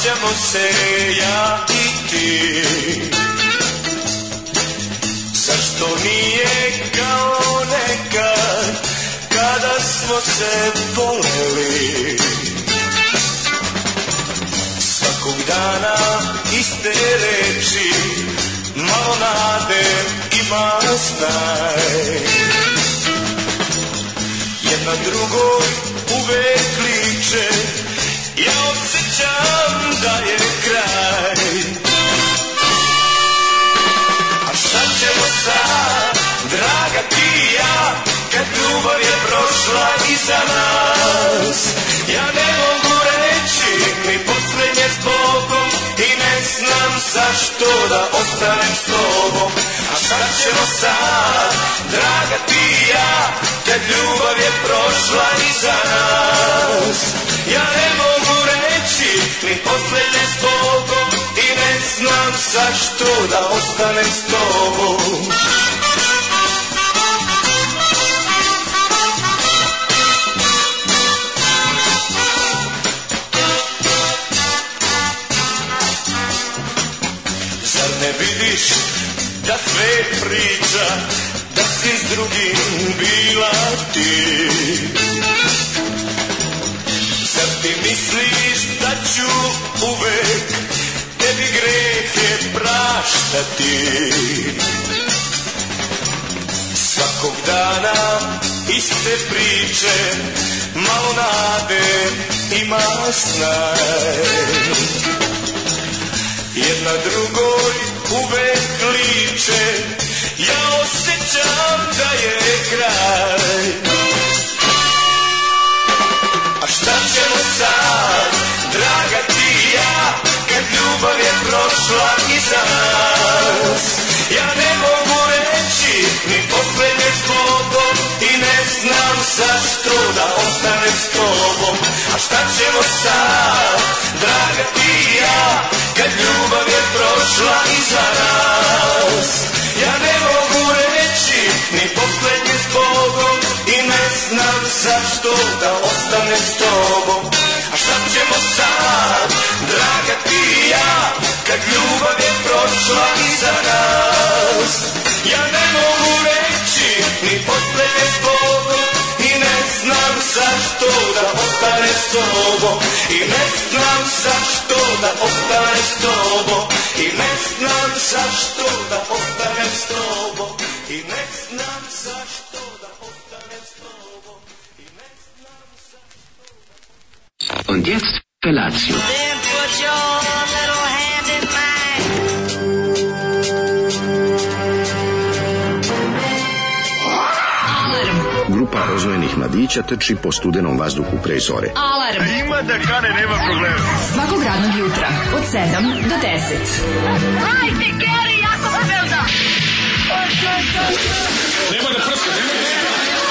svađamo se ja i ti. Zašto nije kao nekad, kada smo se voleli? Svakog dana iste reči, malo nade ima znaj. Jedna drugoj uvek liče, ja osjećam da je kraj. A šta ćemo sad, draga ti i ja, kad ljubav je prošla iza nas? Ja ne mogu reći ni posljednje s Bogom i ne znam zašto da ostanem s tobom. A šta ćemo sad, draga ti i ja, kad ljubav je prošla iza nas? Ja ne mogu reći ni posljednje s Bogom i ne znam zašto da ostanem s tobom. Ne vidiš da sve priča, da si s drugim bila ti? Zar ti misliš da ću uvek tebi grehe praštati? Svakog dana iste priče, malo nade ima snaj. Jedna drugoj uvek liče, ja osjećam da je kraj. A šta ćemo sad, draga ti i ja, kad ljubav je prošla iza nas? Ja ne mogu reći ni posljednje s Bogom i ne znam zašto da ostanem s tobom. A šta ćemo sad, draga ti i ja, kad ljubav je prošla iza nas? Ja ne mogu reći ni posljednje s Bogom i ne znam zašto da ostanem s tobom. A šta ćemo sad, draga ti i ja, kad ljubav je prošla iza nas? Ja ne mogu reći ni posljednje s Bogom i ne znam zašto da ostanem s tobom. I ne znam zašto da ostanem s tobom. I ne znam zašto da ostanem s tobom. I ne znam zašto da ostanem s tobom. I ne znam zašto. Und jetzt Felatio. Then put your little hand in mine. Grupa rozvojenih mladića trči po studenom vazduhu pre zore. Alarm. Ima da kane, nema problema. Svakog radnog jutra od 7 do 10. Hajde, Geri, jako se velda. Nema da prska, nema da prska.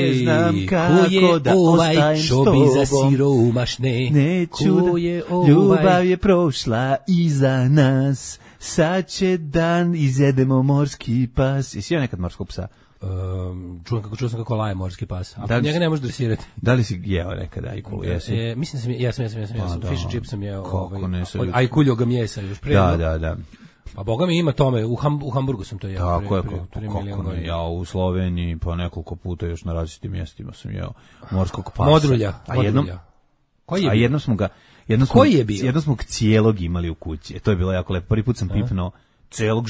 Ne znam kako da ostajem s tobom. Za siromašne? Neću da, ljubav je prošla iza nas. Sad će dan, izjedemo morski pas. Jesi jeo nekad morskog psa? Čuo sam kako laje morski pas. A da njega ne možeš dresirati. Da li si jeo nekada ajkulu? Mislim da sam jesam. Fish and chips sam jeo. Kako ne se... Ajkuljog mjesa još pre. Da. Pa boga mi ima tome, u Hamburgu sam to jeo. Tako je, kako ne, ja u Sloveniji pa nekoliko puta još na različitim mjestima sam jeo morskog pasa. Modrulja. A jednom smo ga cijelog imali u kući. To je bilo jako lepo. Prvi put sam pipnuo celog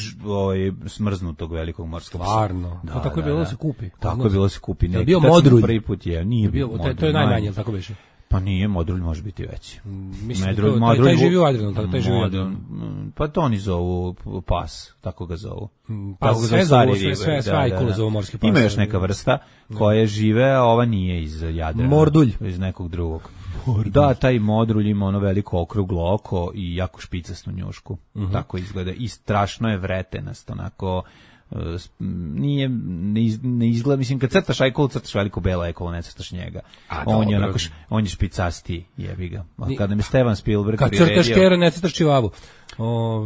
smrznutog velikog morskog psa. Stvarno. Da, tako je bilo da se kupi. Tako je bilo da se kupi. Je bio modrulj. Prvi put je, nije bio modrulj. To je najmanje, tako beše. Pa nije, modrulj može biti veći. Mislim, taj živi u Adranu, taj živi u Adranu. Pa to oni zovu pas, tako ga zovu. Pa sve ajkule zovu morski pas. Ima još neka vrsta koja žive, a ova nije iz Jadrana. Mordulj. Iz nekog drugog. Da, taj modrulj ima ono veliko okruglo oko i jako špicasnu njušku. Tako izgleda. I strašno je vretenast, onako ne izgleda, mislim, kad crtaš ajkulu, crtaš veliko belo ajkulu, ne crtaš njega. On je špicasti, jebi ga. Kada mi Steven Spielberg priredio... Kad crtaš kera, ne crtaš čivavu.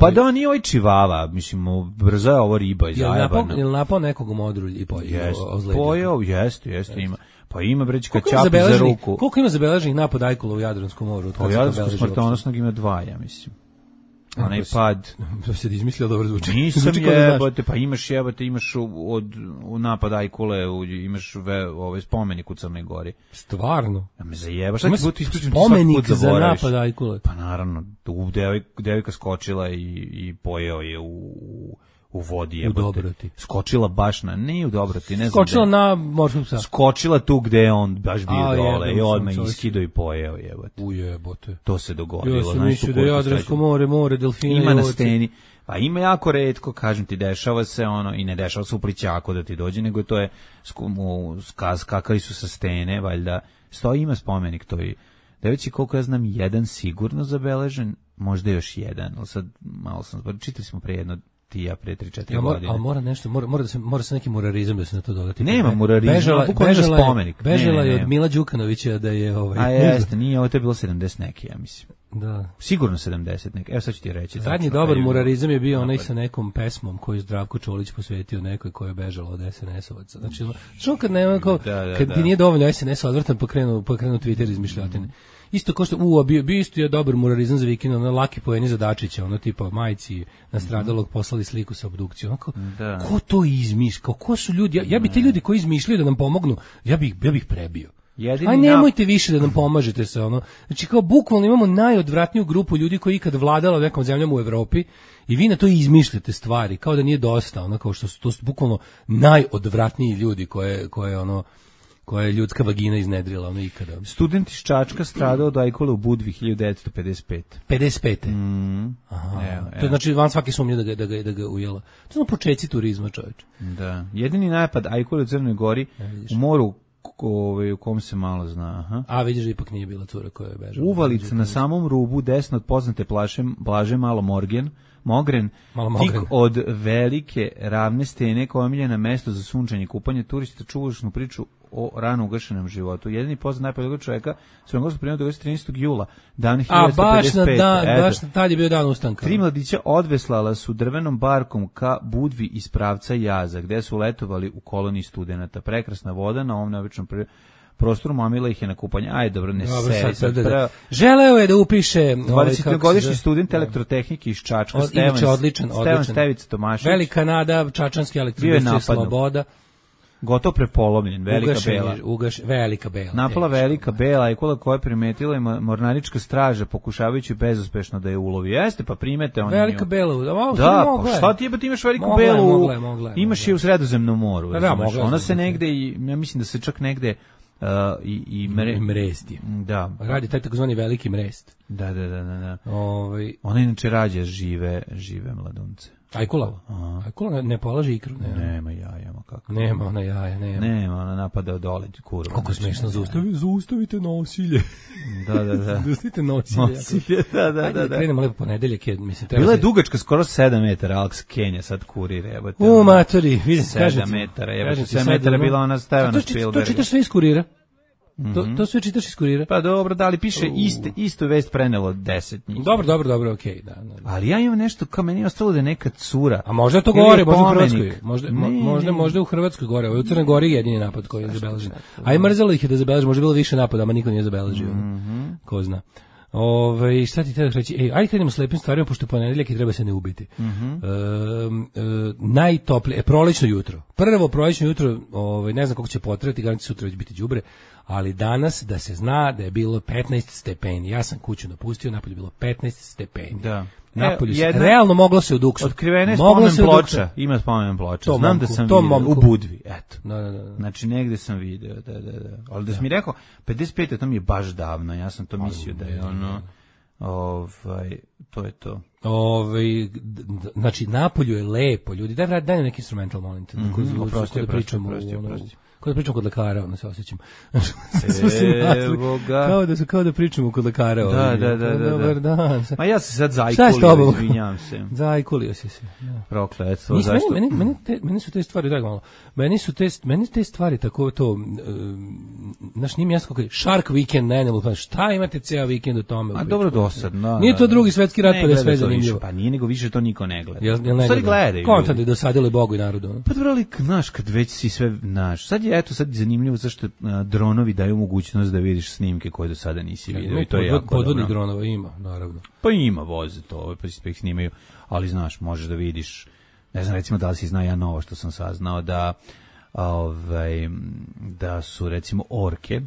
Pa da, nije ovaj čivava, mislim, brzo je ovo riba i zajebana. Je li napao nekog u modru i pojeo? Jeste, ima. Pa ima brećka čapi za ruku. Koliko ima zabeleženih napada ajkula u Jadranskom moru? U Jadranskom smrtonosnog ima 2, ja mislim. Onaj pad. To se izmislio, dobro zvuči. Nisam jebote, pa imaš u napad ajkule, imaš ovaj spomenik u Crnoj Gori. Stvarno? Ja me zajebaš, šta ti budu isključen spomenik za napad ajkule? Pa naravno, devojka skočila i pojeo je u vodi je. U Dobroti. Skočila baš nije u Dobroti, ne znam. Skočila na morskog psa. Skočila tu gde je on baš bio dole i odmah iskido i pojeo jebote. Ujebote. To se dogodilo. Ja sam mislio da je Jadransko more delfina. Ima na steni. Pa ima jako retko, kažem ti, dešava se i ne dešava se u plićaku da ti dođe, nego to je skakali su sa stene, valjda. Ima spomenik to i da već koliko ja znam, jedan sigurno zabeležen, možda još jedan, ali sad malo sam, čitali smo pre jedno pre 3-4 godine. Ali mora nešto, mora se neki murarizam da se na to dodati. Nema murarizma, bukvalno spomenik. Bežala je od Mila Đukanovića da je A jeste, nije, ovo je bilo 70 neki, ja mislim. Da. Sigurno 70 neki. Evo sad ću ti reći. Zadnji dobar murarizam je bio onaj sa nekom pesmom koju Zdravko Čolić posvetio nekoj koja je bežala od SNS-ovaca. Znači, što kad nema kad ti nije dovoljno SNS odvrtan pokrenu Twitter izmišljotine. Isto kao što bio isto je dobar murarizam za vikend, ono laki poeni za Dačića, ono tipa majci nastradalog poslali sliku sa obdukcijom. Ko to izmišlja? Ko su ljudi? Ja bi ti ljudi koji izmišljaju da nam pomognu, ja bih prebio. Aj nemojte više da nam pomažete se ono. Znači kao bukvalno imamo najodvratniju grupu ljudi koji ikad vladala nekom zemljom u Evropi i vi na to izmišljate stvari kao da nije dosta, ono kao što su to bukvalno najodvratniji ljudi koje je ljudska vagina iznedrila ono ikada. Student iz Čačka stradao od ajkule u Budvi 1955. 55. Aha. To znači van svake sumnje da ga ujela. To su početci turizma, čoveče. Da. Jedini napad ajkule u Crnoj Gori u moru u kom se malo zna. Aha. A vidiš da ipak nije bila cura koja je bežala. Uvalica na samom rubu desno od poznate Blaže Mogren, tik od velike ravne stene koja je omiljena mesto za sunčanje i kupanje turista, čuvašnu priču o rano ugašenom životu. Jedini poznat najpoljegog čovjeka Crnogorskog primjera događa 13. jula, dan 1955. Baš tad je bio dan ustanka. 3 mladića odveslala su drvenom barkom ka Budvi iz pravca Jaza, gde su letovali u koloniji studenata. Prekrasna voda na ovom neobičnom prostoru, mamila ih je na kupanje. Ajde, dobro, ne se. Želeo je da upiše 20-godišnji student elektrotehnike iz Čačka, Stevan Stevica Tomašević. Velika nada, čačanski elektroindustrija Sloboda. Gotovo prepolomljen, Velika Bela. Napala Velika Bela i koja je primetila i mornarička straža pokušavajući bezuspešno da je ulovi. Jeste, pa primete oni. Velika Bela, da, pa šta ti ti imaš Veliku Belu? Imaš je u Sredozemnom moru. Ona se negde, ja mislim da se čak negde i mresti. Da. Radi taj takozvani veliki mrest. Da. Ona inače rađa žive mladunce. Ajkula ne polaže ikru. Nema jaja, kako. Nema ona jaja, nema ona napada od dole kurva. Kako smešno, zaustavite nasilje. Da. Zaustavite nasilje. Da. Ajde, krenemo lepo ponedeljak, mislim. Bila je dugačka skoro 7 metara, Alex Kenja sad kurir, jebote. U matori, vidim, 7 metara, jebote, 7 metara bila ona Stevena Spielberga. To čitaš sve iz kurira? To sve čitaš iz kurira? Pa dobro, da li piše istu vest prenelo 10 njih. Dobro, okej, da. Ali ja imam nešto, kao meni je ostalo da je neka cura. A možda to gore, možda u Hrvatskoj. Možda u Hrvatskoj gore. U Crnoj Gori je jedini napad koji je zabeležen. A i mrzelo ih je da zabeleži, možda je bilo više napada, ama niko nije zabeležio. Ko zna. Šta ti treba reći? Ajde krenemo s lepim stvarima, pošto je ponedeljak i treba se ne ubiti. Najtoplije, prolećno jutro. Prvo prolećno jutro, ne znam kako će potrati, garanti sutra već biti đubre, ali danas da se zna da je bilo 15 stepeni. Ja sam kuću napustio, napolje je bilo 15 stepeni. Da. Napolju realno moglo se udukšati. Otkrivene spomen ploča. Ima spomen ploča. Znam da sam vidio u Budvi. Eto. Da. Znači negde sam video. Da. Ali da si mi rekao 55, to mi je baš davno. Ja sam to mislio da je ono To je to. Znači, napolju je lepo, ljudi. Daj nam neki instrumental, molim te. Oprosti. Kao da pričamo kod lekara, ono se osjećam. Evo ga. Kao da pričamo kod lekara. Da. Dobar dan. Ma ja se sad zajkulio, izvinjam se. Zajkulio si se. Ja. Prokletstvo, zašto? Meni su te stvari, daj malo, meni te stvari tako to, znaš, nije mi jasno kako je, Shark Weekend na Animal Planet, šta imate ceo vikend o tome? A dobro, dosadno. Nije to drugi svetski rat, pa da je sve zanimljivo. Pa nije, nego više to niko ne gleda. Jel ne gledaju. Kontant je dosadilo Bogu i narodu. Pa dobro, ali, znaš, kad već si sve, znaš, sad je zanimljivo zašto dronovi daju mogućnost da vidiš snimke koje do sada nisi vidio. I to je jako podvodnih dronova ima, naravno. Pa ima, voze to, pa ih snimaju, ali znaš, možeš da vidiš, ne znam, recimo da li si zna ja novo što sam saznao, da su recimo orke,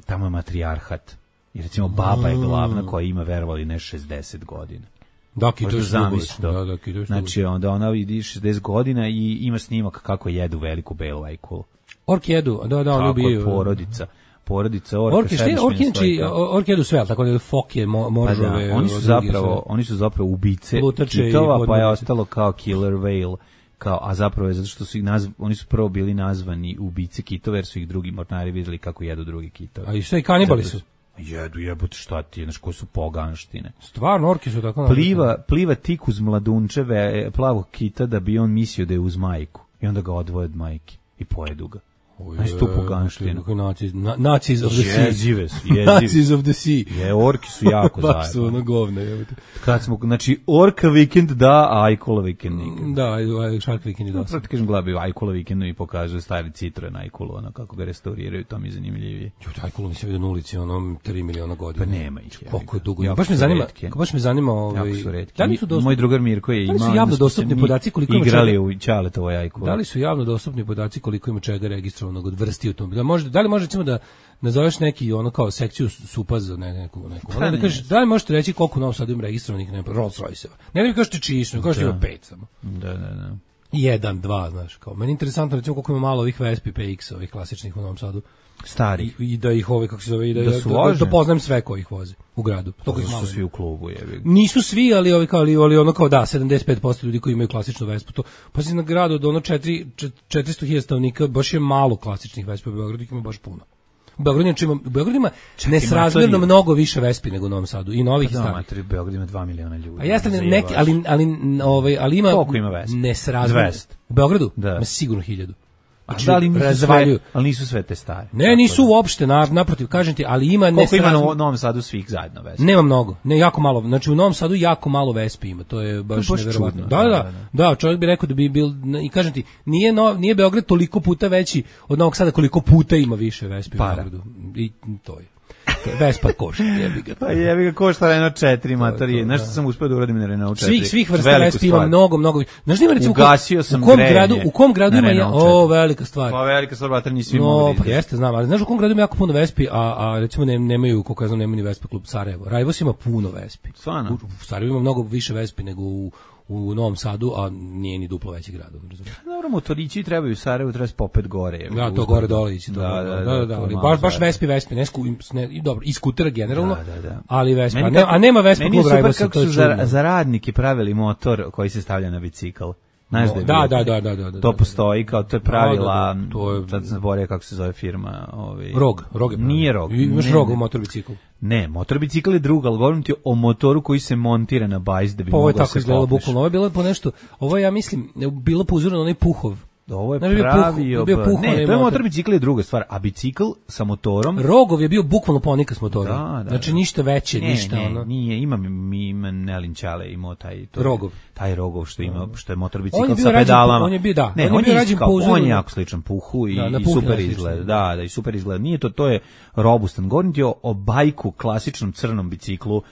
tamo je matrijarhat, i recimo baba je glavna koja ima, verovali ne, 60 godina. Da, kitoš znači, onda ona vidi 60 godina i ima snimak kako jedu veliku belu ajkulu. Orke jedu, da, oni ubijaju. Porodica orke, orke jedu sve, tako da foke, moržove. Da, oni su zapravo ubice kitova, pa je ostalo kao killer whale, a zapravo je zato što su oni su prvo bili nazvani ubice kitova, jer su ih drugi mornari vidjeli kako jedu drugi kitove. A i sve i kanibali su? Jebote, šta ti je, znaš, koje su poganštine. Stvarno, orke su tako... Pliva tik uz mladunčeve plavog kita da bi on mislio da je uz majku. I onda ga odvoje od majke i pojedu ga. Znaš tu poganštinu. Nazis of the sea. Jezive su. Nazis of the sea. Orki su jako zajedno. Baš su ono govne. Kad smo, znači, orka vikend da, a ajkula vikend nikad. Da, Shark Weekend je dosta. Proti kažem, gledaju ajkula vikend i pokazuju stari Citroen ajkulu, ono kako ga restauriraju, to mi je zanimljivije. Ajkulu mi se vidio na ulici, ono, 3 miliona godina. Pa nema ih. Koliko je dugo. Baš me zanima, jako su retki. Moj drugar Mirko je imao. Da li su javno dostupni podaci koliko ima igrali u Ćaletovoj ajkulu? Da li su javno dostupni podaci koliko ima čega registrovanog od vrsti automobila? Da li može recimo da nazoveš neki ono kao sekciju supa za neku. Da kažeš, da li možete reći koliko u Novom Sadu ima registrovanih Rolls Royce-eva? Ne da mi kažete čišno, kažete ima 5 samo. Da. 1, 2, znaš, kao. Meni je interesantno recimo koliko ima malo ovih Vespi PX, ovih klasičnih u Novom Sadu. Stari. I da ih kako se zove, i da poznajem sve koji ih voze u gradu. To su svi u klubu, jebi. Nisu svi, ali ono kao da, 75% ljudi koji imaju klasičnu Vespu. To, pa si na gradu od ono 400.000 stanovnika, baš je malo klasičnih Vespa, u Beogradu ih ima baš puno. U Beogradu ima nesrazmjerno mnogo više Vespi nego u Novom Sadu i novih i starih. U Beogradu ima 2 miliona ljudi. A jeste neki, ali ima koliko ima Vespa? Nesrazmjerno. U Beogradu? Da. Ima sigurno 1000. Ali nisu sve te stare. Ne, nisu uopšte, naprotiv, kažem ti, ali ima koliko ima u Novom Sadu svih zajedno Vespa? Nema mnogo, ne, jako malo. Znači u Novom Sadu jako malo Vespi ima, to je baš neverovatno. Da, čovjek bi rekao da bi bil, i kažem ti, nije Beograd toliko puta veći od Novog Sada koliko puta ima više Vespi u Beogradu. I to je. Vespa košta, jebi ga. Pa jebi ga košta Renault 4 matorije. Znaš što sam uspio da uradim na Renault 4? Svih vrsta Vespa ima mnogo. Znaš da ima recimo ugasio sam u kom gradu ima velika stvar. Pa velika stvar, bater nisi mogli. Pa jeste, znam, ali znaš u kom gradu ima jako puno Vespi, a recimo nemaju, koliko ja znam, nemaju ni Vespa klub Sarajevo. Rajvos ima puno Vespi. Stvarno? U Sarajevu ima mnogo više Vespi nego u Novom Sadu, a nije ni duplo veći grad. Dobro, motorići trebaju u Sarajevu, treba se popet gore. Da, to gore dole ići. Da, baš Vespi, dobro, i skutera generalno, ali Vespi. A nema Vespa klub Rajvosa. Meni super kako su za radnike pravili motor koji se stavlja na bicikl. Da. To postoji, kao to je pravila, sad sam zaboravio kako se zove firma. Rog. Nije Rog. Imaš Rog u motorbiciklu. Ne, motorbicikl je drugo, ali govorim ti o motoru koji se montira na bajs da bi mogao se popneš. Ovo je tako izgledalo bukvalno, ovo je bilo po nešto, ovo ja mislim, bilo po uzoru na onaj Puhov. Ovo je pravio... Ne, to je motorbicikl je druga stvar, a bicikl sa motorom... Rogov je bio bukvalno ponika s motorom. Znači ništa veće, ništa ono. Nije, ima Nelin Ćale imao taj... Rogov. Taj Rogov što je motorbicikl sa pedalama. On je bio, da. On je jako sličan Puhu i super izgleda. Da, i super izgleda. Nije to je robustan. Govorim ti o bajku, klasičnom crnom biciklu,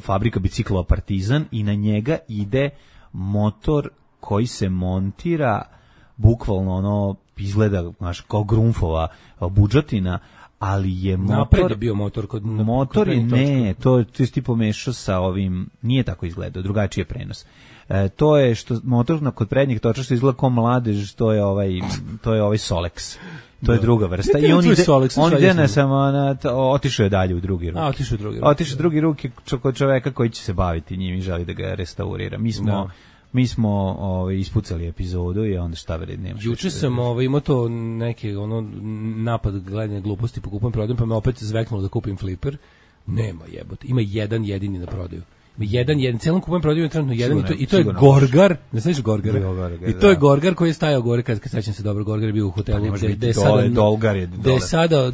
fabrika biciklova Partizan i na njega ide motor koji se montira bukvalno izgleda kao grunfova budžetina, ali je motor... Napred je bio motor kod... Motor je, ne, to je ti pomešao sa ovim, nije tako izgledao, drugačiji je prenos. To je što motor kod prednjeg toča što izgleda kao mladež, to je ovaj Solex. To je druga vrsta. I on ide na samo otišao je dalje u drugi ruke. Otišao drugi ruke kod čoveka koji će se baviti njim i želi da ga restaurira. Mi smo ispucali epizodu i onda šta vred nema. Juče sam imao to neke napad gledanja gluposti po kupujem prodajem, pa me opet zveknulo da kupim fliper. Nema jebote. Ima jedan jedini na prodaju. Jedan, celom kupujem prodaju trenutno jedan i to je Gorgar, ne znaš Gorgara? I to je Gorgar koji je stajao gore, kad sećam se dobro, Gorgar je bio u hotelu gde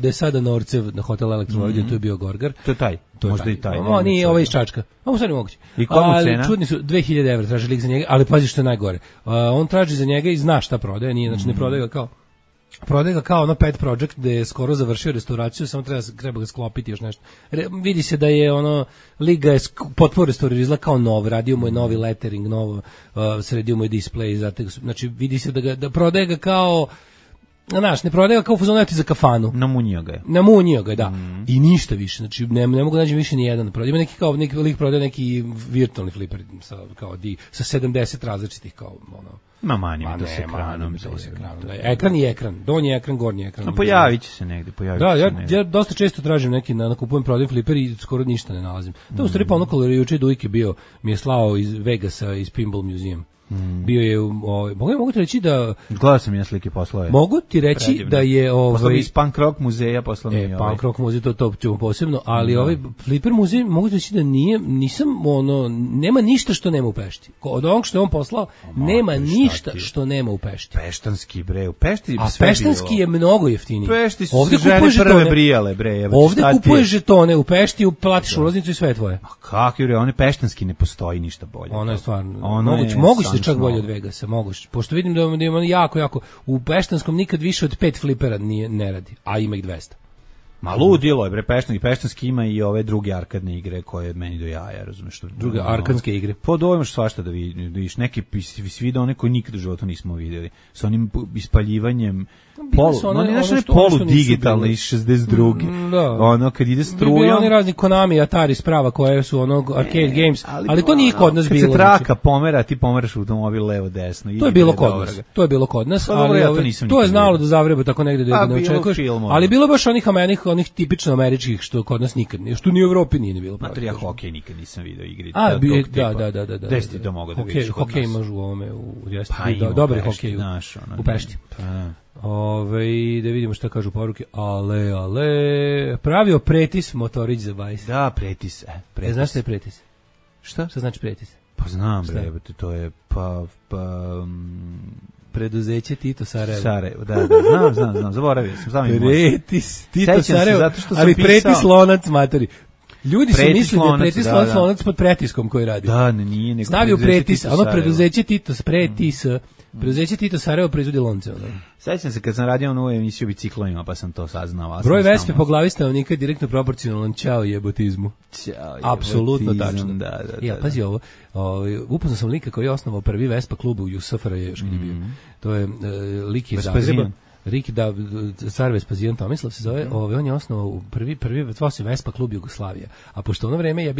je sada Norcev na hotel Elektrovođe, to je bio Gorgar. To je taj, možda i taj. Nije ovaj iz Čačka, ovo sad ne moguće. I komu cena? Čudni su, 2000 evra traži lik za njega, ali pazi što je najgore. On traži za njega i zna šta prodaje, nije, znači ne prodaje ga kao ono pet project gde je skoro završio restauraciju, samo treba ga sklopiti još nešto. Vidi se da je liga je potpuno restaurirao, izgleda kao nov, radio mu je novi lettering, novo, sredio mu je display, znači vidi se da prodaje ga kao, znaš, ne prodaje ga kao fuzoneti za kafanu. Namunio ga je, da. I ništa više, znači ne mogu naći više ni jedan. Ima neki lik prodaje neki virtualni fliper sa 70 različitih kao manjima to se ekranom. Ekran i ekran, donji ekran, gornji ekran. Pojavit će se negde. Ja dosta često tražim neki na kupujem prodajem fliper i skoro ništa ne nalazim. To u stvari pa ono kada je juče Dujke bio, mi je slao iz Vegasa, iz Pinball Museum. Bio je mogu ti reći da gledao sam ja slike poslove. Mogu ti reći predivno. Da je iz Punk Rock muzeja poslao mi Punk Rock muzej to ćemo posebno, ali ovaj Flipper muzej mogu ti reći da nisam nema ništa što nema u Pešti. Od onog što je on poslao nema ništa što nema u Pešti. Peštanski bre, u Pešti a Peštanski je mnogo jeftiniji. Pešti su ovde žene prve brijale bre. Ovde kupuješ žetone u Pešti, platiš ulaznicu i sve tvoje. A kako je on Peštanski ne postoji ništa bolje. Ono je stvarno moguće čak bolje od Vegasa, moguće. Pošto vidim da ima jako, u Peštanskom nikad više od 5 flipera ne radi, a ima ih 200. Ma ludilo je, bre, Peštanski ima i ove druge arkadne igre koje meni do jaja, razumeš što? Druge arkadske igre. Pa dojmaš svašta da vidiš, neki vide one koje nikad u životu nismo vidjeli, sa onim ispaljivanjem polu digitalne iz 62. Ono kad ide strujom. Bili oni razni Konami, Atari sprava koje su arcade games, ali to nije kod nas bilo. Kad se traka pomera, ti pomeraš automobil levo desno. To je bilo kod nas, ali to je znalo da zavreba tako negde da ne očekuješ. Ali bilo baš onih tipično američkih što kod nas nikad nije, što ni u Evropi nije bilo. Ja hokej nikad nisam video igri. Da. Gde si ti to mogao da vidiš? Hokej imaš u ovome, dobri hokej u Pešti. Da vidimo šta kažu poruke. Ale, pravio pretis motorić za bajs. Da, pretis. Znaš šta je pretis? Šta znači pretis? Pa znam, bre, to je preduzeće Tito Sarajevo. Da, znam, zaboravio sam. Pretis, Tito Sarajevo, ali pretis lonac matori. Ljudi su mislili da je pretis lonac pod pretiskom koji radi. Da, nije nego. Stavio pretis, preduzeće Tito, pretis, preduzeće Tito Sarajevo proizvodi lonce. Sećam se kad sam radio novu emisiju o biciklovima, pa sam to saznao. Broj Vespe po glavi stanovnika je direktno proporcionalan ćao jebotizmu. Apsolutno tačno. Da. Ja, pazi ovo, upoznao sam lika koji je osnovao prvi Vespa klub u SFRJ još kad je bio. To je lik iz Zagreba. Car Vespazijan Tomislav se zove, on je osnovao prvi zvao se Vespa klub Jugoslavija, a pošto ono vreme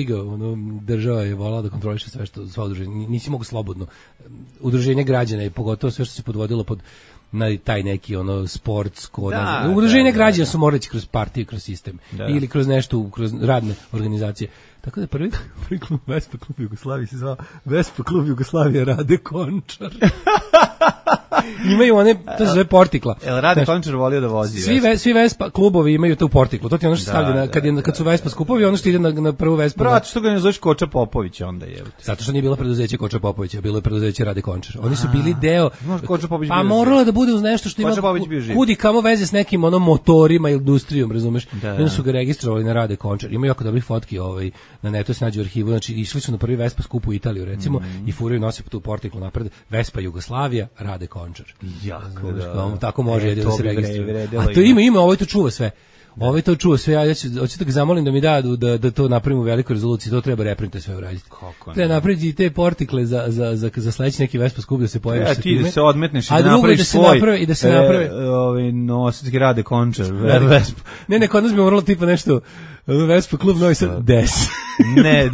država je volala da kontroliše sve što sva udruženja, nisi mogu slobodno udruženje građana i pogotovo sve što se podvodilo pod na taj neki sportsko udruženje građana su morali kroz partiju, kroz sistem ili kroz nešto, kroz radne organizacije. Tako da prvi klub Vespa klub Jugoslavije se zvao Vespa klub Jugoslavija Rade Končar. Imaju one, to se zove Portikla. Rade Končar volio da vozi. Svi Vespa klubovi imaju to u Portiklu. To ti ono što stavlja kad su Vespa skupovi, ono što ide na prvu Vespu. Brate, što ga ne zoveš Koča Popović onda je. Zato što nije bilo preduzeće Koča Popovića, bilo je preduzeće Rade Končar. Oni su bili deo. Koča Popović bio. Pa moralo da bude uz nešto što ima kudi kamo veze s nekim motorima i industrijom, razumeš? Oni su ga registrovali na Rade Končar. Ima jako dobrih fotki na netu se nađe u arhivu, znači išli su na prvi Vespa skup u Italiju recimo i furaju nose po tu Portiklu napred Vespa Jugoslavija Rade Končar. Tako može jedino da se registruje. A to ima, ovo to čuva sve. Ovo to čuva sve, ja hoću da ga zamolim da mi da to napravimo u velikoj rezoluciji, to treba reprinte sve uraditi. Treba napraviti te Portikle za sledeći neki Vespa skup da se pojaviš sa time. Ti da se odmetneš i da napraviš svoj nosački Rade Končar. Ne, kod nas bi moralo tipa nešto Vespa klub Novi Sad, Des. Ne,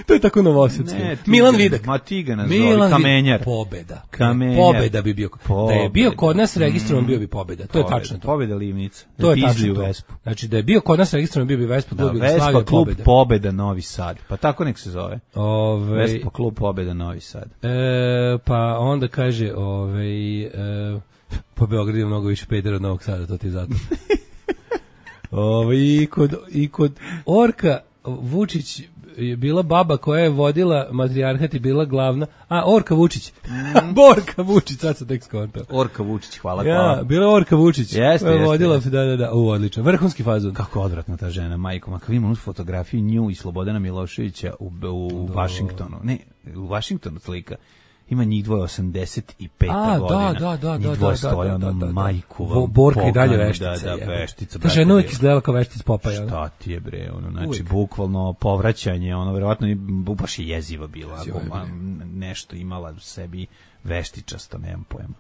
To je tako novosadski. Milan Vidak. Ma ti ga nazvali, Kamenjar. Pobeda. Kamenjar. Pobeda bi bio. Da je bio kod nas registrovan, bio bi Pobeda. To je tačno to. Pobeda Livnica. To je tačno to. Znači da je bio kod nas registrovan, bio bi Vespa klub Vespa klub Pobeda Novi Sad. Pa tako nek se zove. Vespa klub Pobeda Novi Sad. Pa onda kaže, po Beogradu je mnogo više pedera od Novog Sada, to ti zato. I kod Orka Vučić je bila baba koja je vodila matrijarhat i bila glavna. Orka Vučić. Borka Vučić, sad sam tek skontao. Orka Vučić, hvala. Ja, bila Orka Vučić. Jeste. Vodila, da. Odlično. Vrhunski fazon. Kako odvratna ta žena, majko. Ako imamo fotografiju nju i Slobodana Miloševića u Vašingtonu. Ne, u Vašingtonu slika. Ima njih dvoje 85. godina. Da. Njih dvoje stoje, majku. Borka i dalje veštica. Da, veštica. Ta žena uvijek izgledala kao veštica Popaja. Šta ti je bre, znači bukvalno povraćanje, verovatno baš je jeziva bila. Nešto imala u sebi veštičasto, nemam pojma.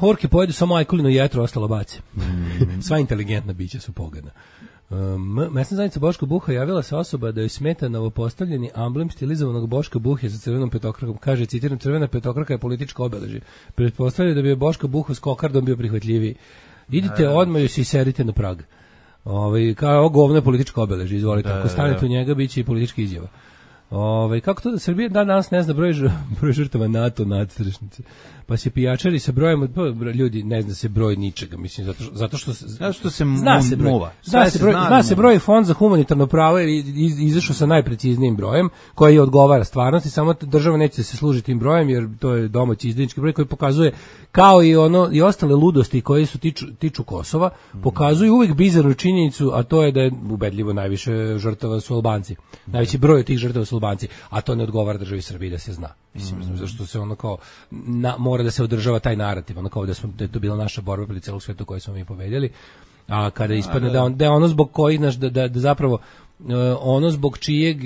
Orke pojedu samo ajkulinu jetru, ostalo baci. Sva inteligentna bića su pogadna. Mesna zajednica Boška Buha javila se osoba da joj smeta novopostavljeni amblem stilizovanog Boška Buhe sa crvenom petokrakom. Kaže, citiram, crvena petokraka je političko obeležje. Pretpostavljaju da bi je Boška Buha s kokardom bio prihvatljiviji. Idite odmah i se serite na prag. Kao govno je političko obeležje, izvolite. Ako stanete u njega, bit će i politička izjava. Kako to da Srbija danas ne zna broj žrtava NATO nadstrešnice? Pa se pijačari sa brojem, ljudi ne zna se broj ničega, mislim, zato što se zna se broj. Zna se broj Fond za humanitarno pravo je izašao sa najpreciznijim brojem koji odgovara stvarnosti, samo država neće se služiti tim brojem jer to je domaći izdajnički broj koji pokazuje kao i ostale ludosti koje su tiču Kosova, pokazuju uvijek bizarnu činjenicu, a to je da je ubedljivo najviše žrtava su Albanci. Najveći broj od tih žrtava su Albanci, a to ne odgovara državi Srbiji da se zna. Mislim, zašto se ono kao mora da se održava taj narativ, ono kao da je to bila naša borba protiv celog sveta koju smo mi pobedili, a kada ispadne da je ono zbog kojih da zapravo ono zbog čijeg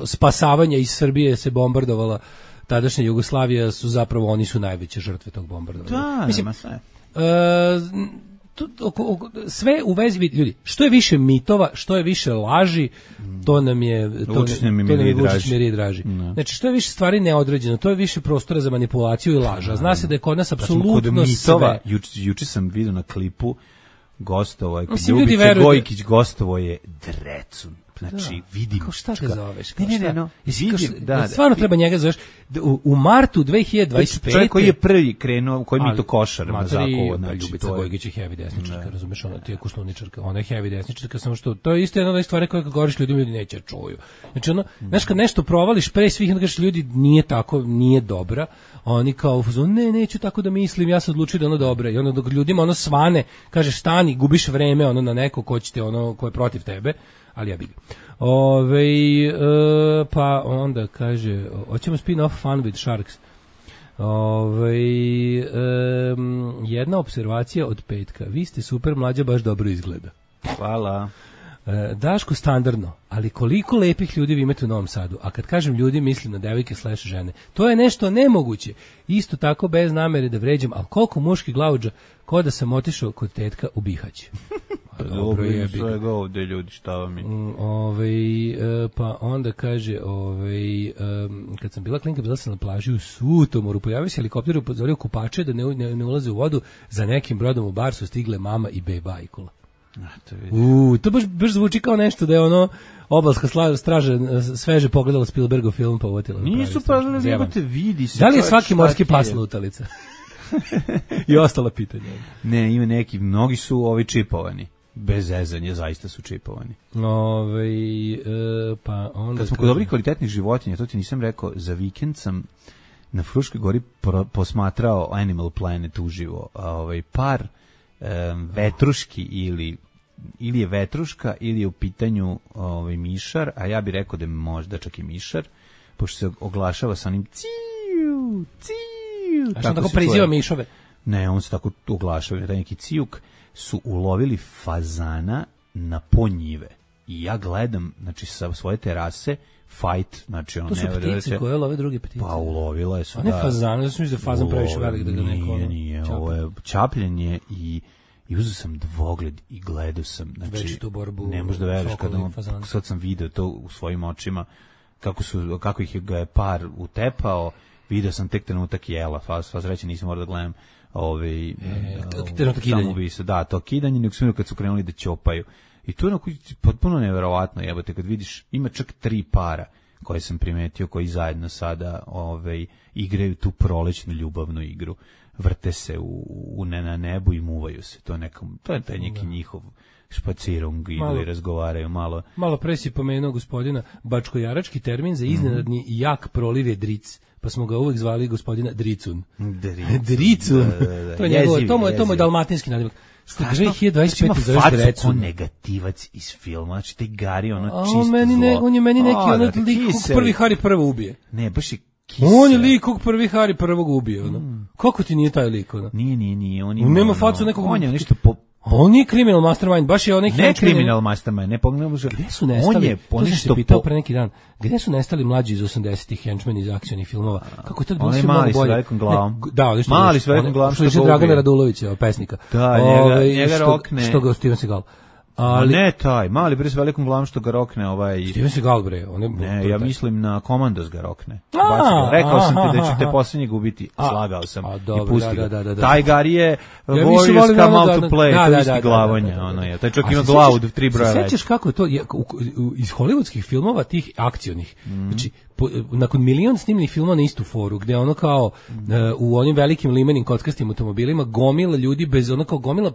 spasavanja iz Srbije se bombardovala tadašnja Jugoslavija su zapravo oni su najveće žrtve tog bombardovanja. Mislim, sve u vezi, ljudi, što je više mitova, što je više laži, to nam je Vučić miri draži. Znači, što je više stvari neodređeno, to je više prostora za manipulaciju i laža. Zna se da je kod nas apsolutno sve. Juče sam vidio na klipu gostovo je, Ljubica Gojkić gostovo je Drecun. Znači, vidim. Šta te zoveš? Ne. Stvarno treba njega zoveš. U martu 2025. Čovjek koji je prvi krenuo, koji mi to košar na zakovo. Ljubica Gojkić je heavy desničarka, razumeš, ona ti je kušlovničarka, ona je heavy desničarka, samo što, to je isto jedna od stvari koje kad govoriš ljudima, ljudi neće čuju. Znači, znaš, kad nešto provališ pre svih, onda kažeš, ljudi, nije tako, nije dobra, oni kao, neću tako da mislim, ja sam odlučio da ono dobra, i onda dok ljudima ono svane, kažeš, stani, gubiš vreme, ono na neko ko je protiv tebe, ali ja bih. Pa onda kaže, hoćemo spin-off Fun with Sharks. Jedna observacija od petka. Vi ste super, Mlađa baš dobro izgleda. Hvala. Daško, standardno, ali koliko lepih ljudi vi imate u Novom Sadu, a kad kažem ljudi mislim na devojke / žene, to je nešto nemoguće, isto tako bez namere da vređam, ali koliko muški glavuđa, ko da sam otišao kod tetka u Bihać. Dobro je svega ovde ljudi, šta vam je? Pa onda kaže, kad sam bila klinka, bila sam na plaži u Sutomoru, pojavio se helikopter, upozorio kupače da ne ulaze u vodu, za nekim brodom u bar su stigle mama i beba Ajkula. To baš zvuči kao nešto da je ono obalska straža sveže pogledala Spielbergov film pa uvotila. Nisu pa jebote, vidi se. Da li je svaki morski pas lutalica? I ostala pitanja. Ne, ima neki, mnogi su čipovani. Bez zezanja, zaista su čipovani. Pa onda kad smo kod dobrih kvalitetnih životinja, to ti nisam rekao, za vikend sam na Fruškoj gori posmatrao Animal Planet uživo. Par vetruški ili je vetruška ili je u pitanju mišar, a ja bih rekao da je možda čak i mišar, pošto se oglašava sa onim ciu, ciu. A što tako priziva mišove? Ne, on se tako oglašava, taj neki cijuk, su ulovili fazana na ponjive. I ja gledam, znači, sa svoje terase, fight, znači ono... To su ptice koje love druge ptice. Pa ulovila je su, da. A ne fazan, ja sam mislim da fazan previše velik da ga neko... Nije, ovo je čapljenje i I uzeo sam dvogled i gledao sam, znači, već tu borbu, ne možeš da veruješ kada sad sam video to u svojim očima, kako ih ga je par utepao, video sam tek trenutak jela, sva sreća nisam morao da gledam samoubistvo, da, to kidanje, nego sam kad su krenuli da ćopaju. I to je potpuno neverovatno, jebote, kad vidiš, ima čak 3 para koje sam primetio, koji zajedno sada igraju tu prolećnu ljubavnu igru. Vrte se na nebu i muvaju se. To je taj neki njihov špacirung, idu i razgovaraju malo. Malo pre si pomenuo gospodina, bačkojarački termin za iznenadni jak proliv je dric, pa smo ga uvek zvali gospodina Dricun. Dricun. To je njegovo, to je dalmatinski nadimak. Strašno, 2025 ima facu ko negativac iz filma, znači taj Gari, čisto zlo. On je meni neki lik kog prvi Hari prvo ubije. Ne, baš je kisel. On je lik kog prvi Hari prvog ubije. Kako ti nije taj lik? Nije. On nema facu nekog... On je nešto on nije criminal mastermind, baš je onaj... Ne criminal mastermind, ne pogledamo. Gde su nestali, to sam se pitao pre neki dan, gde su nestali mlađi iz 80-ih henčmeni iz akcionih filmova? Kako je to bilo sve mnogo bolje? Mali s velikom glavom. Mali s velikom glavom što je Dragana Radulovića, pesnika. Da, njega rokne. Što ga Steven Seagal. Ali ne taj, mali bre s velikom glavom što ga rokne Steven Seagal bre, ne, ja mislim na Komandos ga rokne. Rekao sam ti da ću te poslednjeg ubiti, slagao sam i pustio. Taj Gari je Warriors come out to play, to isti glavonja, je. Taj čovjek ima glavu 3 broja veće. Sećaš kako je to iz hollywoodskih filmova tih akcionih, znači nakon milion snimljenih filmova na istu foru, gde ono kao u onim velikim limenim kockastim automobilima gomila ljudi bez ono kao gomila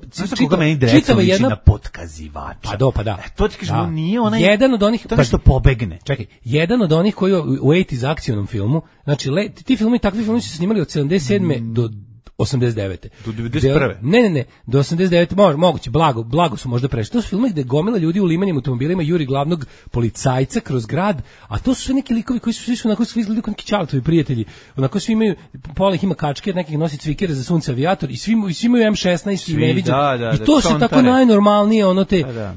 čitava jedna na potkazivača. Pa da. To ti kažemo, nije onaj jedan od onih to nešto pobegne. Čekaj, jedan od onih koji u 80 akcionom filmu, znači ti filmovi, takvi filmovi su se snimali od 77. do 89. Do 91. Ne, do 89. Moguće, blago su možda prešli. To su filmovi gde gomila ljudi u limenim automobilima juri glavnog policajca kroz grad, a to su sve neki likovi koji su svi onako svi izgledaju kao neki Čaletovi prijatelji. Onako svi imaju, pola ih ima kačke, nekih nosi cvikere za sunce avijator i svi imaju M16 i neviđen. I to se tako najnormalnije,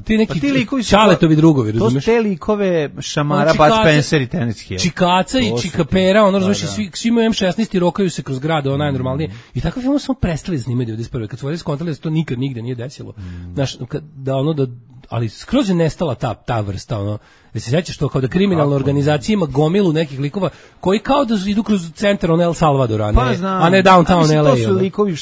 ti neki Čaletovi drugovi, razumeš? To su te likove Šamara, Bud Spencer i Terence Hill. Čikaca i Čikapera, razumeš, svi imaju M16 i rokaju se kroz grad, najnormalnije. I takve filmove smo prestali snimati 91. Kad su ovdje skontali da se to nikad nigde nije desilo. Znaš, ali skroz je nestala ta vrsta, da se sećaš to kao da kriminalna organizacija ima gomilu nekih likova koji kao da idu kroz centar El Salvadora, a ne downtown LA. To su likovi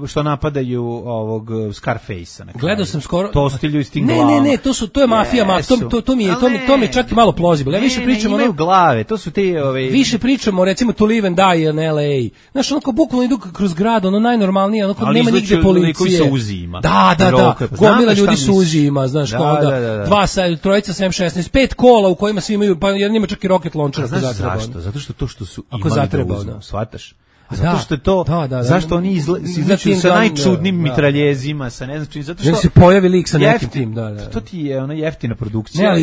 što napadaju ovog Scarface-a. Gledao sam skoro. To stilju iz tim glavama. Ne, to je mafija, to mi je čak i malo plausible. Ja više pričam imaju glave, to su ti više pričamo recimo To Live and Die in LA. Znaš, onako bukvalno idu kroz grad, najnormalnije, nema nigde policije. Da. Gomila ljudi su uzima, znaš, kao da. Trojica sa M16 5 kola u kojima svi imaju, pa jedan ima čak i rocket launcher. Znaš zašto? Zato što to što su imali da uzmu, shvataš? Zato što je to, zašto oni izlačuju sa najčudnim mitraljezima, sa ne znam čim, zato što se pojavi lik sa nekim tim, to ti je ona jeftina produkcija.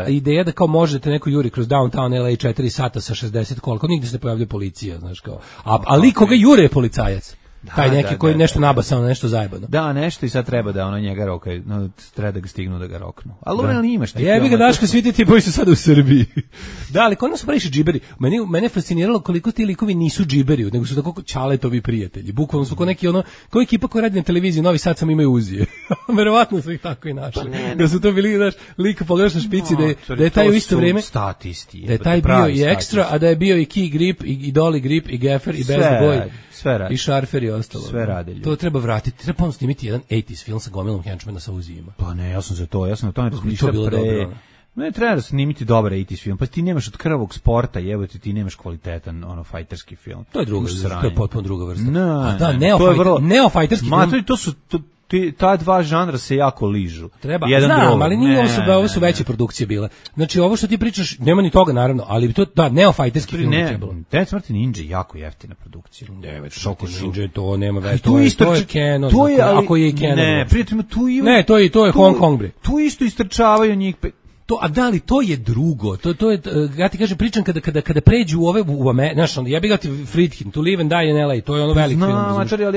Ideja da kao možete neko juri kroz downtown LA 4 sata sa 60 kola, nigde se ne pojavlja policija, znaš kao, a lik koga jure je policajac. Taj neki koji nešto nabasao, nešto zajebano. Da, nešto i sad treba da njega rokaju, treba da ga stignu da ga roknu. Ali imaš ti. Jebi ga Daško, svi ti boji su sad u Srbiji. Da, ali kod nas su previše džiberi. Mene je fasciniralo koliko ti likovi nisu džiberi, nego su tako Čaletovi prijatelji. Bukvalno su kao neki kao ekipa koja radi na televiziji, Novi Sad sam imaju uzije. Verovatno su ih tako i našli. Da su to bili, znaš, lik pogledaš na špici da je taj u isto vrijeme statisti. Da je taj bio i ekstra, a da je bio i Key Grip, i Dolly Grip, i Gaffer, i Best Boy. I Šarfer i ostalo. Sve rade. To treba vratiti. Treba ponovno snimiti jedan 80s film sa gomilom henčmena sa uzijima. Pa ne, ja sam za to. Ja sam na tome razmišljao pre. Ne, treba da snimiti dobar 80s film. Pa ti nemaš od krvavog sporta, jebote, ti nemaš kvalitetan fajterski film. To je druga vrsta. To je potpuno druga vrsta. Neofajterski film. To su ta dva žanra se jako ližu. Ali nije ovo su veće produkcije bile. Znači ovo što ti pričaš, nema ni toga naravno, ali to neofajterski film je trebalo. Dead Smrti Ninja jako jeftina produkcija. Šoko Ninja to nema veze. To je Canon. Ako je Canon. Ne, prijateljima tu ima. Ne, to je Hong Kong bre. Tu isto istrčavaju njih. A da li to je drugo? To je, ja ti kažem, pričam kada pređu u ove znaš, ja bih ga ti Friedkin, To Live and Die in LA, to je velik film.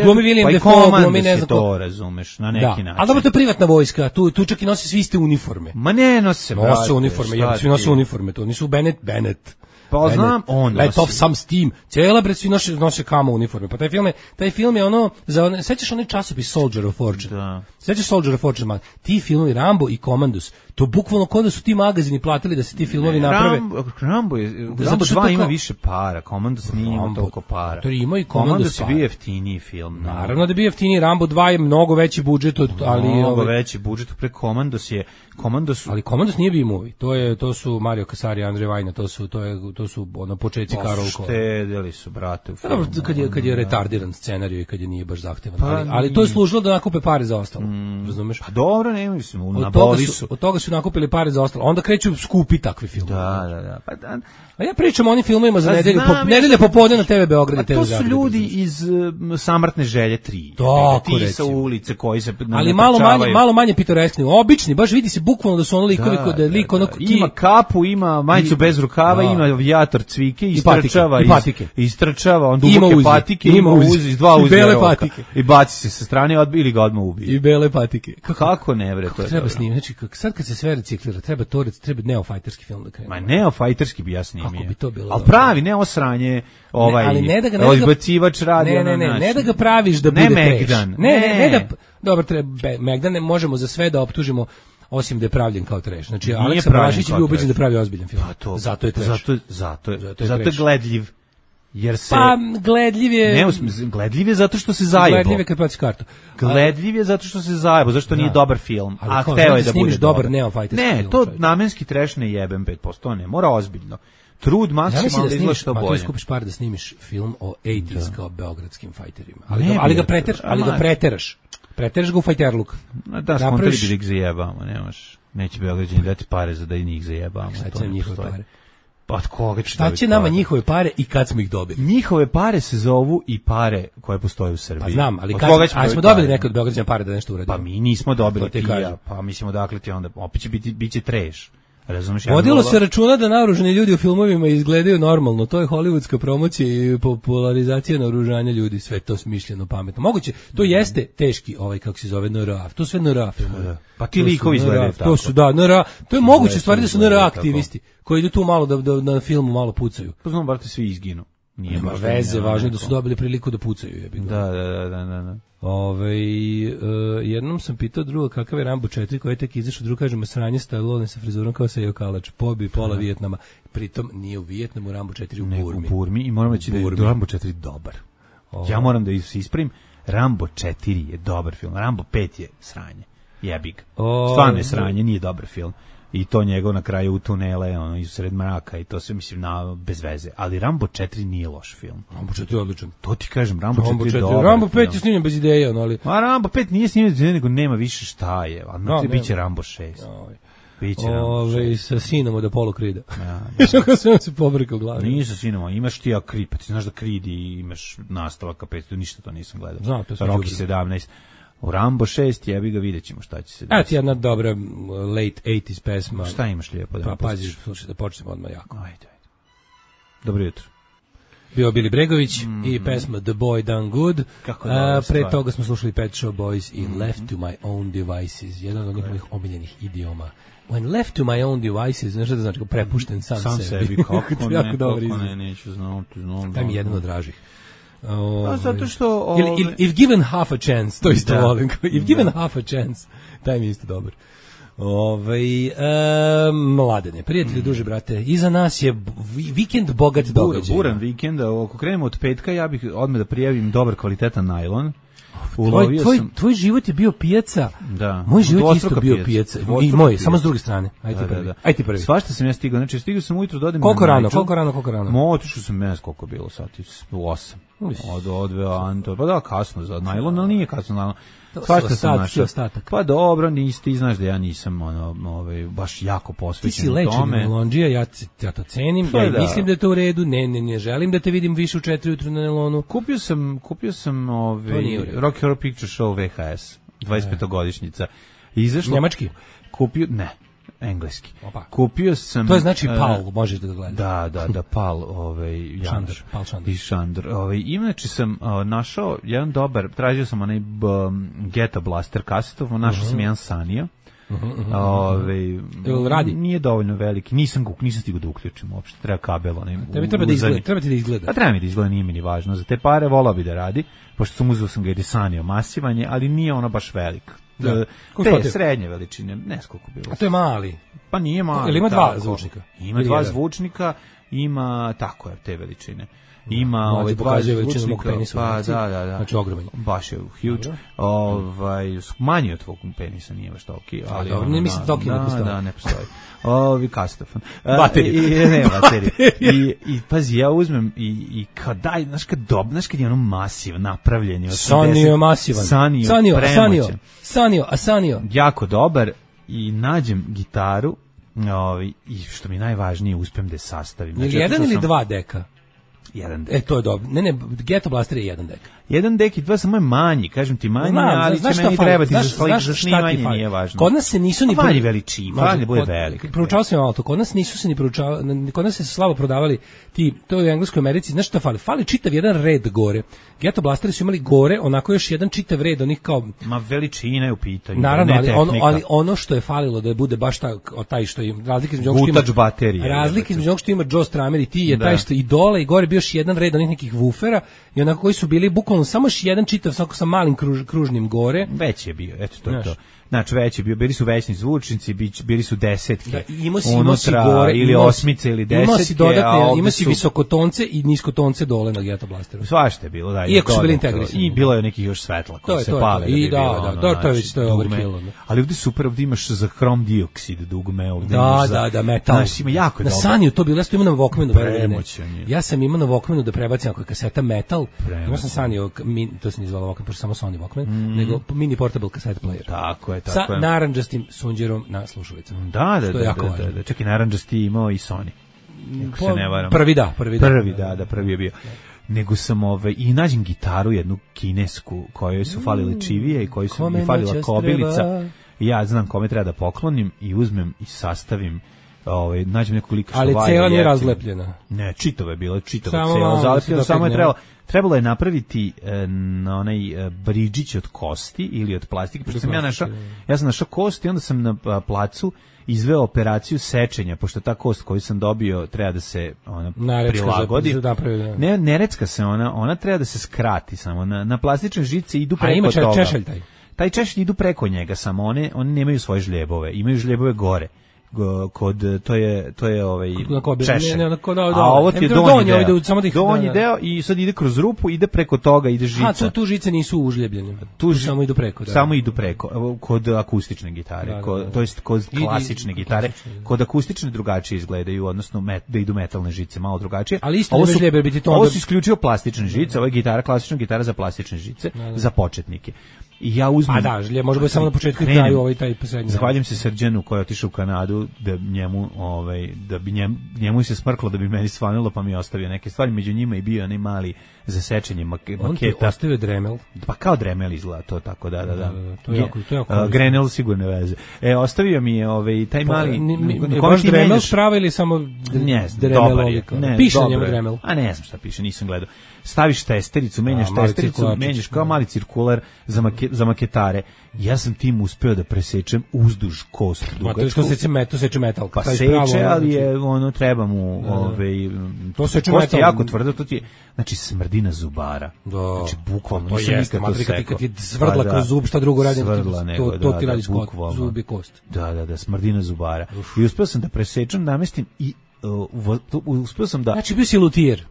Glumi William Dafoe, glumi ne znam to, razumeš, na neki način. Ali dobro, to je privatna vojska, tu čak i nosi svi iste uniforme. Ma ne nose, nose uniforme, svi nose uniforme, to nisu Bennett. Pa znam, on Let nosi. off some steam. Cijela bre svi nose kamo uniforme. Pa taj film je ono sećaš onaj časopis Soldier of Fortune. Da. Sećaš Soldier of Fortune, ti filmovi Rambo i Commandos, to bukvalno kao da su ti magazini platili da se ti filmovi naprave. Rambo 2 ima više para, Commandos nije imao toliko para. To ima i Commandos je bio jeftiniji film. Naravno da je bio jeftiniji, Rambo 2 je mnogo veći budžet ali mnogo veći budžet pre Commandos je ali Commandos nije B-movie. To su Mario Casari, Andrej Vajna, to su ono početci Karolko. Štedeli su brate u filmu. Kad je retardiran scenarijo i kad je nije baš zahtevan. Ali to je služilo da nakupe pare za ostalo. Razumeš? Pa dobro, nema mislim, na boli su. Od toga su nakupili pare za ostalo. Onda kreću skupi takvi filmovi. Da. Pa a ja pričam o onim filmovima za nedelje popodne na TV Beograd i TV Zagreb. To su ljudi iz Samrtne želje 3. Ti sa ulice koji se ali malo manje pitoreskni, obični, baš vidi se bukvalno da su ono likovi kod lik ono ima kapu, ima majicu bez rukava, ima avijator cvike i istrčava, on duboke patike, ima iz dva uzde patike i baci se sa strane ili ga odmah ubije. I bele patike. Kako ne bre, to treba snimiti. Znači sad kad se sve reciklira, treba neofajterski film da krene. Ma neofajterski bi ja snimio. Kako bi to bilo? Al pravi, ne osranje, odbacivač radi. Ne da ga praviš da bude trash. Ne da dobro, Megdan ne možemo za sve da optužimo osim da je pravljen kao trash. Znači Aleksa Balašić je bio ubeđen da pravi ozbiljan film. Zato je trash. Zato je gledljiv. Jer se gledljiv je gledljiv je zato što se zajebo. Gledljiv je kad plaćaš kartu. Gledljiv je zato što se zajebo, zašto nije dobar film. A hteo je da bude dobar neofajterski film. Ne, to namenski trash ne jebem 5%, ne, mora ozbiljno. Trud maksimalno da izgleda što bolje. Ti skupiš par da snimiš film o 80s kao beogradskim fajterima. Ali ga preteraš. Preteraš ga u fajterluk. Da, skontali bi da ih zajebamo, nemaš. Neće Beograđani dati pare za da i njih zajebamo. Šta će njihove pare? Pa od koga će šta će nama njihove pare i kad smo ih dobili? Njihove pare se zovu i pare koje postoje u Srbiji. Pa znam, ali kad smo dobili neke od Beograđana pare da nešto uradimo? Pa mi nismo dobili pa mislimo dakle ti onda opet će biti trash. Razumeš? Vodilo se računa da naoružani ljudi u filmovima izgledaju normalno, to je hollywoodska promocija i popularizacija naoružanja ljudi, sve to smišljeno, pametno. Moguće, to jeste teški kako se zove NRA, to sve NRA filmovi. Pa ti likovi izgledaju tako. To su NRA, to je moguće stvari da su NRA aktivisti, koji idu tu malo da na filmu malo pucaju. Pa znam, brate, svi izginu. Nema veze, važno je da su dobili priliku da pucaju. Da. Jednom sam pitao druga kakav je Rambo 4 koji je tek izašao, drugo kažemo sranje Stallone sa frizurom kao Sejo Kalač, pobi pola Vijetnama, pritom nije u Vijetnamu, Rambo 4 u Burmi. U Burmi i moram reći da je Rambo 4 dobar. Ja moram da se ispravim, Rambo 4 je dobar film, Rambo 5 je sranje, jebik. Stvarno je sranje, nije dobar film. I to njegov na kraju u tunele, iz sred mraka i to sve mislim bez veze. Ali Rambo 4 nije loš film. Rambo 4 je odličan. To ti kažem, Rambo 4 je dobar. Rambo 5 je snimljen bez ideje, ali... A Rambo 5 nije snimljen bez ideje, nego nema više šta je. Ali biće Rambo 6. Biće Rambo 6. Sa sinom od Apollo Creeda. Što kao sve se pobrkao glavi. Nije sa sinom, imaš ti Creed, pa ti znaš da Creed i imaš nastavaka 5, ništa to nisam gledao. Znam, to sam Rocky 17. U Rambo 6 jebi ga, vidjet ćemo šta će se desiti. Evo ti jedna dobra late 80s pesma. Šta imaš lijepo da pa pazi, slušaj, da počnemo odmah jako. Ajde. Dobro jutro. Bio Bili Bregović i pesma The Boy Done Good. Pre toga smo slušali Pet Shop Boys i Left to My Own Devices, jedan od njihovih omiljenih idioma. When left to my own devices, znaš šta da znači, prepušten sam sebi. Kako ne, neću znati. Daj mi jedan od dražih. Zato što... If given half a chance, to isto volim. If given half a chance, taj mi je isto dobar. Mladene, prijatelji, duže brate, iza nas je vikend bogat događaj. Buran vikend, ako krenemo od petka, ja bih odmah da prijavim dobar kvalitetan najlon. Tvoj život je bio pijaca. Da. Moj život je isto bio pijaca. I moj, samo s druge strane. Ajde prvi. Ajde ti prvi. Svašta sam ja stigao. Znači stigao sam ujutro da odem. Koliko rano? Otišao sam meni koliko bilo sati, u 8. Odveo Anto. Pa da, kasno za najlon, ali nije kasno najlon. Svašta sam našao. Pa dobro, ti znaš da ja nisam baš jako posvećen tome. Ti si lečen najlondžija, ja to cenim, ja mislim da je to u redu, ne želim da te vidim više u 4 ujutru na najlonu. Kupio sam Rocky Horror Picture Show VHS, 25-godišnjica. Njemački? Ne. Engleski. Kupio sam... To je znači PAL, možeš da ga gledaš. Da, PAL, Šandr. Inače sam našao jedan dobar, tražio sam onaj Ghetto Blaster kasetov, našao sam jedan Sanio, Radi? Nije dovoljno veliki, nisam stigao da uključim uopšte, treba kabel. Treba ti da izgleda. A treba mi da izgleda, nije mi ni važno. Za te pare volao bi da radi, pošto sam uzeo ga i Desanio masivanje, ali nije ono baš velik. Te srednje veličine, ne skoliko bilo. A to je mali? Pa nije mali. Ili ima dva zvučnika? Ima dva zvučnika, ima, tako je, te veličine. Ima dva zvučnika, pa da. Znači ogroman. Baš je huge. Manji od tvog penisa, nije baš toliki, ali dobro, ne mislim toliki ne postoji. Da, ne postoji. Kastofon. Baterije. Ne, baterije. I pazi, ja uzmem i kao daj, znaš kad je ono masiv napravljen. Sanio je masivan. Sanio. Jako dobar i nađem gitaru i što mi je najvažnije, uspem da je sastavim. Znači, jedan ili dva deka? Jedan dek. To je dobro. Ne, Ghetto Blaster je jedan dek. Jedan dek i dva samo je manji, kažem ti manji, ali će meni trebati za snimanje, nije važno. Kod nas se nisu ni manji veličini, manji bude velik. Proučavao sam malo to, kod nas nisu se ni proučavali, kod nas se slabo prodavali ti, to je u Engleskoj Americi, znaš šta fali? Fali čitav jedan red gore. Ghetto Blasteri su imali gore, onako još jedan čitav red, onih kao... Ma veličina je u pitanju, naravno, ali ono što je falilo da bude baš taj što je, razlika između onog što ima Joe Strummer i ti je taj što i dole i gore bio još jedan red onih nekih wufera i onako koji su bili bukvalno samo još jedan čitav sa malim kružnim gore. Već je bio, eto to je to. Znači već je bio, bili su većni zvučnici, bili su desetke, imao si gore, ili osmice ili desetke, ima si visokotonce i niskotonce dole na Ghetto Blasteru. Svašta je bilo, da. Iako su bili integrisani. I bilo je nekih još svetla koji se pale. I to je već overkill. Ali ovdje super, ovdje imaš za hrom dioksid dugme. Da, metal. Znaš, ima jako na dobro. Saniju to bilo, ja sam imao na Walkmanu. Ja sam imao na Walkmanu da prebacim ako je kaseta metal. Imao sam Saniju, to se nije zvalo Walkman, pošto samo Sony Walkman, nego mini portable cassette player. Tako je. Sa narandžastim sunđerom na slušalicama. Da. Čak i narandžasti imao i Sony. Ako se ne varam. Prvi je bio. Nego sam i nađem gitaru jednu kinesku kojoj su falile čivije i kojoj su mi falila kobilica. I ja znam kome treba da poklonim i uzmem i sastavim. Nađem neku lika što ali cela nije razlepljena. Ne, čitava je bila, cela zalepljena, samo je trebalo je napraviti na onaj bridžić od kosti ili od plastike, pošto sam ja sam našao kost i onda sam na placu izveo operaciju sečenja, pošto ta kost koju sam dobio treba da se prilagodi. Ne recka se ona treba da se skrati samo. Na plastične žice idu preko toga. A ima češelj taj češelj idu preko njega samo, oni nemaju svoje žljebove, imaju žljebove gore. To je češelj. A ovo ti je donji deo i sad ide kroz rupu, ide preko toga, ide žica. Tu žice nisu užljebljene, tu samo idu preko. Samo idu preko, kod akustične gitare, to jest kod klasične gitare. Kod akustične drugačije izgledaju, odnosno da idu metalne žice, malo drugačije. Ali isto ne žljebe biti to. Ovo su isključivo plastične žice, ovo je gitara, klasična gitara za plastične žice, za početnike. I ja uzmem... A da, žlje, može biti samo na početku i kraju taj poslednji. Zahvaljujem se Srđanu koji je otišao u Kanadu da bi njemu se smrklo da bi meni svanulo, pa mi je ostavio neke stvari, među njima i bio onaj mali za sečenje maketa. On ti ostavio Dremel? Pa kao Dremel izgleda to tako, da. To je jako Grenell sigurno veze. Ostavio mi je taj mali... Baš Dremel sprava ili samo Dremel? Piše na njemu Dremel? A ne znam šta piše, nisam gledao. Staviš testericu, menjaš testericu, menjaš kao mali cirkular za maketare. Ja sam tim uspeo da presečem uzduž kost dugačku. To seče metal. Pa seče, ali je treba mu to seče metal. Kost je jako tvrdo, to ti je, znači smrdina zubara. Znači bukvalno, to jeste, kad ti svrdla kroz zub, šta drugo radi, to ti radi zub i kost. Da, smrdina zubara. I uspeo sam da presečem, namestim i uspio sam da... Znači bio si lutijer.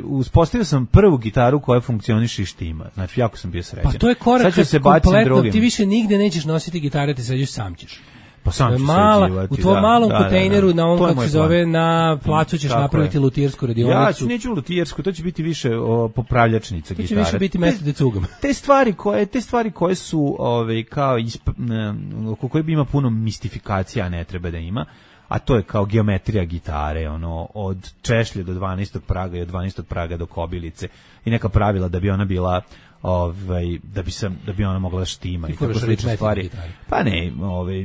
Uspostavio sam prvu gitaru koja funkcioniše i štima. Znači jako sam bio srećan. Pa to je korak kompletno, ti više nigde nećeš nositi gitare, ti sređeš sam ćeš. Pa sam ću sređivati. U tvojom malom kontejneru, na ovom kako se zove, na placu ćeš napraviti lutijersku radionicu. Ja neću lutijersku, to će biti više popravljačnica gitare. To će više biti mesto gde cugam. Te stvari koje su kao oko koje bi ima puno mistifikacija, ne treba da ima. A to je kao geometrija gitare, od češlje do 12. praga i od 12. praga do kobilice i neka pravila da bi ona bila da bi ona mogla da štima i tako slične stvari. Pa ne,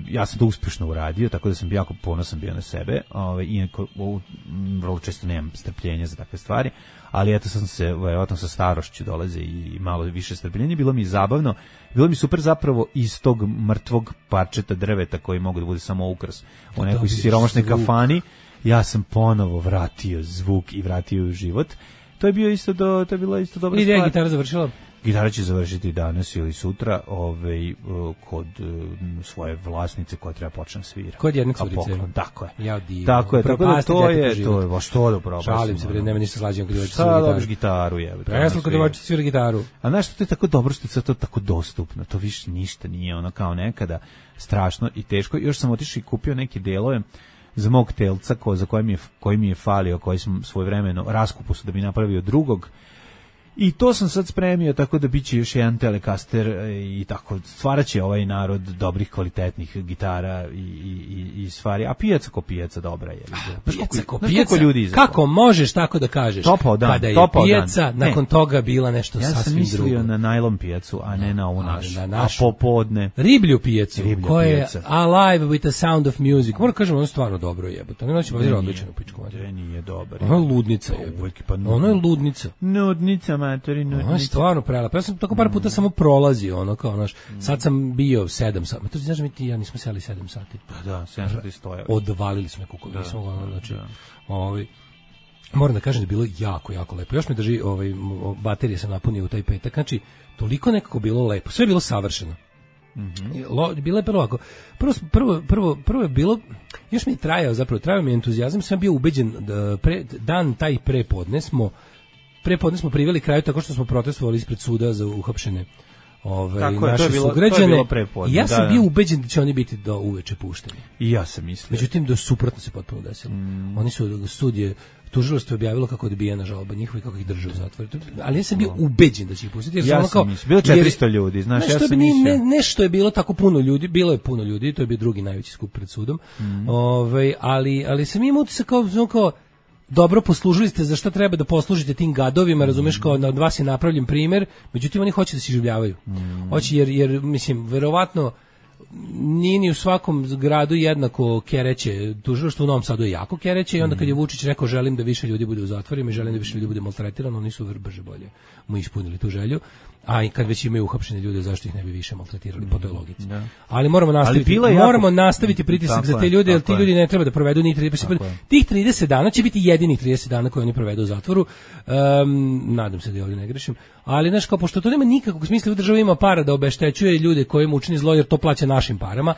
ja sam to uspešno uradio, tako da sam jako ponosan bio na sebe. Iako vrlo često nemam strpljenja za takve stvari, ali eto sam se, verovatno sa starošću dolaze i malo više strpljenja. Bilo mi zabavno, bilo mi super zapravo iz tog mrtvog parčeta drveta koji mogu da bude samo ukras u nekoj siromašnoj kafani. Ja sam ponovo vratio zvuk i vratio život. To je bila isto dobra stvar. Gdje je gitara završila? Gitara će završiti danas ili sutra kod svoje vlasnice koja treba počne svira. Kod jedne curice. Tako je. Ja divno. Tako je, to je baš to da propasti. Šalim se, nema ništa slađeno kad devojčica svira gitaru. Gitaru je. Presno kad devojčica svira gitaru. A znaš što to je tako dobro što je to tako dostupno. To više ništa nije ono kao nekada strašno i teško. Još sam otišao i kupio neke delove za mog telca koji mi je falio, koji sam svojevremeno raskupo da bi napravio drugog. I to sam sad spremio, tako da biće još jedan Telecaster i tako stvaraće ovaj narod dobrih, kvalitetnih gitara i stvari. A pijaca ko pijaca dobra je. Pijaca ko pijaca? Kako možeš tako da kažeš? Topao dan. Kada je pijaca, nakon toga bila nešto sasvim drugo. Ja sam mislio na najlon pijacu, a ne na ovu našu. A popodne. Riblju pijacu, koja je alive with the sound of music. Moram kažem, ono je stvarno dobro jebote. Ono će biti odlično u pičku. Nije dobar. Ono je ludnica jebote. Ono je ludnica. Nudnica, ono je stvarno prelepo. Ja sam tako par puta samo prolazio, ono kao, znaš, sad sam bio 7 sati. To znaš, mi ti ja nismo seli 7 sati. Pa da, 7 sati stoja. Odvalili smo nekako, nismo, znači, moram da kažem da je bilo jako, jako lepo. Još me drži, baterije sam napunio u taj petak, znači, toliko nekako bilo lepo. Sve je bilo savršeno. Bilo je prvo ovako. Prvo je bilo, još mi je trajao mi je entuzijazam, sam bio ubeđen da dan taj prepodne smo priveli kraju tako što smo protestovali ispred suda za uhapšene naše sugrađane. I ja sam bio ubeđen da će oni biti do uveče pušteni. I ja sam mislio. Međutim, do suprotno se potpuno desilo. Oni su studije, tužilaštvo je objavilo kako je odbijena žalba njihova i kako ih drže u zatvoru. Ali ja sam bio ubeđen da će ih pustiti. Ja sam mislio. Bilo 400 ljudi, znaš, ja sam mislio. Nešto je bilo tako puno ljudi, bilo je puno ljudi, to je bio drugi najveći skup pred sudom. Ali sam imao utisak kao dobro poslužili ste, za šta treba da poslužite tim gadovima, razumeš, kao od vas je napravljen primjer, međutim oni hoće da se iživljavaju. Hoće jer mislim, verovatno nije ni u svakom gradu jednako kereće, tužilaštvo u Novom Sadu je jako kereće i onda kad je Vučić rekao želim da više ljudi bude u zatvorima i želim da više ljudi bude maltretirano, oni su brže bolje mu ispunili tu želju. A i kad već imaju uhapšene ljude, zašto ih ne bi više maltretirali po toj logici. Da. Ali moramo nastaviti pritisak za te ljude, jer ti ljudi ne treba da provedu ni 30 dana. Tih 30 dana će biti jedinih 30 dana koje oni provedu u zatvoru. Nadam se da ovdje ne grešim. Ali znaš, kao pošto to nema nikakvog smisla, država ima para da obeštećuje ljude koji mu učini zlo, jer to plaća našim parama.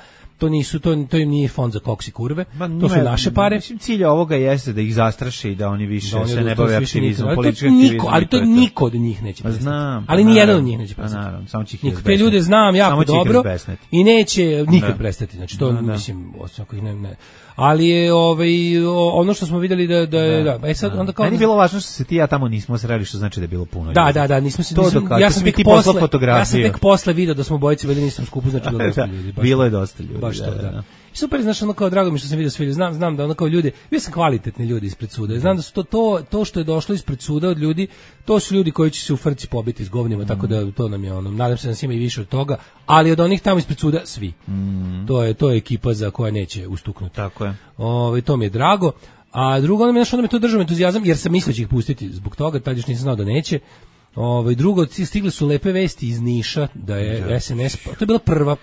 To im nije fond za koks i kurve, to su naše pare. Cilj ovoga jeste da ih zastraše i da oni više se ne bave aktivizmom, političkim aktivizmom. Ali to niko od njih neće prestati. Ali ni jedan od njih neće prestati. Te ljude znam jako dobro i neće nikad prestati. Znači to mislim, osim ako ih ne. Ali je ono što smo vidjeli da sad onda kao meni je bilo važno što se ti ja tamo nismo sreli, što znači da je bilo puno ljudi. Da, nismo se ja sam tek posle video da smo bojice bili nisam skupu, znači bilo dosta ljudi. Bilo je dosta ljudi. Baš da. Super, znaš, ono kao drago mi što sam vidio sve ljudi, znam da ono kao ljudi, bio sam kvalitetni ljudi ispred suda, znam da su to što je došlo ispred suda od ljudi, to su ljudi koji će se u frci pobiti s govnima, tako da to nam je ono, nadam se da nas ima i više od toga, ali od onih tamo ispred suda svi. To je ekipa za koja neće ustuknuti. Tako je. To mi je drago. A drugo, onda me to držao entuzijazam, jer sam mislio će ih pustiti zbog toga, tad još nisam znao da neće. Drugo, stigle su lepe vesti iz Niša da je SNS, to je bila prva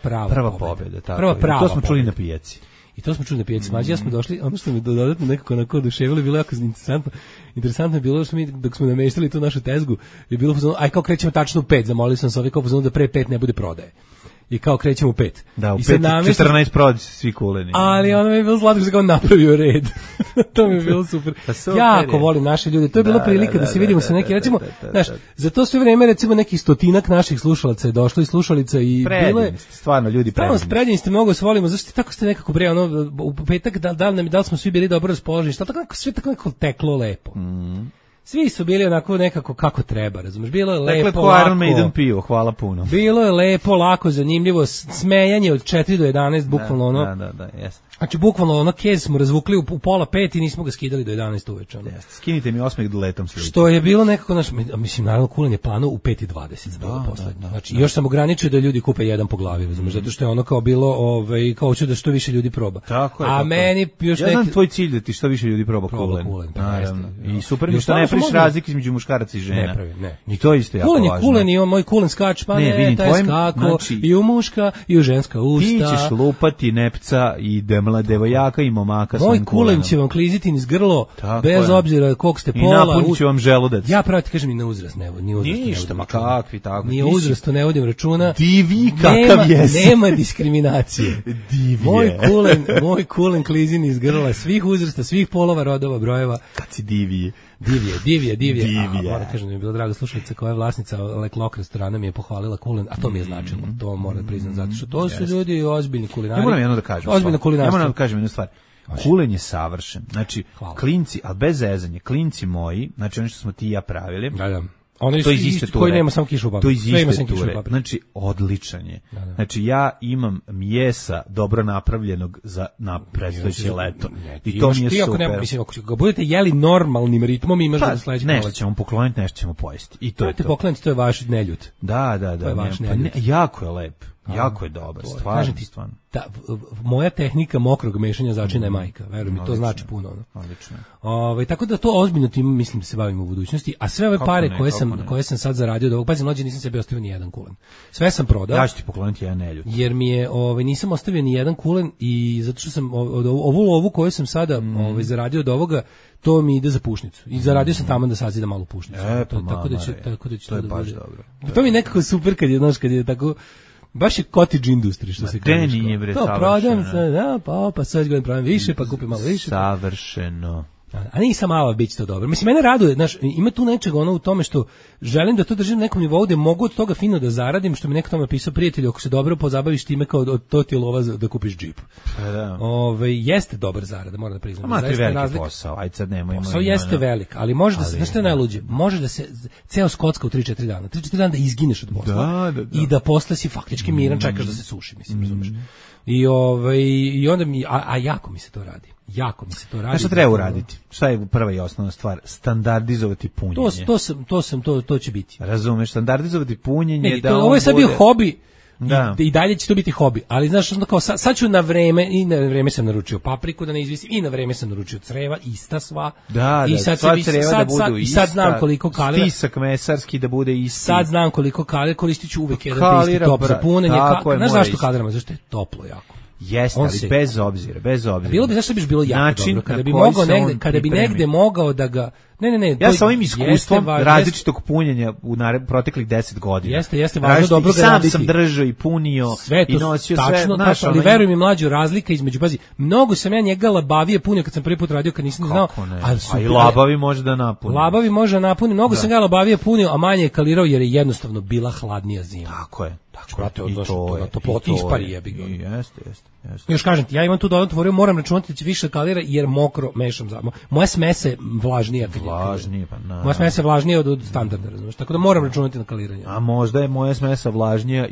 pobjeda, tako. To smo čuli na pijaci. I to smo čuli na pijaci. Mađi, ja smo došli, ono što mi dodatno nekako onako oduševilo, bilo jako interesantno. Interesantno je bilo što mi, dok smo nameštali tu našu tezgu, je bilo pozvano, aj kao krećemo tačno u 5, zamolili sam se kao pozvano da pre 5 ne bude prodaje. I kao krećemo u 5. Da, u 5, 14 prodaju se svi kuleni. Ali ono mi je bilo zlatko što se kao napravio red. To mi je bilo super. Jako volim naše ljude. To je bila prilika da se vidimo sa neki, recimo, znaš, za to sve vreme recimo neki stotinak naših slušalaca je došlo i slušalica i bile stvarno ljudi predivni ste, mnogo se volimo, zašto tako ste nekako bre, ono, u petak da li smo svi bili dobro raspoloženi, šta tako sve tako nekako teklo lepo. Svi su bili onako nekako kako treba, razumiješ, bilo je lepo, dakle, lako. Iron Maiden pivo, hvala puno. Bilo je lepo, lako, zanimljivo, smejanje od 4 do 11, bukvalno ono. Da, jeste. Znači, bukvalno ono kez smo razvukli u pola 5 i nismo ga skidali do 11 uveče. Jeste, skinite mi osmeh letom sliči. Što je bilo nekako, mislim, naravno, kulen je plano u 5:20. Znači, još sam ograničio da ljudi kupe jedan po glavi, razumiješ, zato što je ono kao bilo, kao hoću da što više ljudi proba. Tako je. A meni još neki... Ja znam tvoj cilj da ti što više ljudi proba kulen. Naravno. I super mi što ne praviš razlike između muškaraca i žena. Ne pravi, ne. I to isto jako važno. Kulen i moj kulen skač, pa ne, taj skako, i u muška, i u ženska usta. Ti ćeš lupati nepca i devojaka i momaka svojim kulenom. Moj kulen će vam kliziti niz grlo, bez obzira koliko ste pola. I napunit će vam želudac. Ja pravo ti kažem i na uzrast ne vodim. Ništa, ma kakvi tako. Ni uzrastu ne vodim računa. Divi kakav jesi. Nema diskriminacije. Moj kulen klizi niz grla svih uzrasta, svih polova, rodova, brojeva. Kad si divije. Divije. Moram kažem, mi je bila draga slušalica koja je vlasnica Leklok restorana, mi je pohvalila kulen, a to mi je značilo. To moram priznati, zato što to su ljudi ozbiljni kulinari. Ja moram jedno da kažem. Ozbiljno kulinarstvo. Ja moram da kažem jednu stvar. Kulen je savršen. Znači, klinci, ali bez zezanja, klinci moji, znači oni što smo ti i ja pravili. Da. Ono to iz iste ture. Koji nema samo kišu u papri. To iz iste ture. Znači, odličan je. Da. Znači, ja imam mjesa dobro napravljenog na predstojeće leto. I to mi je super. Mislim, ako ga budete jeli normalnim ritmom, imaš da sledeće proleće. Nešto ćemo pokloniti, nešto ćemo pojesti. I to je to. Pokloniti, to je vaš neljut. Da. To je vaš neljut. Jako je lep. Jako je dobar, stvarno. Moja tehnika mokrog mešanja začina je majka, verujem mi, to znači puno. Odlično. Tako da to ozbiljno tim mislim da se bavimo u budućnosti, a sve ove pare koje sam sad zaradio od ovog, pazi, mlađe nisam sebi ostavio ni jedan kulen. Sve sam prodao. Ja ću ti pokloniti jedan neljut. Jer mi je, nisam ostavio ni jedan kulen i zato što sam ovu lovu koju sam sada zaradio od ovoga, to mi ide za pušnicu. I zaradio sam tamo da sazida malu pušnicu. Tako da će to da bude. To mi nekako super kad je tako. Baš je cottage industry, što se kaže. Nije bre, to prodam se, pa sad gledam pravim više, pa kupim malo više. Savršeno. A nisam malo biti to dobro. Mislim, mene raduje, znaš, ima tu nečega u tome što želim da to držim na nekom nivou gde mogu od toga fino da zaradim, što mi neko tamo napisao, prijatelju, ako se dobro pozabaviš time kao to ti je lova da kupiš džip. Da. Jeste dobar zarada, moram da priznam. Ma ti veliki posao, ajde sad nemojmo. Posao jeste velik, ali može da se, znaš što je najluđe? Može da se ceo skocka u 3-4 dana. 3-4 dana da izgineš od posla i da posle si faktički miran, čekaš da se suši, mislim, razumeš. I onda jako mi se to radi. A šta treba uraditi? Šta je prva i osnovna stvar? Standardizovati punjenje. To će biti. Razumeš, standardizovati punjenje. Ovo je sad bio hobi. I dalje će to biti hobi, ali znaš, kao sad ću na vreme sam naručio papriku da ne izvisim i na vreme sam naručio creva, ista sva. I sad znam koliko kalira. Stisak mesarski da bude isti. Sad znam koliko kalira, koristit ću uvek jedan isti top za punjenje. Znaš zašto kaliramo? Zašto je toplo jako. Jeste, ali bez obzira. Bilo bi, zašto bi bilo jako dobro, kada bi negde mogao da ga... Ne. Ja sa ovim iskustvom različitog punjenja u proteklih 10 godina. Jeste važno dobro ga raditi. Sam držao i punio i nosio sve. Ali veruj mi, mlađo, razlika između, pazi, mnogo sam ja njega labavije punio kad sam prvi put radio, kad nisam znao. A i labavi može da napuni. Labavi može da napuni, mnogo sam ga labavije punio, a manje je kalirao jer je jednostavno bila hladnija zima. Tako je. Brate, na toploti ispari jebi ga. Jeste. Još kažem ti, ja imam tu dodatnu tvoriju, moram računati da će više kalira jer mokro mešam za. Moja smesa je vlažnija. Moja smesa je vlažnija od standarda, razumiješ? Tako da moram računati na kaliranje. A možda je moja smesa vlažnija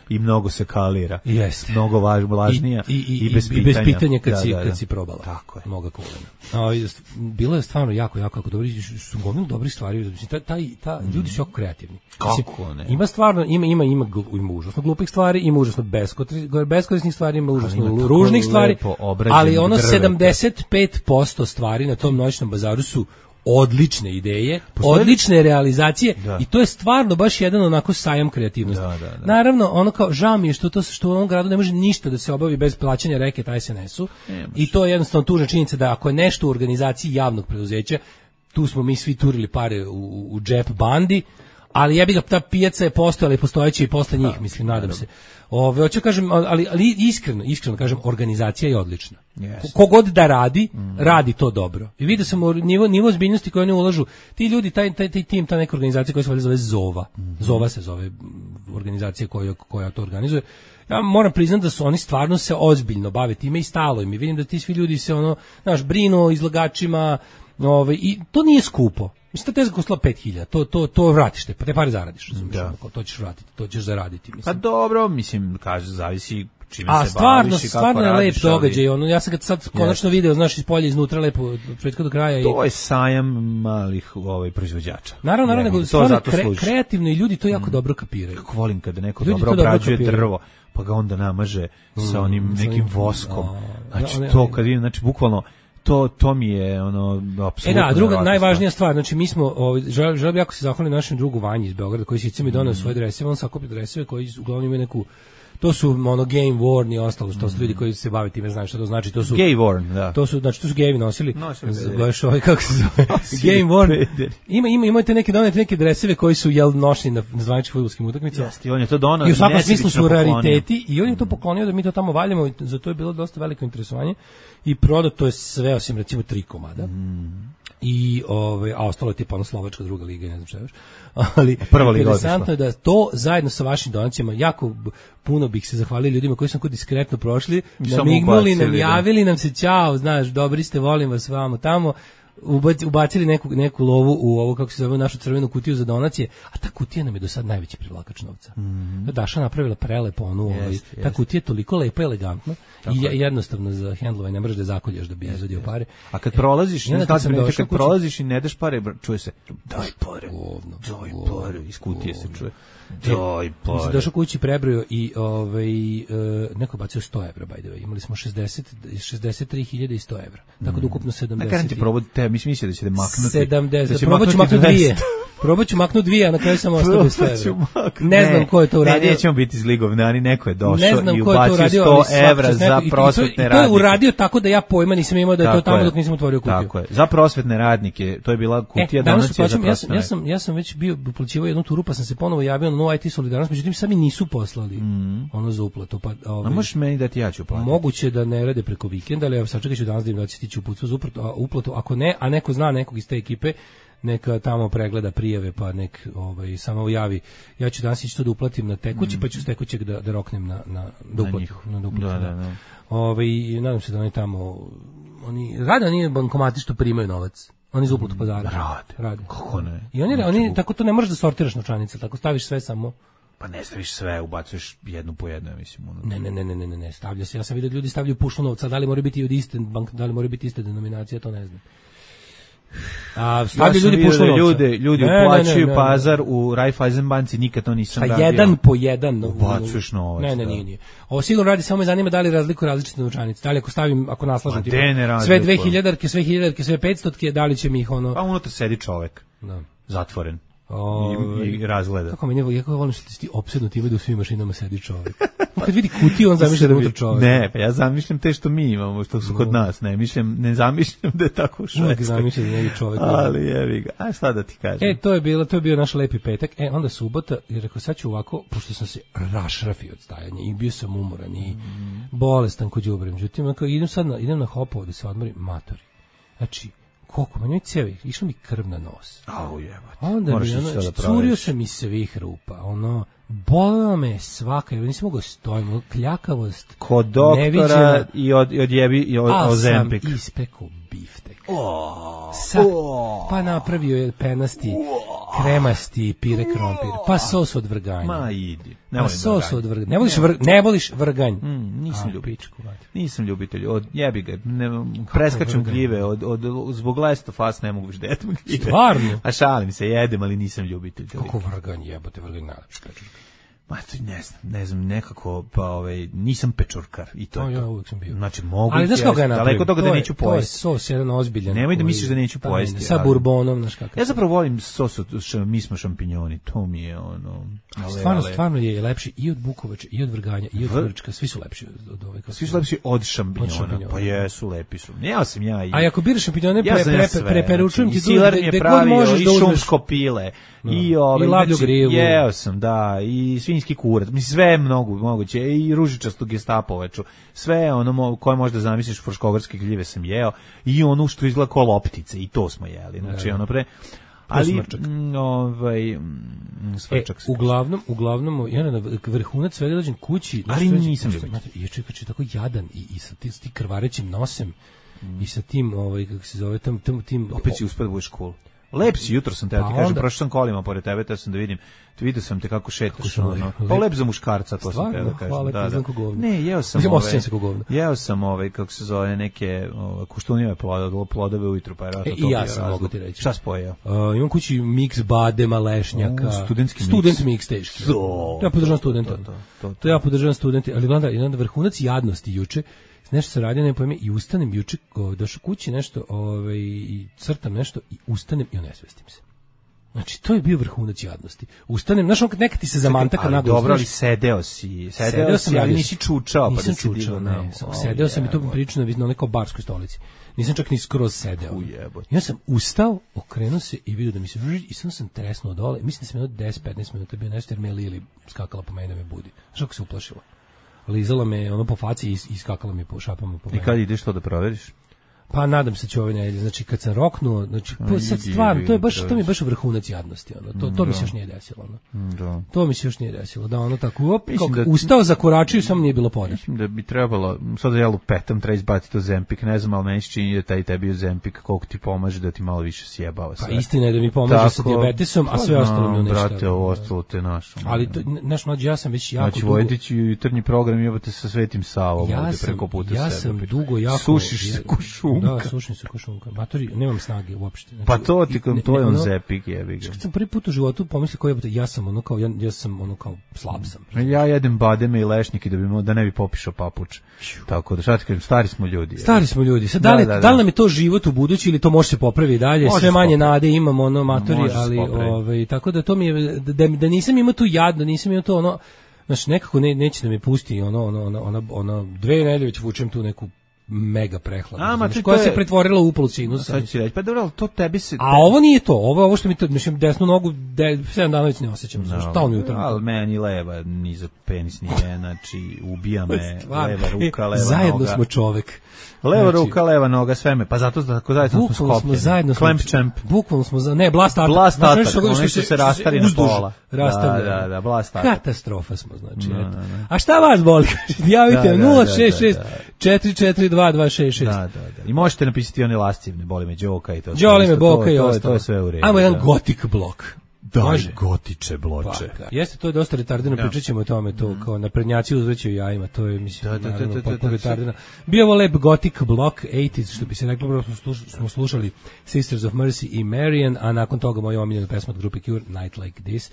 i mnogo se kalira. Jeste. Mnogo vlažnija i bez pitanja kad si probala. Tako je. Mnogo kulena. Bilo je stvarno jako dobro. Su gomilu dobrih stvari. Ljudi su jako kreativni. Kako ne? Ima stvarno, ima užasno glupih stvari, ima užasno beskorisnih stvari, ima užasno ružnih stvari, ali ono 75% stvari na tom noćnom bazaru su odlične ideje, odlične realizacije i to je stvarno baš jedan onako sajam kreativnosti. Naravno, ono kao žao mi je što u ovom gradu ne može ništa da se obavi bez plaćanja reket SNS-u i to je jednostavno tužna činjenica da ako je nešto u organizaciji javnog preduzeća, tu smo mi svi turili pare u džep bandi, ali ja bih ga, ta pijaca je postojala i postojeća i posle njih, mislim, nadam se. Hoću kažem, ali iskreno kažem, organizacija je odlična. Kogod da radi to dobro. I vidio sam nivo ozbiljnosti koje oni ulažu. Ti ljudi, taj tim, ta neka organizacija koja se zove Zova. Zova se zove organizacija koja to organizuje. Ja moram priznati da su oni stvarno se ozbiljno bave time i stalo im. I vidim da ti svi ljudi se brinu o izlagačima, I to nije skupo. Mislim, ta tezga koštala 5.000, to vratiš, te pare zaradiš, razumiješ, to ćeš vratiti, to ćeš zaraditi. Mislim. Pa dobro, mislim, kaže, zavisi čime se baviš i kako stvarno je lep radiš, događaj, ja sam ga sad konačno video, znaš, iz polja iznutra lepo, od početka do kraja. To je sajam malih proizvođača. Naravno, nego stvarno kreativno i ljudi to jako dobro kapiraju. Kako volim kada neko dobro obrađuje drvo, pa ga onda namaže sa onim nekim voskom. Znači, to kad vidim, znači, bukvalno, to mi je apsolutno. Da, druga najvažnija stvar, znači mi smo želim jako se zahvaliti našem drugu Vanji iz Beograda koji sice mi doneo svoje dreseve, on sakupio dreseve koji uglavnom imaju neku, to su game worn i ostalo, što su ljudi koji se bave time, znaju šta to znači, to su gay worn, da. To su gejevi nosili. Baš kako se zove? Game worn. Imate neke dreseve koji su nošeni na zvaničnim fudbalskim utakmicama. Jeste, on je to doneo. I u svakom smislu su rariteti i on je to poklonio da mi to tamo valjamo, i za to je bilo dosta veliko interesovanje i prodato je sve osim recimo 3 komada. I a ostalo je tipa slovačka druga liga, ne znam šta još. Ali prva liga interesantno je da to zajedno sa vašim donacijama jako puno bih se zahvalio ljudima koji su nam diskretno prošli, namignuli nam, javili nam se ćao, znaš, dobri ste, volim vas vamo tamo, ubacili neku lovu u ovo, kako se zove, našu crvenu kutiju za donacije, a ta kutija nam je do sad najveći privlačač novca. Daša napravila prelepo ta kutija je toliko lepa i elegantna i jednostavno za hendlovanje, ne možeš da zakoljaš da bi izvadio pare. A kad prolaziš, kad prolaziš i ne daš pare, čuje se daj pare, iz kutije se čuje. Daj pare. Sam došao kući, prebrojao i neko bacio 100 evra, by the way. Imali smo 63.100 evra. Tako da ukupno 70. Na kada ti probudite, mislio da će da maknuti. 70, probat ću maknuti 2. Probat ću maknuti 2, a na kraju sam ostao bez 100 evra. Ne znam ko je to uradio. Ne, nećemo biti zligovnani, neko je došao i ubacio 100 evra za prosvetne radnike. To je uradio tako da ja pojma nisam imao da je to tamo dok nisam otvorio kutiju. Tako je, za prosvetne radnike, to je bila kutija donacija za prosvetne. Ja sam već bio uplaćivao jednu turu, pa sam se ponovo javio na No IT Solidarnost, međutim sami nisu poslali ono za uplatu. A možeš meni da ti ja ću platiti? Moguće da ne rade preko vikenda, ali ja sačekat ću danas da im da će stići uputstvo za uplatu. Ako ne, a neko zna nekog iz te ekipe, neka tamo pregleda prijave, pa nek samo javi. Ja ću danas ići to da uplatim na tekući, pa ću s tekućeg da roknem na uplatu. Da. I nadam se da oni tamo rade, oni bankomati što primaju novac. Oni iz uplatu pazara. Rade. Kako ne? I oni tako to ne možeš da sortiraš novčanice, tako staviš sve samo. Pa ne staviš sve, ubacuješ jednu po jednu, mislim. Ne, stavlja se. Ja sam vidio da ljudi stavljaju pušnu novca, da li mora biti od iste bank, da li mora biti iste denominacije, to ne znam. A stavljaju ljudi pušnu novca. Ljudi uplaćuju pazar u Raiffeisen banci, nikad to nisam radio. Jedan po jedan. Ubacuješ novac. Ne, nije. Ovo sigurno radi, samo me zanima da li razliku različite novčanice. Da li ako naslažem sve 2000-arke, sve 1000-arke, sve 500-arke, da li će mi ih Pa unutra sedi čovek, zatvoren. I razgleda. Kako meni jako volim što ti opsednuti ima da u svim mašinama sedi čovjek. Kad vidi kutiju, on zamišlja da je unutra čovjek. Ne, pa ja zamišljam te što mi imamo, što su kod nas. Ne zamišljam da je tako u Švedskoj. Zamišljam da je čovjek. Ali jevi ga. A šta da ti kažem? To je bio naš lepi petak. Onda subota, i rekao, sad ću ovako, pošto sam se rašrafio od stajanja i bio sam umoran i bolestan kod đubre. Međutim, idem na Hopovo da se odmorim, matori. Znači, koliko, meni cijevi, išla mi krv na nos. Onda mi curio sam mi svih rupa, bolelo me svaka, nisam mogao stojiti, kljakavost. Kod doktora i odjebi ozempik. A sam ispekao biftek. Pa napravio je penasti, kremasti pire krompir, pa sos od vrganja. Ma idi. Ne voliš vrganj. Nisam ljubitelj. Jebi ga. Preskačem gljive. Zbog lestofas ne mogu više da jedem gljive. Stvarno? A šalim se, jedem, ali nisam ljubitelj. Kako vrganj, jebote, vrganj najlepši pečurka. Ne znam, nekako, nisam pečurkar i to. Ja uvijek sam bio. Znači, mogu ali znaš kako je napravio? Daleko toga da neću pojesti. To je sos jedan ozbiljan. Nemoj da misliš da neću pojesti. Sa bourbonom, znaš kako. Ja zapravo volim sos od mi smo šampinjoni, to mi je Stvarno je lepši i od bukovače, i od vrganja, i od vrčka, svi su lepši od ove. Svi su lepši od šampinjona, pa jesu, lepi su. Ja sam ja i... A ako biraš šampinjone, preporučujem ti Silar mi je pravio, i šumsko pile, i lavlju grilu. Jeo sam, da, i svinjski kurac, mislim, sve moguće, i ružičastu gestapovaču, sve koje možda zamisliš, fruškogorske gljive sam jeo, i ono što izgleda kao loptice, i to smo jeli, znači ali svrčak. Uglavnom, ja na vrhunac svega dođem kući, ali nisam ljubitelj. Je čekač tako jadan i sa ti krvarećim nosem. i sa tim, kako se zove, tim... Opet si uspio da budeš cool. Lep si, jutro sam te, ti kažem, prošao sam kolima pored tebe, te sam da vidim, vidio sam te kako šetaš, pa lep za muškarca, to sam te da kažem. Hvala, da. Ne, jeo sam kako se zove, neke kuštunjeve plodove ujutru, pa je rato to bio razlog. I ja sam, mogu ti reći. Šta si pojeo? Imam kući miks badema, lešnjaka. Student miks teški. Ja podržavam studenta. To ja podržavam studenti, ali onda vrhunac jadnosti juče, nešto se radi, ne pojme, i ustanem juče, došao kući nešto, i crtam nešto, i ustanem i onesvestim se. Znači, to je bio vrhunac jadnosti. Ustanem, znaš, nekad ti se zamantaka naglo. Dobro, ali sedeo si, ali nisi čučao. Nisam čučao, ne. Sedeo sam i to mi pričano na nekoj barskoj stolici. Nisam čak ni skroz sedeo. Ja sam ustao, okrenuo se i vidio da mi se i sam tresnuo dole. Mislim da sam jedno 10-15 minuta bio nešto, jer me Lili skakala po meni da me budi. Znaš kako se uplašila? Lizala me po faci i skakala mi po šapama po meni. I kad ideš to da proveriš? Pa nadam se će ove nedelje. Znači kad sam roknuo, znači sad stvarno, to mi je baš vrhunac jadnosti, to mi se još nije desilo, Da. To mi se još nije desilo, da tako ustao, zakoračio, samo nije bilo poda. Mislim da bi trebalo, sad ja lupetam, treba izbaciti to Zempik, ne znam, ali meni se čini da taj tebi Zempik koliko ti pomaže da ti malo više sjebava sve. Pa istina je da mi pomaže sa dijabetesom, a sve ostalo mi uništa. Brate, ovo ostalo te našo. Ali naš mlađi, ja sam već jako dugo. Znači Vojdić i jutarnji program jebate sa Svetim Savom ovde preko puta sebe. Ja sam dugo jako sušiš se košunka. Da, sušim se košunka. Matori, nemam snage uopšte. Pa to ti to je on Zepik, jebi ga. Kad sam prvi put u životu pomislio kao ja sam kao slab sam. Ja jedem bademe i lešnjike da ne bi popišao papuč. Tako da šta ti kažem, stari smo ljudi. Sad da li nam je to život u budući ili to može se popraviti dalje? Sve manje nade imamo matori, ali tako da to mi je da nisam imao tu jadno, nisam imao to znači nekako neće da me pusti ona 2 nedelje već vučem tu neku mega prehladu, koja se pretvorila u upal sinusa. Sad ću reći, pa dobro, to tebi se... A ovo nije to, ovo što mi to, mislim, desnu nogu, 7 dana već ne osjećam, šta mi utrano. Ali meni leva, ni za penis nije, znači, ubija me, leva ruka, leva noga. Zajedno smo čovek. Leva ruka, leva noga, sve me, pa zato tako zajedno smo skopljeni. Clamp champ. Bukvalno smo, ne, blast atak, oni što se rastari na pola. Da, blast atak. Katastrofa smo, znači, eto. A šta vas boli? Javite 066 442 Da. I možete napisati one lascivne, boli me Đoka i to. Đoli me Boka i ostalo. To je sve u redu. Ajmo jedan gotik blok. Daj gotiče bloče. Jeste, to je dosta retardino, pričat ćemo o tome, to kao naprednjaci uzvećaju jajima, to je, mislim, potpuno retardino. Bio ovo lep gotik blok, 80s, što bi se reklo, smo slušali Sisters of Mercy i Marian, a nakon toga moja omiljena pesma od grupe Cure, Night Like This.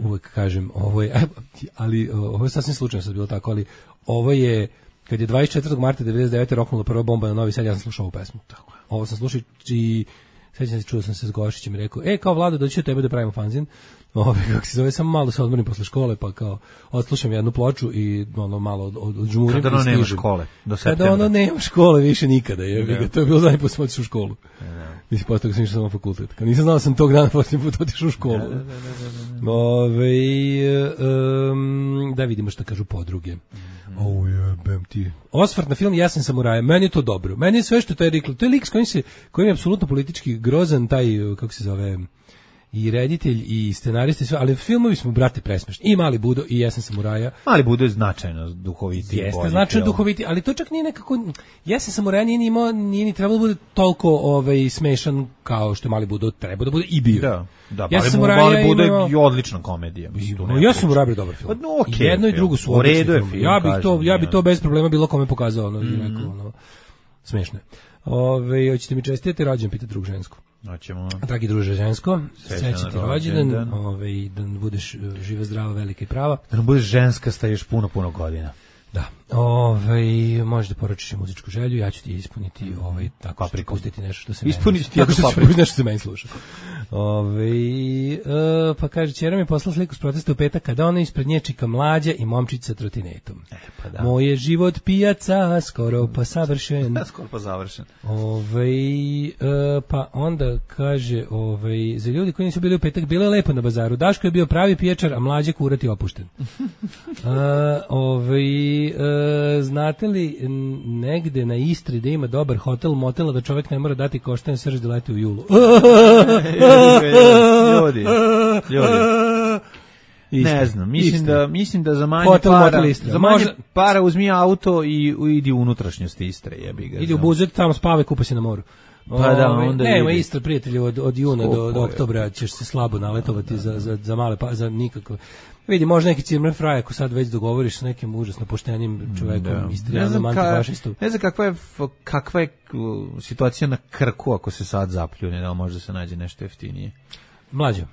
Uvek kažem, ovo je sasvim slučajno sad bilo tako, ali ovo je, kad je 24. marta 99. roknula prva bomba na Novi Sad, ja sam slušao ovu pesmu. Ovo sam slušao i sećam se, čuo sam se s Gošićem i rekao, kao Vlado, doći od tebe da pravimo fanzin. Kako se zove, samo malo se odmorim posle škole, pa kao odslušam jednu ploču i malo odžmurim. Kada nema škole, do septembra. Kada nema škole više nikada, to je bilo zadnji put sam otišao u školu. Mislim, posle toga sam išao samo na fakultet. Kad nisam znao sam tog dana posljednji put otišao u školu. Da vidimo šta kažu podruge. Jebem ti. Osvrt na film Jesen samuraja, meni je to dobro. Meni je sve što to je reklo. To je lik s kojim je apsolutno politički grozan, taj, kako se zove, i reditelj i scenarista i sve, ali filmovi smo, brate, presmešni. I Mali Budo i Jesen samuraja. Mali Budo je značajno duhoviti. Jeste značajno duhoviti, ali to čak nije nekako, Jesen samuraja nije ni trebalo da bude toliko smešan kao što Mali Budo treba da bude i bio. Da, Mali Budo je odlična komedija. Ja sam uradio dobar film. Jedno i drugo su odlični film. Ja bi to bez problema bilo kome pokazao, smešno. Hoćete mi čestitati rođendan, pita drug žensko. Hoćemo. Dragi druže žensko, srećan ti rođendan, da budeš živa, zdrava, velika i prava. Da nam budeš ženskasta još puno godina. Da. Možeš da poručiš i muzičku želju, ja ću ti ispuniti tako što pustiti nešto što se ispuniti tako što ću pustiti nešto što se meni sluša. Pa kaže, ćera mi poslala sliku s protesta u petak kada ona ispred nje čika mlađa i momčić sa trotinetom. Moj je život pijaca, skoro pa savršen. Skoro pa završen. Pa onda kaže, za ljudi koji nisu bili u petak, bilo je lepo na bazaru. Daško je bio pravi pijačar, a mlađe kurati opušten. Znate li negde na Istri da ima dobar hotel, motel, da čovjek ne mora dati košten srž da leti u julu? Ljudi. Ne znam, mislim da za manje Hotel para, Istra. za manje para uzmi auto i idi u unutrašnjost Istre, jebi ga. Idi u Buzet, tamo spava, kupa se na moru. Pa da, onda nema Istra, prijatelju, od juna do oktobra ćeš se slabo naletovati za male, za nikako. Vidi, može neki Cirmer Fraj, ako sad već dogovoriš s nekim užasno poštenim čovekom, Istrijanom, antifašistom. Ne znam kakva je situacija na Krku ako se sad zapljune, da može da se nađe nešto jeftinije. Mlađo,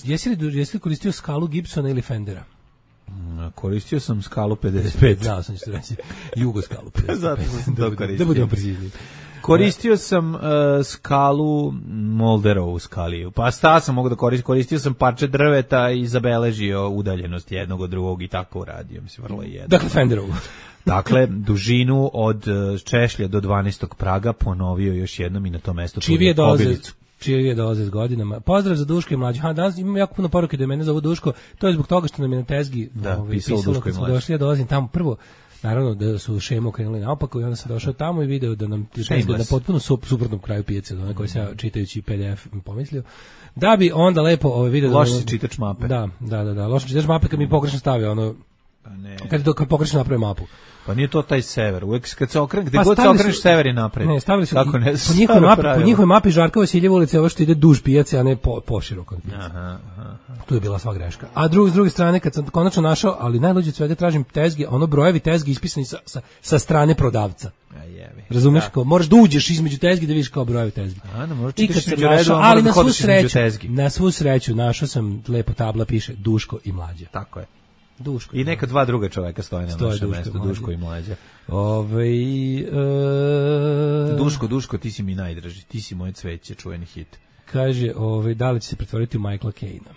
jesi li koristio skalu Gibsona ili Fendera? Koristio sam skalu 55. Znao sam što reći. Jugo skalu 55. Zato sam to koristio. Da budemo precizni. Koristio sam skalu Molderovu skaliju. Pa sam mogu da koristio sam parče drveta i zabeležio udaljenost jednog od drugog i tako uradio. Mislim, vrlo je jedno. Dakle, Fenderovu. Dakle, dužinu od Češlja do 12. Praga ponovio još jednom i na to mesto Kobilicu. Čije dolaze s godinama. Pozdrav za Duško i mlađe. Danas imam jako puno poruke da mene zovu Duško. To je zbog toga što nam je na tezgi pisalo Duško kad smo došli. Ja dolazim tamo prvo. Naravno da su šemu krenuli naopako i onda sam došao tamo i video da nam na potpuno suprotnom kraju pijace, da koji se ja čitajući PDF pomislio. Da bi onda lepo video loš si čitač mape. Da, loš čitač mape kad mi pogrešno stavio ono. Pa ne. Kad pogrešno napravi mapu. Pa nije to taj sever. Uvek kad se okreneš, gde god se okreneš sever je napred. Ne, stavili su po njihovoj mapi Žarkova Siljevo ulice, ovo što ide duž pijace, a ne po širokoj pijaci. Aha. Tu je bila sva greška. A s druge strane, kad sam konačno našao, ali najluđe od svega tražim tezge, ono brojevi tezgi ispisani sa strane prodavca. Razumeš, kao moraš da uđeš između tezgi da vidiš kao brojevi tezgi. I kad sam našao, ali na svu sreću našao sam lepo tabla, piše Duško i Mlađa. Tako je. Duško. I neka dva druga čoveka stoje na našem mestu, Duško i Mlađa. Duško, ti si mi najdraži, ti si moje cveće, čuveni hit. Kaže, da li će se pretvoriti u Michaela Caine-a?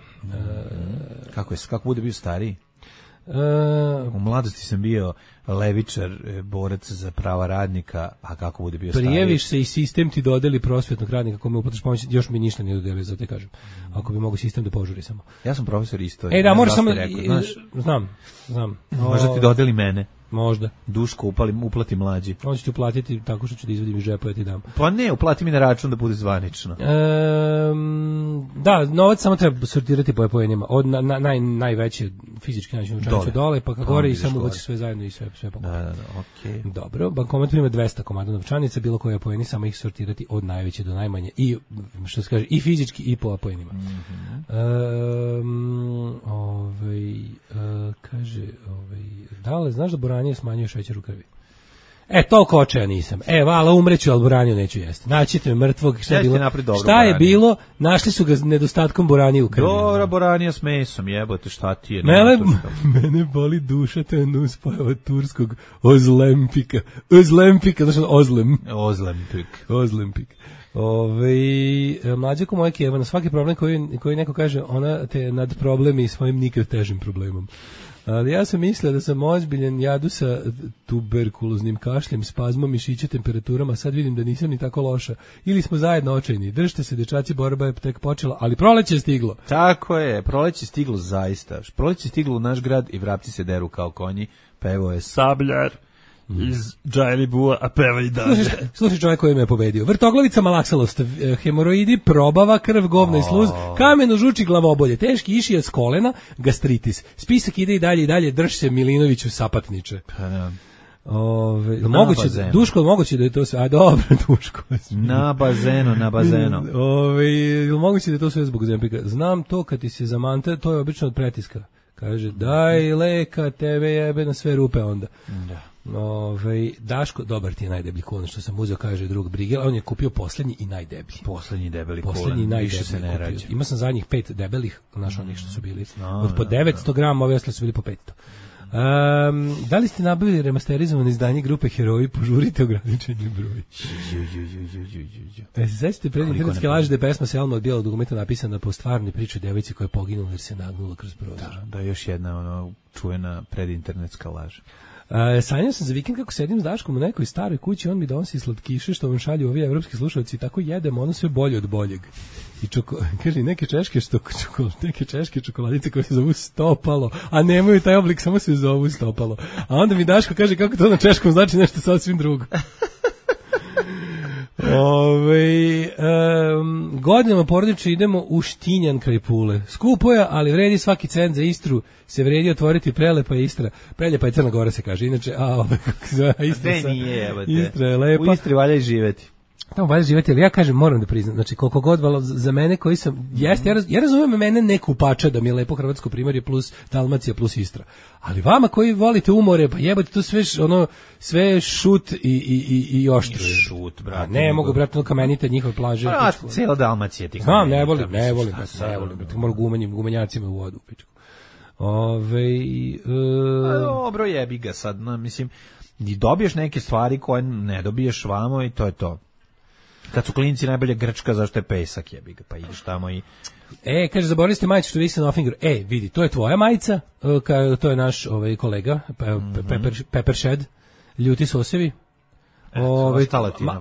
Kako bude bio stariji? U mladosti sam bio levičar, borac za prava radnika, a kako bude bio stariji? Prijeviš se i sistem ti dodeli prosvetnog radnika kome uplatiš pomoć, još mi ništa nije dodelio, zato te kažem. Ako bi mogo sistem da požuri samo. Ja sam profesor istorije. Da, možeš samo... Znam. Možda ti dodeli mene. Možda. Duško uplati Mlađi. On će ti uplatiti tako što ću da izvadim iz džepa ja ti dam. Pa ne, uplati mi na račun da bude zvanično. Da, novac samo treba sortirati po poenima. Od najveće fizički način novčanicu dole, pa kako gore i samo ubaci sve zajedno i sve po gore. Da, okej. Dobro, bankomat prima 200 komada novčanica, bilo koje poeni, samo ih sortirati od najveće do najmanje i što se kaže i fizički i po poenima. Kaže, da li znaš da Boranije smanjuje šećer u krvi? Toliko očaja nisam. Vala, umreću, ali Boraniju neću jesti. Naćite me mrtvog, šta je bilo, našli su ga nedostatkom Boranije u krvi. Dobra Boranija s mesom, jebote, šta ti je? Mene boli duša, to je nuspojava od turskog Ozlempika, znaš Ozlempik. Mlađa ko moja Kijeva, na svaki problem koji neko kaže, ona te nad problemi i svojim nikad težim problemom. Ali ja sam mislila da sam ozbiljan, jadu sa tuberkuloznim kašljem, spazmom, mišića, temperaturama, sad vidim da nisam ni tako loša. Ili smo zajedno očajni. Držite se, dečaci, borba je tek počela, ali proleće je stiglo. Tako je, proleće je stiglo zaista. Proleće je stiglo u naš grad i vrapci se deru kao konji, pevo je Sabljar iz Džajlibua, a peva i dalje. Slušaj čovjek koji me je pobedio. Vrtoglavica, malaksalost, hemoroidi, probava, krv, govna i sluz, kameno, žuči, glavobolje, teški išija s kolena, gastritis. Spisak ide i dalje, drži se Milinoviću sapatniče. Duško, moguće da je to sve, a dobro, Duško. Na bazenu. Moguće da je to sve zbog Zempika. Znam to kad ti se zamanta, to je obično od pretiska. Kaže, daj leka, tebe jebe na sve rupe onda. Da. Daško, dobar ti je najdeblji kulen što sam uzeo, kaže drug Brigel, on je kupio poslednji i najdeblji. Poslednji debeli kulen, više se ne rađe. Ima sam zadnjih 5 debelih, znaš onih što su bili, od po 900 grama, ove ostale su bili po 500. Da li ste nabavili remasterizovano izdanje grupe Heroji, požurite ograničenje broj. Sad ste pred internetske laži da je pesma Selma od bijelog dugmeta napisana po stvarnoj priči devojci koja je poginula jer se nagnula kroz prozor. Da, još jedna čuvena predinternetska laž. Sanjao sam za vikend kako sedim s Daškom u nekoj staroj kući, on mi donosi slatkiše što vam šalju ovi evropski slušalci i tako jedemo ono sve bolje od boljeg. I kaže neke češke čokoladice koje se zovu stopalo, a nemaju taj oblik, samo se zovu stopalo. A onda mi Daško kaže kako to na češkom znači nešto sasvim drugo. Godinama porodično idemo u Štinjan kraj Pule. Skupo je, ali vredi svaki cent za Istru, se vredi otvoriti Prelepa je Istra. Prelepa je Crna Gora se kaže, inače, Istra je lepa. U Istri valja i živeti. Tamo valja živjeti, ali ja kažem, moram da priznam, znači koliko god za mene koji sam, ja razumem mene ne kupača da mi je lepo Hrvatsko primorje plus Dalmacija plus Istra, ali vama koji volite umore, pa jebate to sve šut i oštro. Šut, brate. Ne mogu, brate, no kamenite njihove plaže. Brate, cijela Dalmacija ti. Znam, ne volim, brate, moram gumenjacima u vodu, pičku. Dobro, jebi ga sad, mislim, i dobiješ neke stvari koje ne dobiješ vamo i to je to. Kad su klinci najbolje Grčka, zašto je pesak, jebi ga, pa ideš tamo i... kaže, zaboravili ste majicu što visi na Offingeru. Vidi, to je tvoja majica, to je naš kolega, Pepper Shed, ljuti sosevi.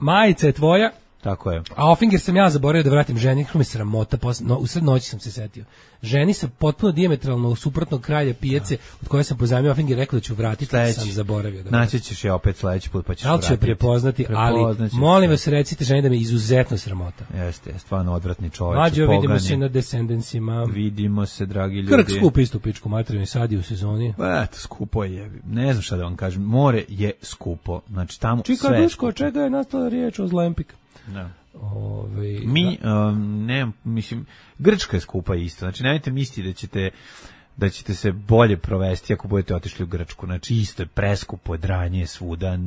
Majica je tvoja. Tako je. A Offinger sam ja zaboravio da vratim ženi, kako mi sramota, u sred noći sam se setio. Ženi sa potpuno dijametralno suprotnog kraja pijace, od koje sam pozajmio Offinger, rekao da ću vratiti, sam zaboravio. Naći ćeš je opet sledeći put, pa ćeš vratiti. Da li ću je prepoznati, ali molim vas recite ženi da mi je izuzetno sramota. Jeste, stvarno odvratni čovječ. Mlađo, vidimo se na Descendentsima. Vidimo se, dragi ljudi. Krk skup istu pičku materiju, sad je u sezoni. Eto, skupo je, ne znam šta da vam kažem, more je skupo, znači tamo Čika sve Duško, od čega je nastala riječ o Zlempik? Da. Mislim, Grčka je skupa isto, znači nemojte misliti da ćete se bolje provesti ako budete otišli u Grčku, znači isto je preskupo, dranje svuda.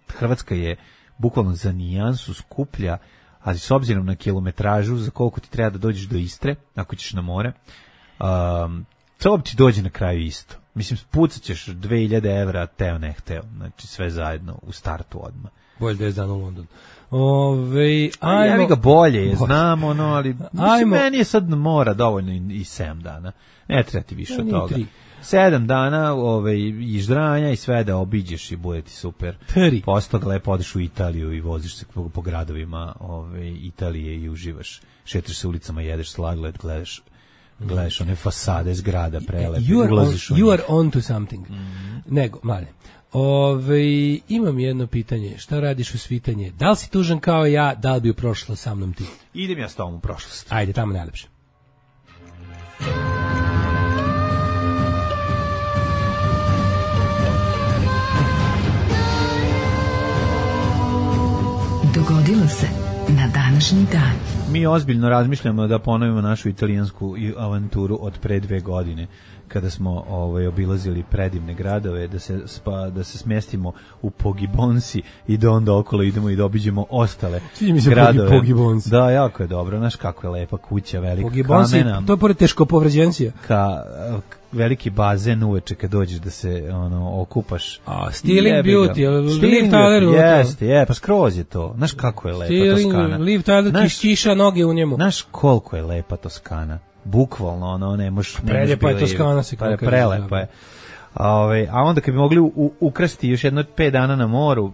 Hrvatska je bukvalno za nijansu skuplja, ali s obzirom na kilometražu za koliko ti treba da dođeš do Istre, ako ćeš na more, to ti dođe na kraju isto. Mislim, pucat ćeš 2000 evra, teo ne hteo, znači sve zajedno u startu odmah. Bolje 10 dana u London. Ja ga bolje je, znam ali mislim, meni je sad mora dovoljno i 7 dana. Ne treba ti više od toga. 7 dana iždranja i sve da obiđeš i bude ti super. Posle toga lepo odeš u Italiju i voziš se po gradovima Italije i uživaš. Šetaš se ulicama, jedeš sladoled, gledaš one fasade zgrada prelepe. You are on to something. Nego, male. Imam jedno pitanje. Šta radiš u svitanje? Da li si tužan kao ja, da li bi prošla sa mnom ti? Idem ja s tobom u prošlost. Ajde, tamo najlepše. Dogodilo se na današnji dan. Mi ozbiljno razmišljamo da ponovimo našu italijansku avanturu od pre 2 godine, kada smo obilazili predivne gradove, da se smestimo u Pogibonsi i da onda okolo idemo i da obiđemo ostale gradove. Pogibonsi. Da, jako je dobro. Znaš kako je lepa kuća, velika Pogibonsi, kamena. to je pored teško povređencija. Veliki bazen uveče kad dođeš da se okupaš. Stealing Beauty, Liv Tyler. Jeste, pa skroz je to. Znaš kako je lepa Toskana. Liv Tyler, kiša noge u njemu. Znaš koliko je lepa Toskana. Bukvalno, ne možeš... Preljepa je Toskana se kako kaže. Prelepa je. A onda kad bi mogli ukrasti još jedno 5 dana na moru,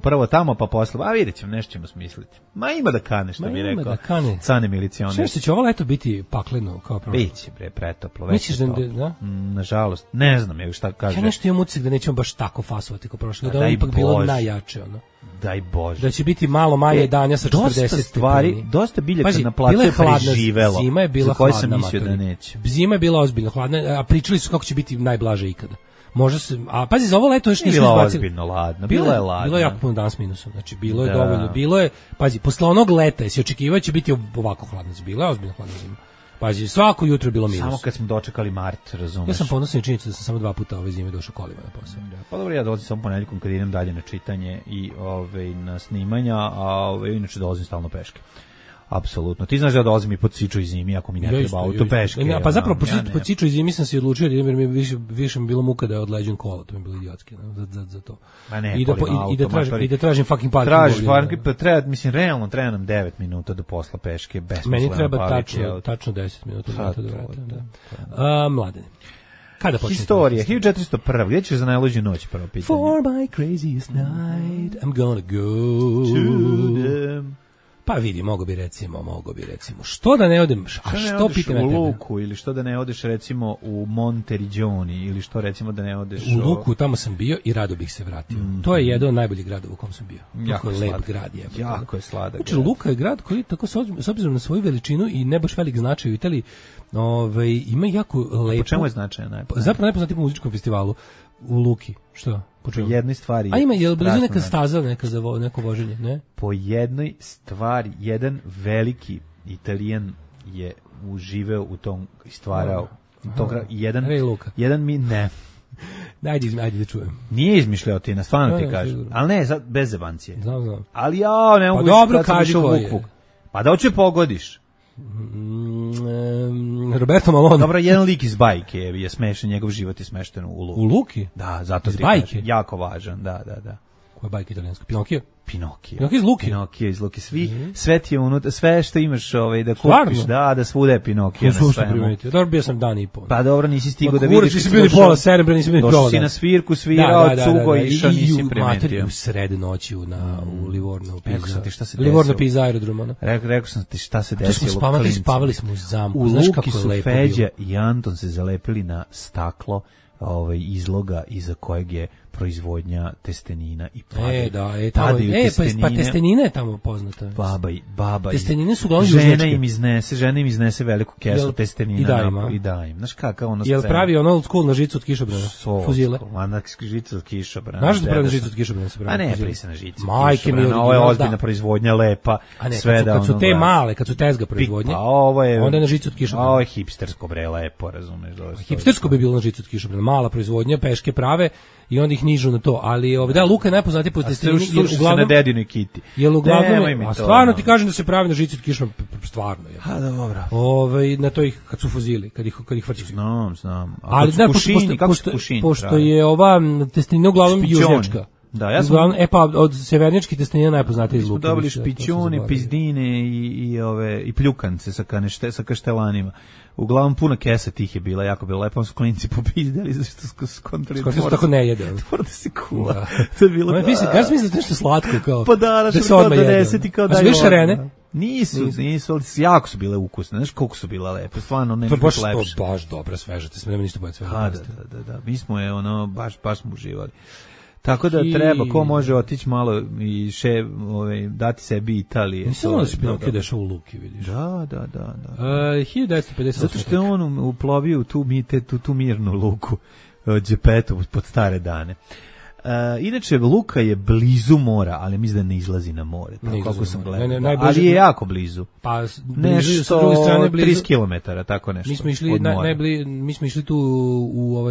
prvo tamo pa posle, vidjet ćemo, nešto ćemo smisliti. Ima da kane, što bi rekao. Cane milicioner. Što će ovo leto biti pakleno kao prošlo? Biće, pretoplo. Misliš da? Nažalost, ne znam je šta kaže. Ja nešto imam utisak da nećemo baš tako fasovati kao prošlo, da je ipak bilo najjače, Daj Bože. Da će biti malo manje danja sa 40 stvari. Dosta biljaka na placu je preživelo. Zima je bila hladna. Sam mislio da neće. Zima je bila ozbiljno hladna, a pričali su kako će biti najblaže ikada. Može se, a pazi, za ovo leto još nisu izbacili. Bila ozbiljno ladna, bila je ladna. Bilo je jako puno dan s minusom, znači bilo je dovoljno, bilo je, pazi, posle onog leta jesi očekivao će biti ovako hladna, bila je ozbiljno hladna zima. Pazi, svako jutro je bilo minus. Samo kad smo dočekali mart, razumeš. Ja sam ponosan činjenicom da sam samo 2 puta ove zime došao kolima na posao. Pa dobro, ja dolazim samo ponedjeljkom kad idem dalje na čitanje i na snimanja, a inače dolazim stalno peške. Apsolutno. Ti znaš da dolazim i pod Siču i zimi ako mi ne treba auto peške. Pa zapravo pod Siču i zimi sam se odlučio da idem jer mi više mi bilo muka da odleđem kola, to mi je bilo idiotski za to. I da tražim fucking parking. Tražiš parking, pa treba, mislim, realno treba nam 9 minuta do posla peške. Meni treba tačno 10 minuta da vratim. Mladene. Kada počne? Historija, 1401. Gdje ćeš za najluđu noć, prvo pitanje? For my craziest night, I'm gonna go to them. Pa vidi, mogo bi recimo. Što da ne odem? A što pitam u Luku ili što da ne odeš recimo u Monteriggioni ili što recimo da ne odeš u Luku, tamo sam bio i rado bih se vratio. To je jedan od najboljih gradova u kom sam bio. Jako je lep grad je. Jako je sladak. Znači Luka je grad koji tako s obzirom na svoju veličinu i ne baš velik značaj u Italiji, ima jako lepo. Po čemu je značajan? Zapravo najpoznatiji po muzičkom festivalu u Luki. Što? Po jednoj stvari. A ima je blizu neka staza neka za neko voženje, ne? Po jednoj stvari, jedan veliki Italijan je uživeo u tom i stvarao. Jedan mi ne. Ajde da čujem. Nije izmišljao ti, stvarno ti kažem. Ali ne, bez zebancije. Znam. Ali ne mogu dobro kaži koji je. Pa da hoće pogodiš. Roberto Malone. Dobro, jedan lik iz bajke je smešan, njegov život je smešten u Luki. U Luki? Da, zato iz bajke? Jako važan, da. Koja bajka italijanska? Pinokio? Pinokio iz Luki? Pinokio iz Luki. Sve ti je unutra, sve što imaš da kupiš, da svuda je Pinokio na svemu. Dobro, bio sam dan i pol. Pa dobro, nisi stigao da vidiš. Nisi bili pola serebra, nisi bili pola. Došao si na svirku, svirao, cugo i išao, nisi primetio. U sred noći u Livorno, Pisa. Livorno, Pisa, aerodrom. Rekao sam ti šta se desilo. Spavali smo u zamku. U Luki su Feđa i Anton se zalepili na staklo izloga iza kojeg je proizvodnja testenina i padaju. Pa testenina je tamo poznata. Baba. Testenine su uglavnom južnjačke. Žena im iznese veliku kesu testenina i da im. Znaš kakva ono scena? Jel pravi ono old school na žicu od kišobrana? Fuzile. Na žicu od kišobrana. Znaš da pravi na žicu od kišobrana se pravi? A ne, prisa na žicu. Majke mi, ovo je ozbiljna proizvodnja, lepa. A ne, kad su te male, kad su tezga proizvodnje, onda je na žicu od kišobrana. Ovo je hipstersko bre, lepo, razumeš? Hipstersko bi bilo na žicu od kišobrana. Mala proizvodnja, peške prave i onda ih nižu na to, ali da, Luka je najpoznatiji po testenini, uglavnom na dedinoj kiti. Jel uglavnom, a stvarno ti kažem da se pravi na žici od kišom, stvarno je. A dobro. Na to ih kad su fuzili, kad ih vrćeš. Znam. Ali da, pošto je ova testenina uglavnom južnjačka. Da, ja sam pa od severnjačke testenine najpoznatiji iz Luka. Dobili špićuni, pizdine i pljukance sa kaštelanima. Uglavnom puna kesa tih je bila, jako bilo lepo, su klinci popizdali zašto su skontrali. Skoro se tako ne jede. Mora da se kuva. To je bilo. Kažeš misliš nešto slatko kao. Pa da se odmah jede. Kao da je šarene. Nisu, jako su bile ukusne. Znaš koliko su bile lepe. Stvarno ne može biti lepše. To baš dobro sveže, te nema ništa bolje sveže. Da. Mi smo baš smo uživali. Tako da treba, ko može otići malo i dati sebi Italije. Nisam da se Pinokio dešao u Luki, vidiš. Da. 1950. Zato što je on uplovio tu mirnu luku Džepetu pod stare dane. Inače, Luka je blizu mora, ali mislim da ne izlazi na more. Kako sam gledao. Ali je jako blizu. Pa nešto 30 km, tako nešto. Mi smo išli tu u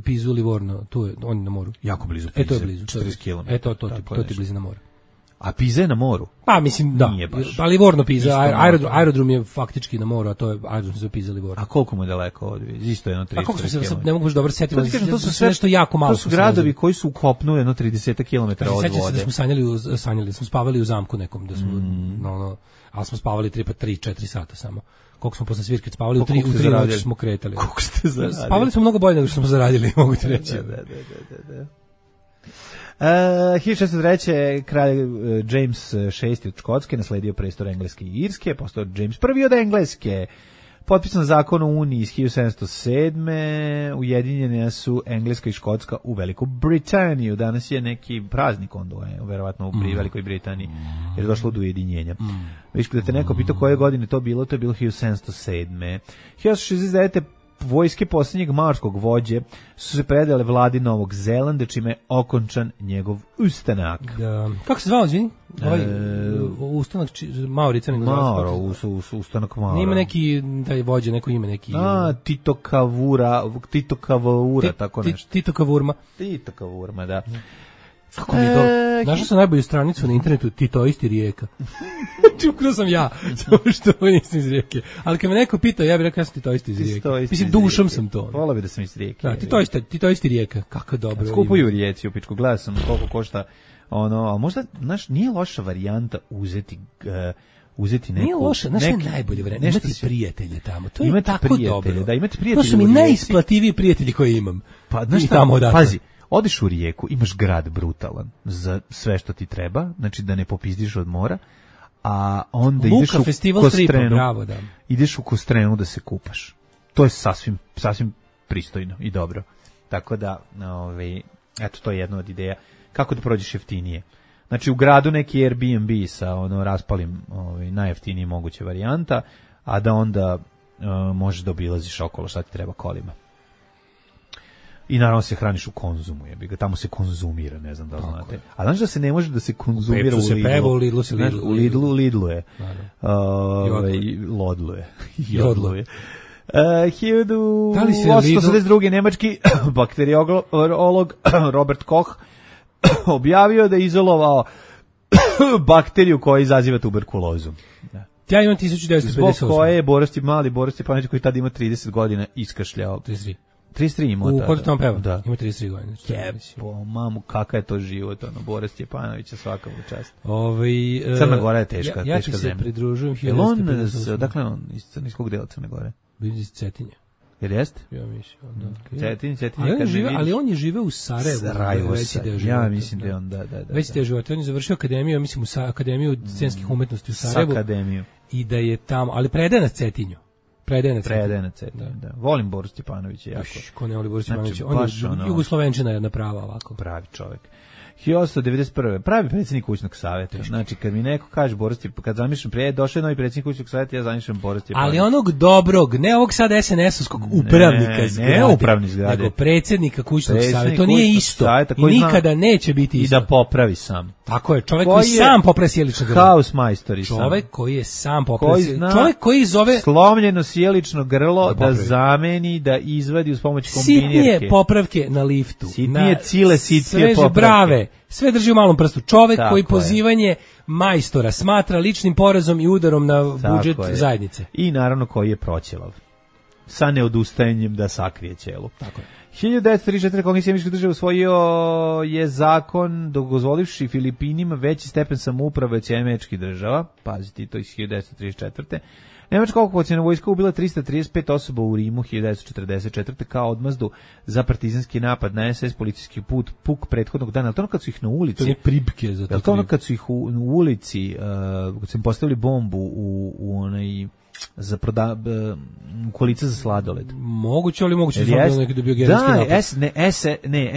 Pizu Livorno, tu je, on je na moru. Jako blizu Pize. To je blizu. 40 km. To ti blizu na moru. A Piza je na moru? Pa mislim da. Pa Livorno Piza, aerodrom je faktički na moru, a to je aerodrom za Piza Livorno. A koliko mu je daleko od? Isto jedno 30 km. A koliko se ne mogu baš dobro setiti, to su sve nešto jako malo. To su gradovi koji su u kopnu jedno 30 km od vode. Sećam se da smo sanjali, smo spavali u zamku nekom, da smo ali smo spavali 3-4 sata samo. Koliko smo posle svirke spavali, u 3 noći smo kretali. Koliko ste zaradili? Spavali smo mnogo bolje nego što smo zaradili, mogu ti reći. Da. 1603. kralj James VI od Škotske nasledio prestor Engleske i Irske, postao James I od Engleske. Potpisan zakon o Uniji iz 1707. Ujedinjene su Engleska i Škotska u Veliku Britaniju. Danas je neki praznik onda, verovatno u Velikoj Britaniji, jer je došlo do ujedinjenja. Viš, kada te neko pitao koje godine to je bilo 1707. 1669. Vojske posljednjeg maorskog vođe su se predale vladi Novog Zelanda, čime je okončan njegov ustanak. Da. Kako se zvao, izvini? Ustanak Maorica? Maoro, ustanak Maoro. Nima neki, da je vođe, neko ime, neki... Tito Kavura, tako nešto. Tito Kavurma, da. Kako mi je dobro. Našao sam najbolju stranicu na internetu, Titoisti Rijeka. Čukno sam ja, što nisam iz Rijeke. Ali kad me neko pitao, ja bih rekao ja sam Titoisti iz Rijeke. Mislim, dušom sam to. Volao bi da sam iz Rijeke. Da, Titoisti Rijeka, kako dobro. Skupuju u Rijeci, u pičku, gledao sam koliko košta, ali možda, znaš, nije loša varijanta uzeti neku... Nije loša, znaš je najbolje varijanta, imati prijatelje tamo, to je tako dobro. Da, imati prijatelje. To su mi najisplativiji prijatelji koje imam. Pa, znaš šta, pazi, odeš u Rijeku, imaš grad brutalan za sve što ti treba, znači da ne popizdiš od mora, a onda Luka, ideš u festival stripa, Kostrenu. bravo, da. Ideš u Kostrenu da se kupaš. To je sasvim pristojno i dobro. Tako da, eto, to je jedna od ideja. Kako da prođeš jeftinije? Znači, u gradu neki Airbnb sa raspalim najjeftinije moguće varijanta, a da onda možeš da obilaziš okolo šta ti treba kolima. I naravno se hraniš u Konzumu, tamo se konzumira, ne znam da li znate. A znaš da se ne može da se konzumira u Lidlu? U Lidlu je. Lodlu je. Jodlu je. 1882. nemački bakteriolog Robert Koch objavio da je izolovao bakteriju koja izaziva tuberkulozu. Da. Ja imam 1958. Zbog koje je Boris Stepanović koji tada ima 30 godina iskašljao. 33 ima. U Hodu tamo peva, da. Ima 33 godina. Jepo, mamu, kakav je to život, Boris Stepanovića, svaka mu čast. Crna Gora je teška, ja teška zemlja. Ja ti se pridružujem. Dakle, on iz crniskog dela Crne Gore? Iz Cetinja. Jer jeste? Ja mislim, da. Cetinje, ali on je živeo u Sarajevu. Ja mislim da je on, da. Već te živote, on je završio akademiju, ja mislim, akademiju scenskih umetnosti u Sarajevu. Akademiju. I da je tamo, ali predaje na Cetinju. Predaje na Cetinju, da. Volim Boris Stepanovića jako. Ko ne voli Boris Stepanovića? Znači, on je Jugoslovenčina jedna prava ovako. Pravi čovjek. 1891. Pravi predsjednik kućnog savjeta. Znači, kad mi neko kaže Boris Stepanović, kad zamišljam došao je novi predsjednik kućnog savjeta, ja zamišljam Boris Stepanović. Ali onog dobrog, ne ovog sad SNS-ovskog upravnika zgrade. Ne upravni zgrade. Nego predsjednika kućnog savjeta. To nije isto. I nikada neće biti isto. I da popravi sam. Tako je, čovjek koji sam popravi sjelično grlo. Haus majstori sam. Čovjek koji je sam popravi. Čovjek koji zove slomljeno sjelično grlo da zameni, da izvadi uz pomoć kombinirke. Sitnije popravke na liftu. Sitnije cile, sitnije popravke. Brave. Sve drži u malom prstu. Čovek tako koji pozivanje majstora smatra ličnim porazom i udarom na budžet zajednice. I naravno koji je proćelav. Sa neodustajanjem da sakrije ćelu. Tako je. 1934. Kongres američkih država usvojio je zakon dozvolivši Filipinima veći stepen samouprave od američkih država. Pazite, to iz 1934. Nemačka okupaciona vojska ubila 335 osoba u Rimu 1944. kao odmazdu za partizanski napad na SS policijski puk prethodnog dana. To ono kad su ih na ulici... To je pribke za to. To ono kad su ih u ulici, kad su im postavili bombu u onaj... za u kolica za sladoled. Moguće, ali moguće da je neki dobio gerilski napad.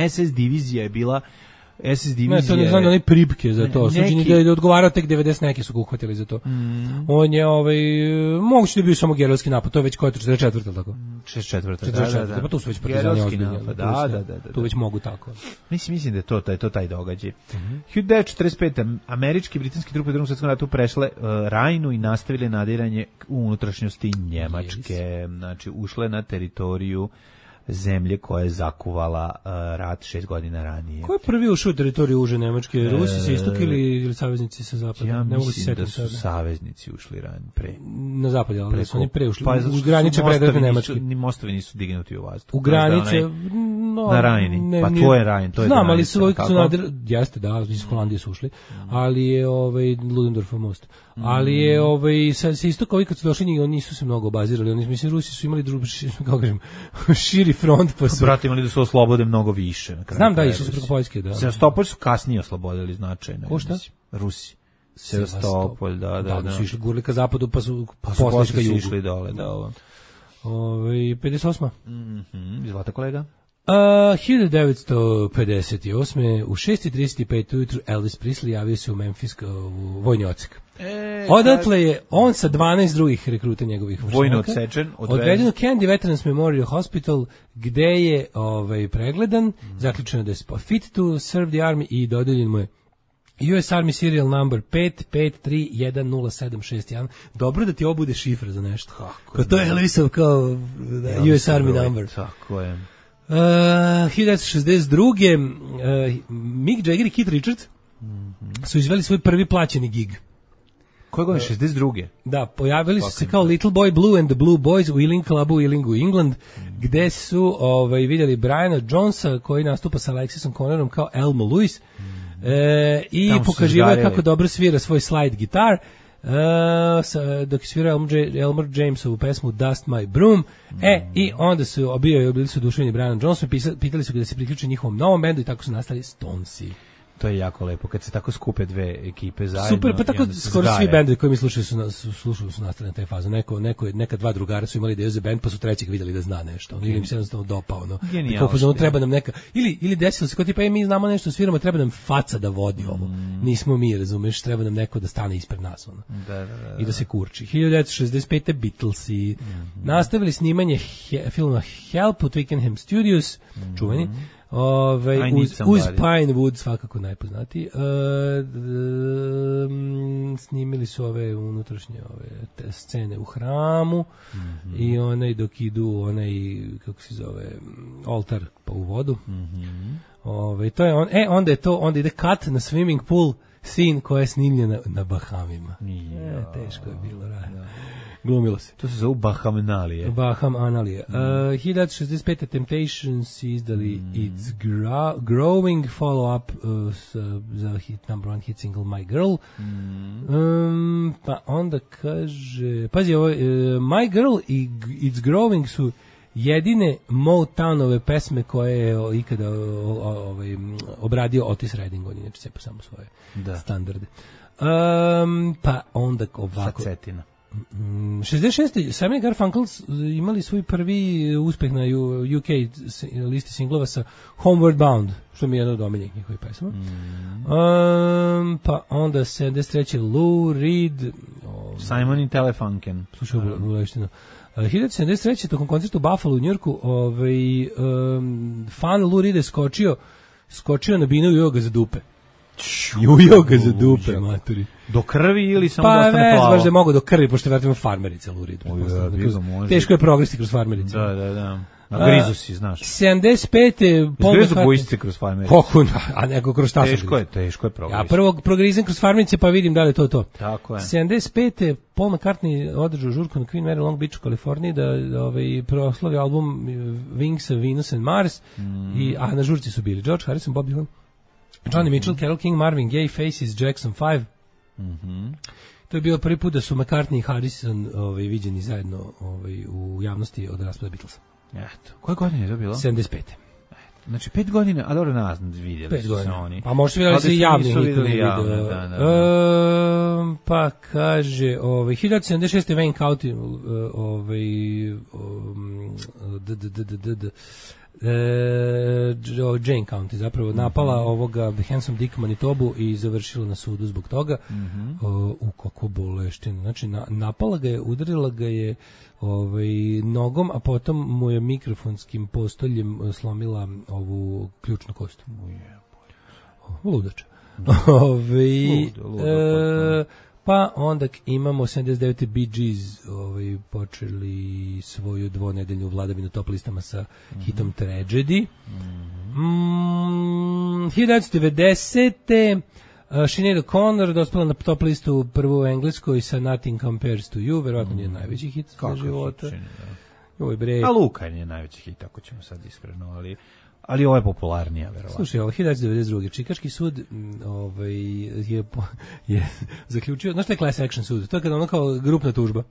SS divizija je bila SS divizija. Ne, to ne znam, onaj pribke za to. Suđenje da je odgovarao tek 90 neki su ga uhvatili za to. On je, moguće da je bio samo gerilski napad, to je već koja je 44. tako? 44. Pa tu su već partizani ozbiljni. Da. Tu već mogu tako. Mislim da je to taj događaj. 1945. Američki i britanski trupe u Drugom svjetskom ratu prešle Rajnu i nastavile nadiranje u unutrašnjosti Njemačke. Znači, ušle na teritoriju zemlje koja je zakuvala rat 6 godina ranije. Ko je prvi ušao u teritoriju uže Nemačke? Rusi sa istoka ili saveznici sa zapada? Ja mislim da su saveznici ušli pre. Na zapad, ali su oni pre ušli. U granice predratne Nemačke. Ni mostovi nisu dignuti u vazduh. U granice... na Rajni. Pa to je Rajn. Znam, ali su jeste, da, iz Holandije su ušli, ali je Ludendorffov most. Ali je sa istoka ovi kad su došli, oni nisu se mnogo obazirali. Oni, mislim, Rusi su imali kako kažem, širi front pa su... Brate, imali da su oslobode mnogo više. Znam da, išli su preko Poljske, da. Sevastopolj su kasnije oslobodili značajno. Ko šta? Rusi. Sevastopolj, da. Su išli gurli ka zapadu, pa su posle išli dole, da. 58. Izvolite, kolega. 1958. u 6:35 ujutru Elvis Presley javio se u Memphis u vojni odsek. Odatle je on sa 12 drugih rekruta njegovih vojno odsečen, odveden u Kennedy Veterans Memorial Hospital, gde je pregledan, zaključeno da je fit to serve the army i dodeljen mu je US Army serial number 5531071. Dobro da ti ovo bude šifra za nešto. Kao to je Elvisov kao US Army number. Tako je. 1962. Mick Jagger i Keith Richards su izveli svoj prvi plaćeni gig. Koje godine? 62. Da, pojavili su se kao Little Boy Blue and the Blue Boys u Ealing Clubu u Ealingu, England, gde su vidjeli Briana Jonesa koji nastupa sa Alexisom Connorom kao Elmo Lewis i pokaživao kako dobro svira svoj slide gitar. Dok je svirao Elmer Jamesovu pesmu Dust My Broom. I onda su bili su oduševljeni Brianom Jonesom, pitali su ga da se priključe njihovom novom bendu i tako su nastali Stonesi. to je jako lepo kad se tako skupe dve ekipe zajedno. Super, pa tako skoro svi bendovi koji mi slušali su nastali na taj fazu. Neka dva drugara su imali ideju za bend, pa su trećeg vidjeli da zna nešto. Ili im se jednostavno dopao. Kako treba nam neka ili desilo se kao tipa mi znamo nešto, sviramo, treba nam faca da vodi ovo. Nismo mi, razumeš, treba nam neko da stane ispred nas i da se kurči. 1965. Beatlesi nastavili snimanje filma Help u Twickenham Studios, čuveni. Uz Pinewood, svakako najpoznatiji. Snimili su ove unutrašnje te scene u hramu i onaj dok idu kako se zove oltar pa u vodu. To je onda ide cut na swimming pool scene koja je snimljena na Bahamima. Teško je bilo, glumilo se. To se zove Bahamanalije. 1965. Temptations izdali It's Growing, follow-up za number one hit single My Girl. Pa onda kaže... Pazi, My Girl i It's Growing su jedine Motownove pesme koje je ikada obradio Otis Redding, on inače cepa samo svoje standarde. Pa onda ovako... Facetina. 66. Simon & Garfunkel imali svoj prvi uspeh na UK listi singlova sa Homeward Bound, što mi je jedan od omiljenih njihovih pesama. Pa onda 73. Lou Reed, Simon i Telefunken. Slušaj, buleštino. 1973. tokom koncerta u Buffalo u Njorku, fan Lou Reed je skočio na binu i ujeo ga za dupe. Ujeo ga za dupe, maturi. Do krvi ili samo pa da ostane plavo? Pa baš da mogu do krvi, pošto vratimo farmerica Lou Reed. Teško je progresti kroz farmerice. Da. A grizu si, znaš. 75. Grizu bojstice kroz farmerice. A neko kroz šta su grizu. Teško je progresti. Ja prvo progrizam kroz farmerice pa vidim da li je to. Tako je. 75. Paul McCartney održao žurku na Queen Mary Long Beach u Kaliforniji da proslavi album Wings of Venus and Mars, a na žurci su bili George Harrison, Bobby Hall, Johnny Mitchell, Carole King, Marvin Gaye, Faces, Jackson 5. To je bio prvi put da su McCartney i Harrison viđeni zajedno u javnosti od raspada Beatlesa. Eto. Koje godine je to bilo? 75. Znači 5 godina, a dobro nas vidjeli su se oni. Pa možda vidjeli se javni. Pa kaže, 1976. Wayne County, Jane County zapravo napala ovoga Handsome Dick Manitobu i završila na sudu zbog toga. U kako boleština. Znači napala ga je, udarila ga je nogom, a potom mu je mikrofonskim postoljem slomila ovu ključnu kost. Ludač. Pa onda imamo 79. Bee Gees počeli svoju dvonedeljnu vladavinu top listama sa hitom Tragedy. 1990. Sinead O'Connor dospela na top listu prvu u Engleskoj sa Nothing Compares to You, verovatno je najveći hit za života. A Luka je najveći hit, ako ćemo sad iskreno, ali ovo je popularnija, verovatno. Slušaj, 1992. Čikaški sud je zaključio, znaš što je class action sud? To je kada ono kao grupna tužba.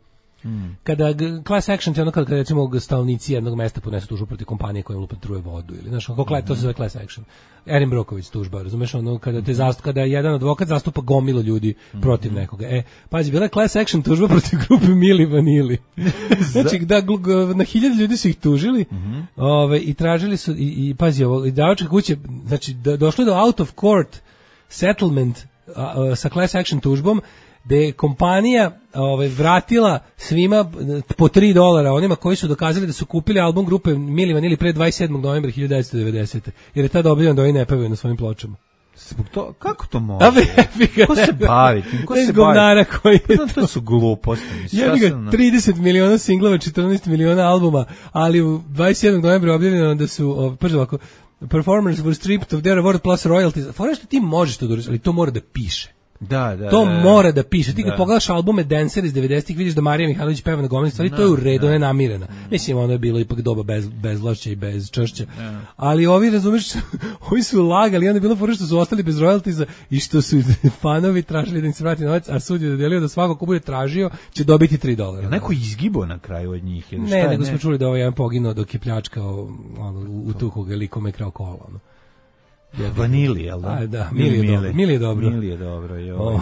Kada class action je ono kada recimo stanovnici jednog mesta podnesu tužbu protiv kompanije koja im lupa truje vodu ili znaš, to se zove class action. Erin Brockovich tužba, razumeš, ono kada jedan advokat zastupa gomilo ljudi protiv nekoga. Pazi, bila je class action tužba protiv grupe Milli Vanilli. Znači da na 1000 ljudi su ih tužili, i tražili su i pazi ovo, izdavačke kuće, znači došlo do out of court settlement sa class action tužbom, da je kompanija vratila svima po $3 onima koji su dokazali da su kupili album grupe Milli Vanilli pre 27. novembra 1990. Jer je tada objavljeno da oni ne pevaju na svojim pločama. Kako to može? Ko se bavi? Ko se govnara koji je to su gluposti. Ja bih 30 miliona singlova, 14 miliona albuma, ali u 27. novembra objavljeno da su prvo ovako, performers were stripped of their award plus royalties. Fora što ti možeš to ali to mora da piše. To mora da piše. Ti kad pogledaš albume Dancer iz 90-ih, vidiš da Marija Mihajlović peva na gomili stvari, to je u redu, ona je namirena. Mislim, ono je bilo ipak doba bez vlašća i bez čršća. Ali ovi, razumeš, ovi su lagali, onda je bilo fora što su ostali bez royaltiesa i što su fanovi tražili da im se vrati novac, a sud je dodelio da svako ko bude tražio će dobiti $3. Neko izgibo na kraju od njih? Ne, nego smo čuli da ovaj jedan poginuo dok je pljačkao, utuhao ga likom je krao kola. Vanili, jel da? A, da, Mili je dobro. Mili je dobro, joj.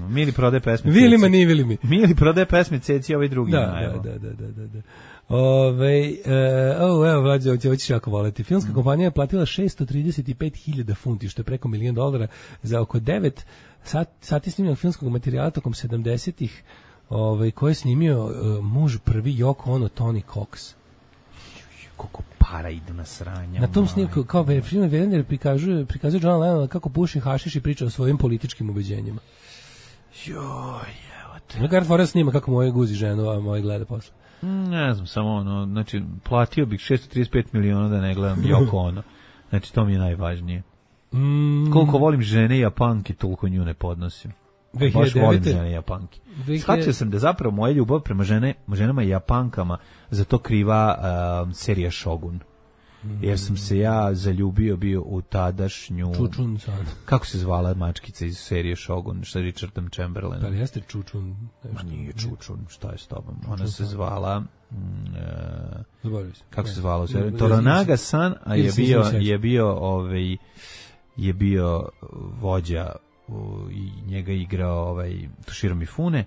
Mili prodaje pesme. Vilima, ni Vilimi. Mili prodaje pesme, Ceci, ovaj drugi. Da. Evo, Vlađe, hoćeš jako voleti. Filmska kompanija je platila 635.000 funti, što je preko $1 milion, za oko 9 sati snimljenog filmskog materijala tokom 70-ih, koji je snimio muž prvi Yoko Ono, Tony Cox. Koliko para idu na sranja. Na tom snimku, kao film Werner prikazuje John Lennon kako puši hašiš i priča o svojim političkim ubeđenjima. Joj, Gard Forrest snima kako moje guzi ženu, a moje gleda posle. Ne znam, samo znači, platio bih 635 miliona da ne gledam Yoko Ono. Znači, to mi je najvažnije. Koliko volim žene i Japanke, toliko nju ne podnosim. Baš volim žene i Japanke. Shvatio sam da zapravo moja ljubav prema ženama i Japankama za to kriva serija Shogun. Jer sam se ja zaljubio bio u tadašnju... Čučun-san. Kako se zvala mačkica iz serije Shogun, sa Richardom Chamberlainom? Da li jeste Čučun? Ma nije Čučun, šta je s tobom? Ona se zvala... kako se zvala? Toranaga-san, a je bio vođa i njega igrao Toshiro Mifune,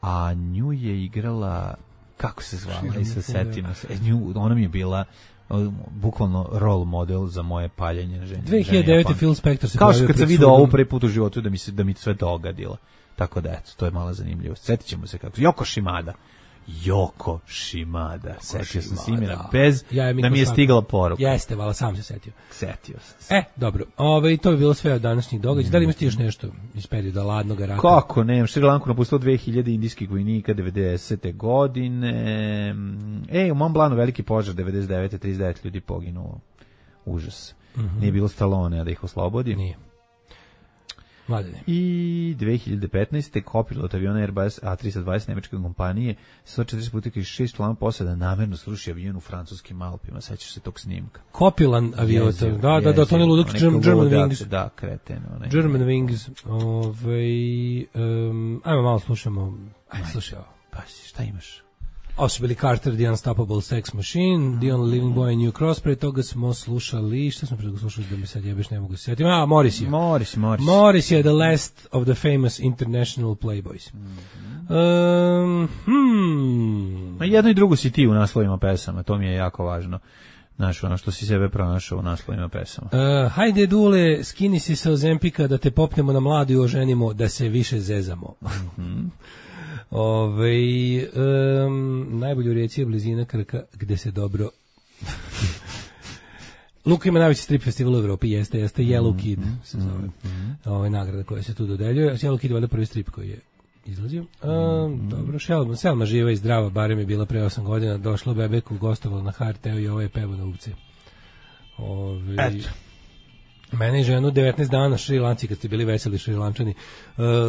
a nju je igrala... Kako se zvala? I se setimo se. Ona mi je bila... bukvalno role model za moje paljenje žene. 2009. Phil Spector se kao što kad sam video ovu prvi put u životu da mi sve dogadilo. Tako da, eto, to je mala zanimljivost. Sjetit ćemo se kako. Yoko Shimada. Setio sam se imena bez da mi je stigla poruka. Jeste, vala, sam se setio. Setio sam se. Dobro. To bi bilo sve od današnjih događaja. Da li imaš ti još nešto iz perioda ladnog rata? Kako ne? Šri Lanku napustilo 2000 indijskih vojnika 90. godine. U Mont Blancu veliki požar 99. 39 ljudi poginulo. Užas. Nije bilo Stallone, a da ih oslobodi. Nije. Mladene. I 2015. kopilot aviona Airbus A320 nemačke kompanije 140 putnika i 6 članova posada namerno sruši avion u francuskim Alpima. Sećaš se tog snimka? Kopilan avion. Da, to ne ludak German Wings. Da, kreten. German Wings. Ajmo malo slušamo. Slušaj ovo. Pa, šta imaš? Ovo su bili Carter, The Unstoppable Sex Machine, The Only Living Boy in New Cross, pre toga smo slušali, šta smo pre toga slušali da mi sad jebeš ne mogu se setiti, Morris je. Morris je The Last of the Famous International Playboys. Jedno i drugo si ti u naslovima pesama, to mi je jako važno. Znaš, ono što si sebe pronašao u naslovima pesama. Hajde Dule, skini si se Ozempika da te popnemo na mladu i oženimo da se više zezamo. Najbolju rijeci je blizina Krka gde se dobro Luka ima najveći strip festival u Evropi, jeste Yellow Kid se zove nagrada koja se tu dodeljuje. Yellow Kid je valjda prvi strip koji je izlazio. Dobro, Selma živa i zdrava, barem je bila pre 8 godina, došla Bebeku, gostovala na HRT-u i ovo je pevo na uvce. Mene i ženu 19 dana Šri Lanci, kad ste bili veseli Šri Lančani,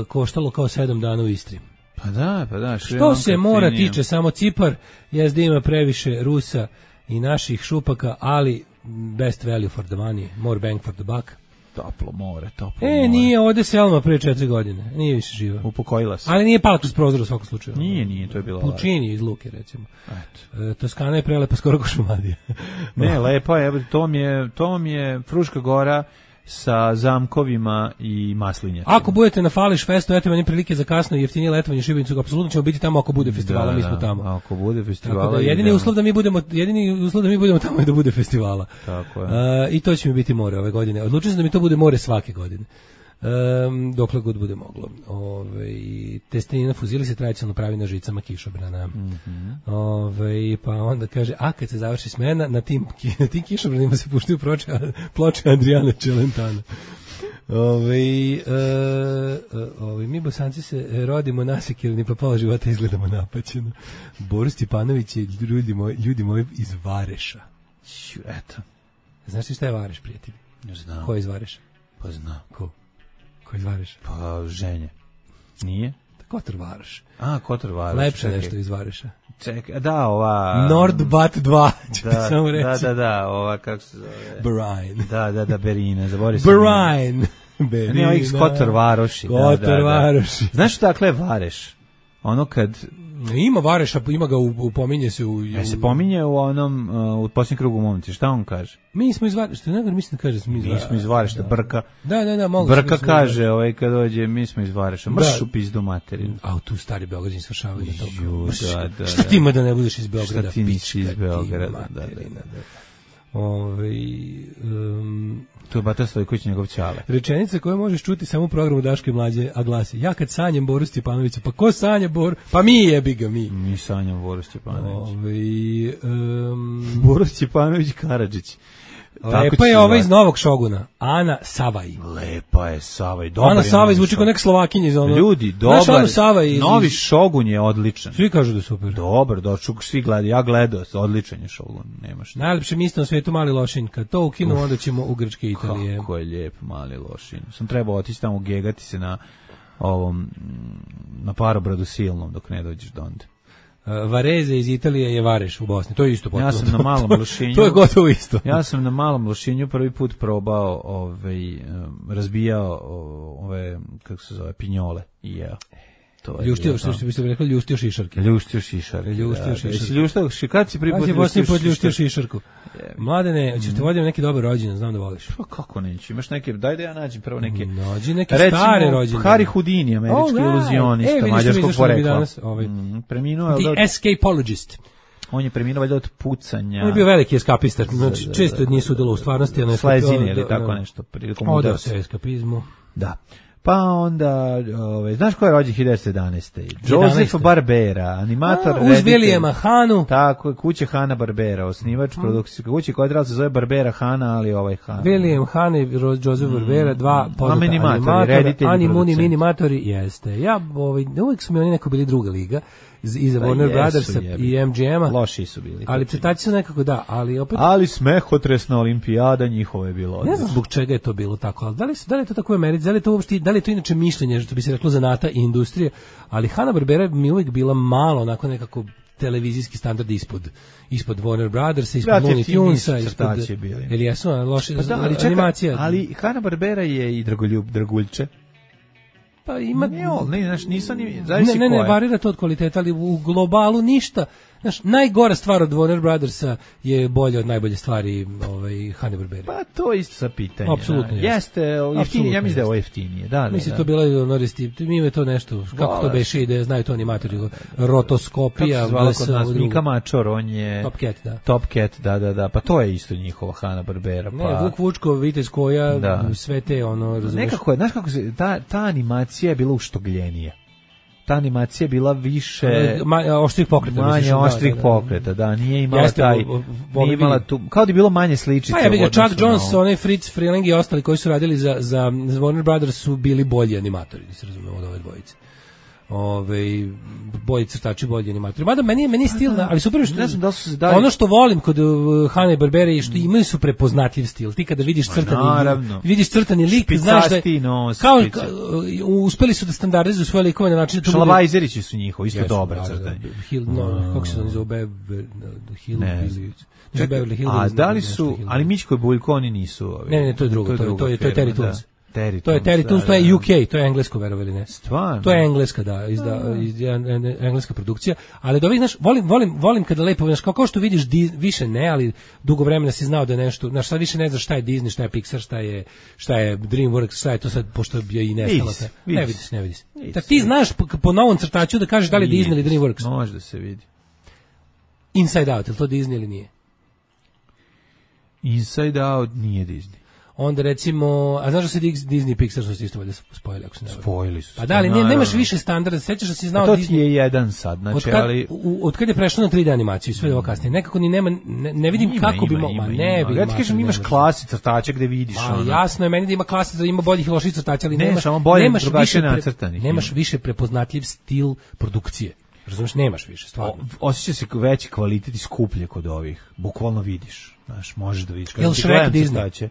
koštalo kao 7 dana u Istri. Pa da. Što se mora tiče samo Cipar, jezda ima previše Rusa i naših šupaka, ali best value for the money, more bang for the buck. Toplo more. Nije, ode Selma pre 4 godine, nije više živa. Upokojila se. Ali nije pala kroz prozor u svakom slučaju. Nije, to je bilo Pučini iz Luke, recimo. Toskana je prelepa skoro ko Šumadija. Ne, lepa je, to mi je Fruška Gora sa zamkovima i maslinjacima. Ako budete na Fališ festu, eto meni prilike za kasno i jeftinije letovanje u Šibenicu, apsolutno ćemo biti tamo ako bude festivala, mi smo tamo. Ako bude festivala. Tako da, jedini uslov da mi budemo tamo je da bude festivala. Tako je. I to će mi biti more ove godine. Odlučio sam da mi to bude more svake godine. Dokle god bude moglo. Testenina fuzili se tradicionalno pravi na žicama kišobrana. Pa onda kaže, a kad se završi smena, na tim kišobranima se puštaju ploče Adriana Celentana. Mi Bosanci se rodimo nasekirani, pa pola života izgledamo napaćeno. Boris Stipanović je ljudi moji iz Vareša. Eto. Znaš ti šta je Vareš, prijatelji? Ne znam. Ko je iz Vareša? Pa znam. Ko iz Vareša? Pa ženje. Nije? Kotor Varoš. Kotor Varoš. Lepše nešto iz Vareša. Da, ova... Nordbat 2, ću ti samo reći. Da, ova, kako se zove? Berine. Da, Berine, zaboravio sam. Berine. Ne, ovih Kotor Varoši. Kotor Varoši. Znaš dakle je Vareš? ono kad ima Vareša, ima ga pominje se u... se pominje u onom u posljednjem krugu momci, šta on kaže? Mi smo iz Vareša, ne mislim da kaže mi smo iz Vareša, Brka. Da, mogu. Brka kaže, kad dođe, mi smo iz Vareša, mrš u pizdu materinu. A tu stari Beograđani svršavaju na to. Da. Šta ti ima da ne budeš iz Beograda? Šta ti nisi iz Beograda, da. To je Bata Stojković, njegov ćale. Rečenica koju možeš čuti samo u programu Daške i Mlađe, a glasi: ja kad sanjem Boru Stjepanovića, pa ko sanja Boru? Pa mi jebi ga, mi. Mi sanjamo Boru Stjepanović. Boru Stjepanović Karadžić. Lepa je ova iz Novog Šoguna, Ana Savaj. Lepa je Savaj, dobar. Ana Savaj zvuči kao nek Slovakinja iz ono. Ljudi, dobar. Novi Šogun je odličan. Svi kažu da je super. Dobar, svi gledaju, ja gledao, odličan je Šogun, nema šta. Najlepše mjesto na svetu Mali Lošinj, kad to ukinu, onda ćemo u Grčke i Italije. Kako je lijep Mali Lošinj. Sam trebao otići tamo gegati se na Parobradu silnom dok ne dođeš do onda. Vareze iz Italije je Vareš u Bosni, to je isto potpuno. Ja sam na Malom Lošinju. To je gotovo isto. Ja sam na Malom Lošinju prvi put probao, razbijao ove, kako se zove, pinjole i jeo. Ljuštio, što bi se rekao, ljuštio šišarke. Ljuštio šišarke. Kad si prvi put ljuštio šišarku? Mladene, ćeš te vodim neki dobar rođendan, znam da voliš. Pa kako neću, imaš neke, daj da ja nađem prvo neke. Nađi neke stare rođendane. Harry Houdini, američki iluzionista, mađarskog porekla. Preminuo je The Escapologist. On je preminuo valjda od pucanja. On je bio veliki eskapista, znači često nije sudjelovao u stvarnosti. Slezine ili tako nešto. Odao se eskapizmu. Da. Pa onda, znaš ko je rođen 1911. Joseph Barbera, animator. Uz Williama Hanu. Tako, kuće Hanna Barbera, osnivač produkcijske kuće koja treba se zove Barbera Hana, ali Han. William Han i Joseph Barbera, dva poznata animatori, animatori, jeste. Ja, uvijek su mi oni neko bili druga liga. Iza Warner Brothersa i MGM-a. Loši su bili. Ali crtači su nekako ali opet... Ali smehotresna olimpijada njihova je bilo. Ne znam zbog čega je to bilo tako, ali da li je to tako u Americi, da li je to inače mišljenje, što bi se reklo zanata i industrije, ali Hanna-Barbera mi uvijek bila malo onako nekako televizijski standard ispod Warner Brothersa, ispod Looney Tunesa, ispod... Ili jesu loši, animacija. Ali Hanna-Barbera je i draguljče. Pa ima... Ne, varira to od kvaliteta, ali u globalu ništa. Znaš, najgora stvar od Warner Brothersa je bolja od najbolje stvari Hanna-Barbera. Pa to isto sa pitanje. Apsolutno jeste. Jeftinije, ja mislim da je ovo jeftinije. Mislim, to bilo mi je to nešto, kako to beše ide, znaju to animatori, rotoskopija. Kako se zvala kod nas, Mika Mačor, on je... Top Cat, da. Pa to je isto njihova Hanna-Barbera. Ne, Vuk Vučko, Vitez Koja, sve te razumiješ. Nekako je, znaš kako se, ta animacija je bila uštogljenija. Ta animacija bila više oštrih pokreta, manje oštrih pokreta, da, nije imala nije imala tu, kao da je bilo manje sličica. Pa ja Chuck Jones, onaj Fritz Freleng i ostali koji su radili za Warner Brothers su bili bolji animatori, da se razumemo, od ove dvojice. Bolji crtači, bolji animatori. Mada meni je stil, ali super što ono što volim kod Hanne Barbere je što imaju su prepoznatljiv stil. Ti kada vidiš crtani lik, znaš da kao uspeli su da standardizuju svoje likove na način da Šalabajzerići su njihovi isto dobra crtanje. Kako se zove A da li su, ali Mićko i Buljko oni nisu. Ne, to je drugo, to je Terry Toons. To je Terry Toons, to je UK, to je englesko, verovali ne. Stvarno? To je engleska, engleska produkcija, ali da znaš, volim kada lepo, znaš, kao što vidiš, više ne, ali dugo vremena si znao da je nešto, znaš, sad više ne znaš šta je Disney, šta je Pixar, šta je DreamWorks, šta je to sad, pošto je i nestalo sve. Ne vidiš. Tako ti znaš po novom crtaču da kažeš da li Disney ili DreamWorks. Može da se vidi. Inside Out, je li to Disney ili nije? Inside Out nije Disney. Onda recimo, a znaš da se Disney i Pixar su isto valjda spojili, ako se ne varam. Spojili su. Pa da, ali nemaš više standarda, sećaš da si znao Disney. To ti je jedan sad, znači, ali... Od kad je prešlo na 3D animaciju, sve ovo kasnije, nekako ni nema, ne vidim kako bi mogla, ne vidim. Ja ti kažem, imaš klasi crtača gde vidiš ono. Jasno je meni da ima klasi, da ima boljih i loših crtača, ali nemaš više prepoznatljiv stil produkcije. Razumiješ, nemaš više, stvarno. Osjeća se veći kvalitet i skuplje kod ovih, bukvalno vidiš, znaš, možeš da vidiš. Jel Shrek Disney?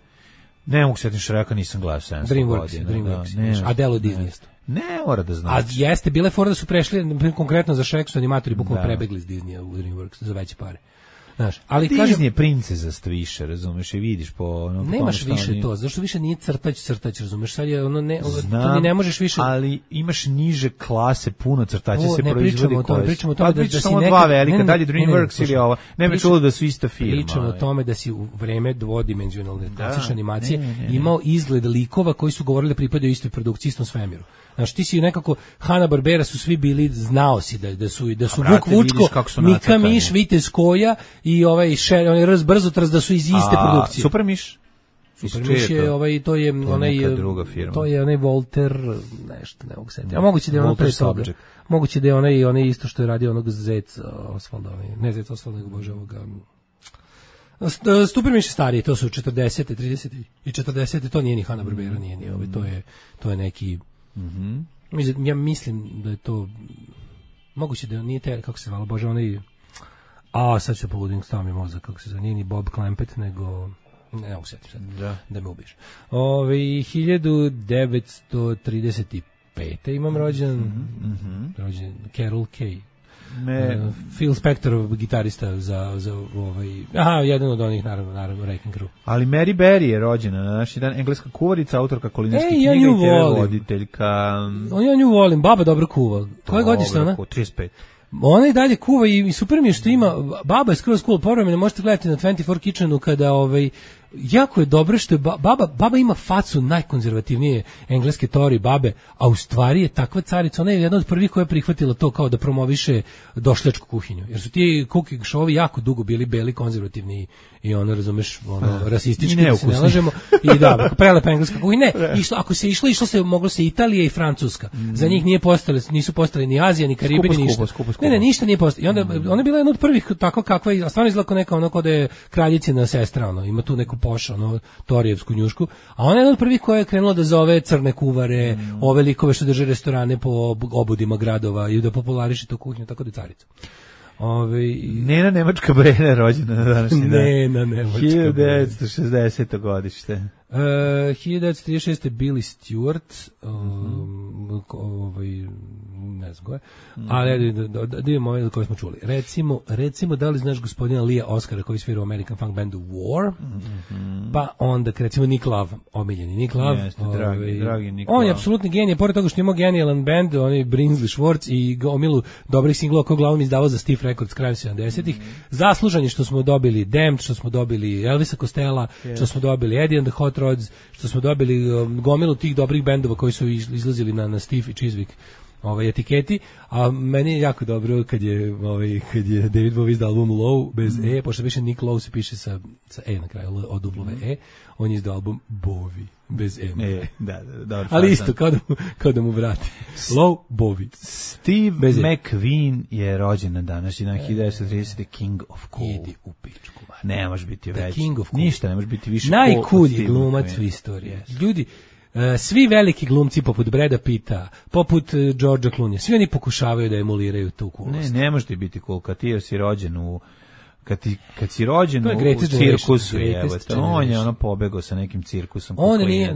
Ne mogu setim Shreka, nisam gledao 700 godina. DreamWorks. A delo Disney. Ne, mora da znaš. A jeste, bile fora da su prešli, konkretno za Shrek su animatori bukvalno prebegli iz Disneya u DreamWorks za veće pare. Znaš, ali Disney je princezast više, razumeš, i vidiš po ono, nemaš više to, zašto više nije crtać, razumeš, sad je ono ne, ti ne možeš više, ali imaš niže klase, puno crtaća se proizvodi. Pričamo o tome da si samo dva velika, dalje DreamWorks ili ovo. Ne me čulo da su ista firma. Pričamo o tome da si u vreme dvodimenzionalne klasične animacije imao izgled likova koji su govorili da pripadaju istoj produkciji, istom svemiru. Znaš, ti si nekako, Hanna-Barbera su svi bili, znao si da su Vuk Vučko, Mika Miš, Vitez Koja i onaj Brzotrac da su iz iste produkcije. Super Miš? Super Miš je, to je onaj druga firma. To je onaj Walter, nešto, ne mogu setiti. A moguće da je ono pre toga. Moguće da je onaj isto što je radio onog Zec Osvalda, ne Zec Osvalda, nego bože ovoga. Super Miš je stariji, to su 40. 30. i 40. To nije ni Hanna-Barbera, nije ni to je neki. Ja mislim da je to moguće da nije kako se zvala, bože, onaj sad se pogodim, stao mi mozak, kako se zove, nije ni Bob Clampett, nego ne mogu sjetiti sad, da me ubiješ. 1935. imam rođen Carol Kay. Phil Spector, gitarista za jedan od onih, naravno Wrecking Crew. Ali Mary Berry je rođena na naši dan, engleska kuvarica, autorka kulinarskih knjiga i TV voditeljka. Ja nju volim, baba dobro kuva. Koje godište ona? 35. Ona i dalje kuva i super mi je što ima, baba je skroz cool, povremeno možete gledati na 24 Kitchenu kada jako je dobro što je baba ima facu najkonzervativnije engleske teorije babe, a u stvari je takva carica, ona je jedna od prvih koja je prihvatila to kao da promoviše došljačku kuhinju, jer su ti cooking show-ovi jako dugo bili beli, konzervativni i ono, razumeš, rasistički, da se ne lažemo, i da, prelepa engleska kuhinja, ako se išlo se, moglo se Italija i Francuska, za njih nisu postali ni Azija, ni Karibi, ni ništa. Ne, ništa nije postalo. I onda, ona je bila jedna od prvih tako kakva, a stvarno izgleda neka ono kod je kraljicina sestra, ima tu neku poša, torijevsku njušku, a ona je jedna od prvih koja je krenula da zove crne kuvare, ove likove što drže restorane po obodima gradova i da populariše tu kuhinju, tako da je carica. Nena Nemačka Brena rođena na današnji dan. Nena Nemačka 1960. godište. 1936. Billy Stewart, ne znam koje, ali da imamo ove koje smo čuli. Recimo, da li znaš gospodina Lia Oscara koji svira u American funk bandu War, pa onda, recimo, Nick Love, omiljeni Nick Love. Jeste, dragi Nick Love. On je apsolutni genije, pored toga što ima genijalan band, on je Brinsley Schwartz i gomilu dobrih singlova koji uglavnom izdavao za Stiff Records krajem 70-ih. Zaslužan je što smo dobili Damned, što smo dobili Elvisa Costello, što smo dobili Eddie and the Hot Rods, što smo dobili gomilu tih dobrih bendova koji su izlazili na Stiff i Chiswick etiketi, a meni je jako dobro kad je David Bowie izdao album Low bez pošto više Nick Lowe se piše sa na kraju od W on je izdao album Bowie bez da, ali isto kao da mu vrati Low Bowie. Steve McQueen je rođen na današnji dan 1930. King of Cool. Idi u pičku. Ne može biti veći. Ništa ne može biti više. Najkulji glumac u istoriji. Ljudi, svi veliki glumci poput Brada Pitta, poput Georgea Clooney, svi oni pokušavaju da emuliraju tu coolnost. Ne može ti biti cool kad ti si rođen kad si rođen u cirkusu, on je pobegao sa nekim cirkusom. On je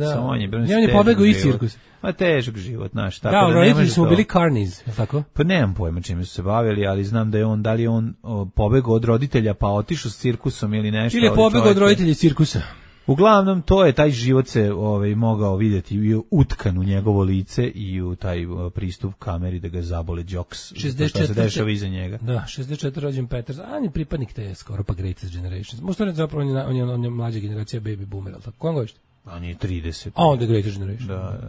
pobegao i cirkus. Težak život, znaš. Da, roditelji smo bili carnies, tako? Pa nemam pojma čime su se bavili, ali znam da li je on pobegao od roditelja pa otišao s cirkusom ili nešto. Ili je pobegao od roditelja cirkusa. Uglavnom, to je taj život se mogao vidjeti i utkan u njegovo lice i u taj pristup kameri da ga zabole jokes, što se dešava iza njega. Da, 64 rođen Peters, a on je pripadnik te skoro pa Greatest Generation. Možda ne zapravo on je mlađa generacija baby boomer, ali tako? Kojem godište? On je 30. A onda Greatest Generation. Da.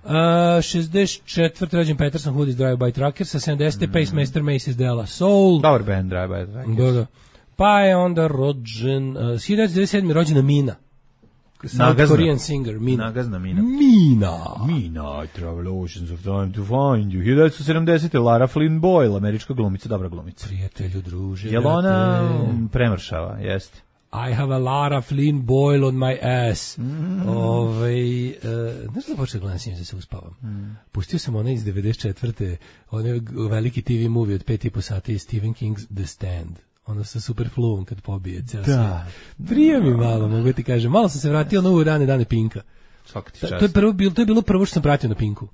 64. rođen Peterson, Hood is Drive by Trucker, sa 70. Pacemaster Macy's De La Soul. Dobar band, Drive by Trucker. Da. Pa je onda rođen, 1997. rođena Mina. South Korean singer, Mina. Nagazna Mina. Mina, I travel oceans of time to find you. 1970. Lara Flynn Boyle, američka glumica, dobra glumica. Prijatelju, druže. Jel ona premršava, jeste? I have a Lara Flynn Boyle on my ass. Znaš da počeo gledam da se uspavam? Pustio sam onaj iz 94. onaj veliki TV movie od 5,5 sati Stephen King's The Stand. Ono sa Superfluom kad pobije ceo svijet. Prije mi malo, mogu ti kažem. Malo sam se vratio na rane dane Pinka. svaka ti čast. To je bilo prvo što sam pratio na Pinku.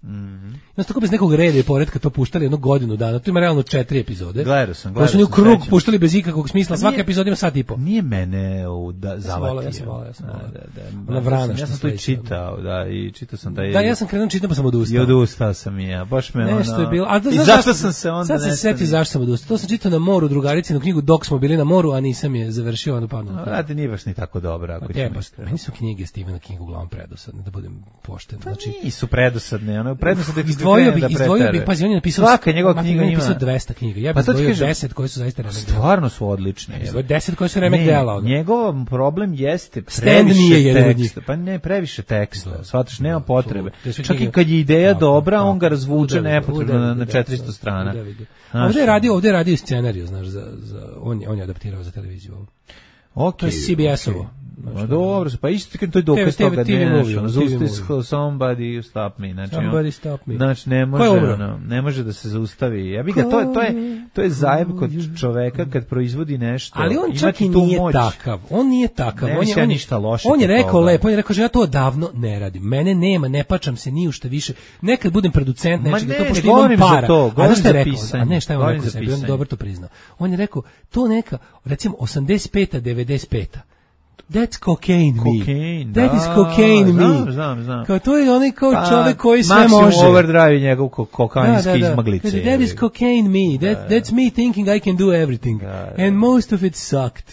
Znači, tako bez nekog reda i poretka to puštali jednu godinu dana. To ima realno 4 epizode. Gledao sam. Koji su u krug puštali bez ikakvog smisla. Svaka epizoda ima sat i po. Nije mene zavatio. Ja sam volao. Ona vrana ja sam to i čitao, i čitao sam taj. Da, ja sam krenuo čitam pa sam odustao. I odustao sam i ja. Baš me nešto je bilo. I zašto sam se onda sad se setio zašto sam odustao. To sam čitao na moru drugaricinu knjigu dok smo bili na moru, a nisam je završio, onda padnu. Radi nije baš ni tako dobra. Meni su knjige Stephena Kinga uglavnom predosadne, da budem pošten. Znači, nisu predosadne, ono predosadne izdvojio bih, pazi, on je napisao svaka njegova knjiga ima 200 knjiga. Ja bih izdvojio 10 koje su zaista remek dela. Stvarno su odlične. 10 koje su remek dela. Njegov problem jeste previše teksta. Pa ne, previše teksta. Shvataš, nema potrebe. Čak i kad je ideja dobra, on ga razvuče nepotrebno na 400 strana. Ovdje je radio scenariju, znaš, on je adaptirao za televiziju. To je CBS-ovo. Dobro, pa isto kad to je dokaz toga, somebody stop me, znači ne može da se zaustavi. Ja bih ga, to je zajeb kod čoveka kad proizvodi nešto. Ali on čak i nije takav. On nije takav. On je rekao lepo, on je rekao že ja to odavno ne radim. Mene nema, ne pačam se ni u šta više. Nekad budem producent nečega, to pošto imam para. A šta je rekao? A ne, šta je on rekao sebi? On je dobro to priznao. On je rekao, to neka, recimo 85-a, 95-a. That's cocaine me. That is cocaine me. Znam. Kao to je onaj kao čovjek koji sve može. Maximum Overdrive njegov kokainski izmaglice. That is cocaine me. That's me thinking I can do everything. And most of it sucked.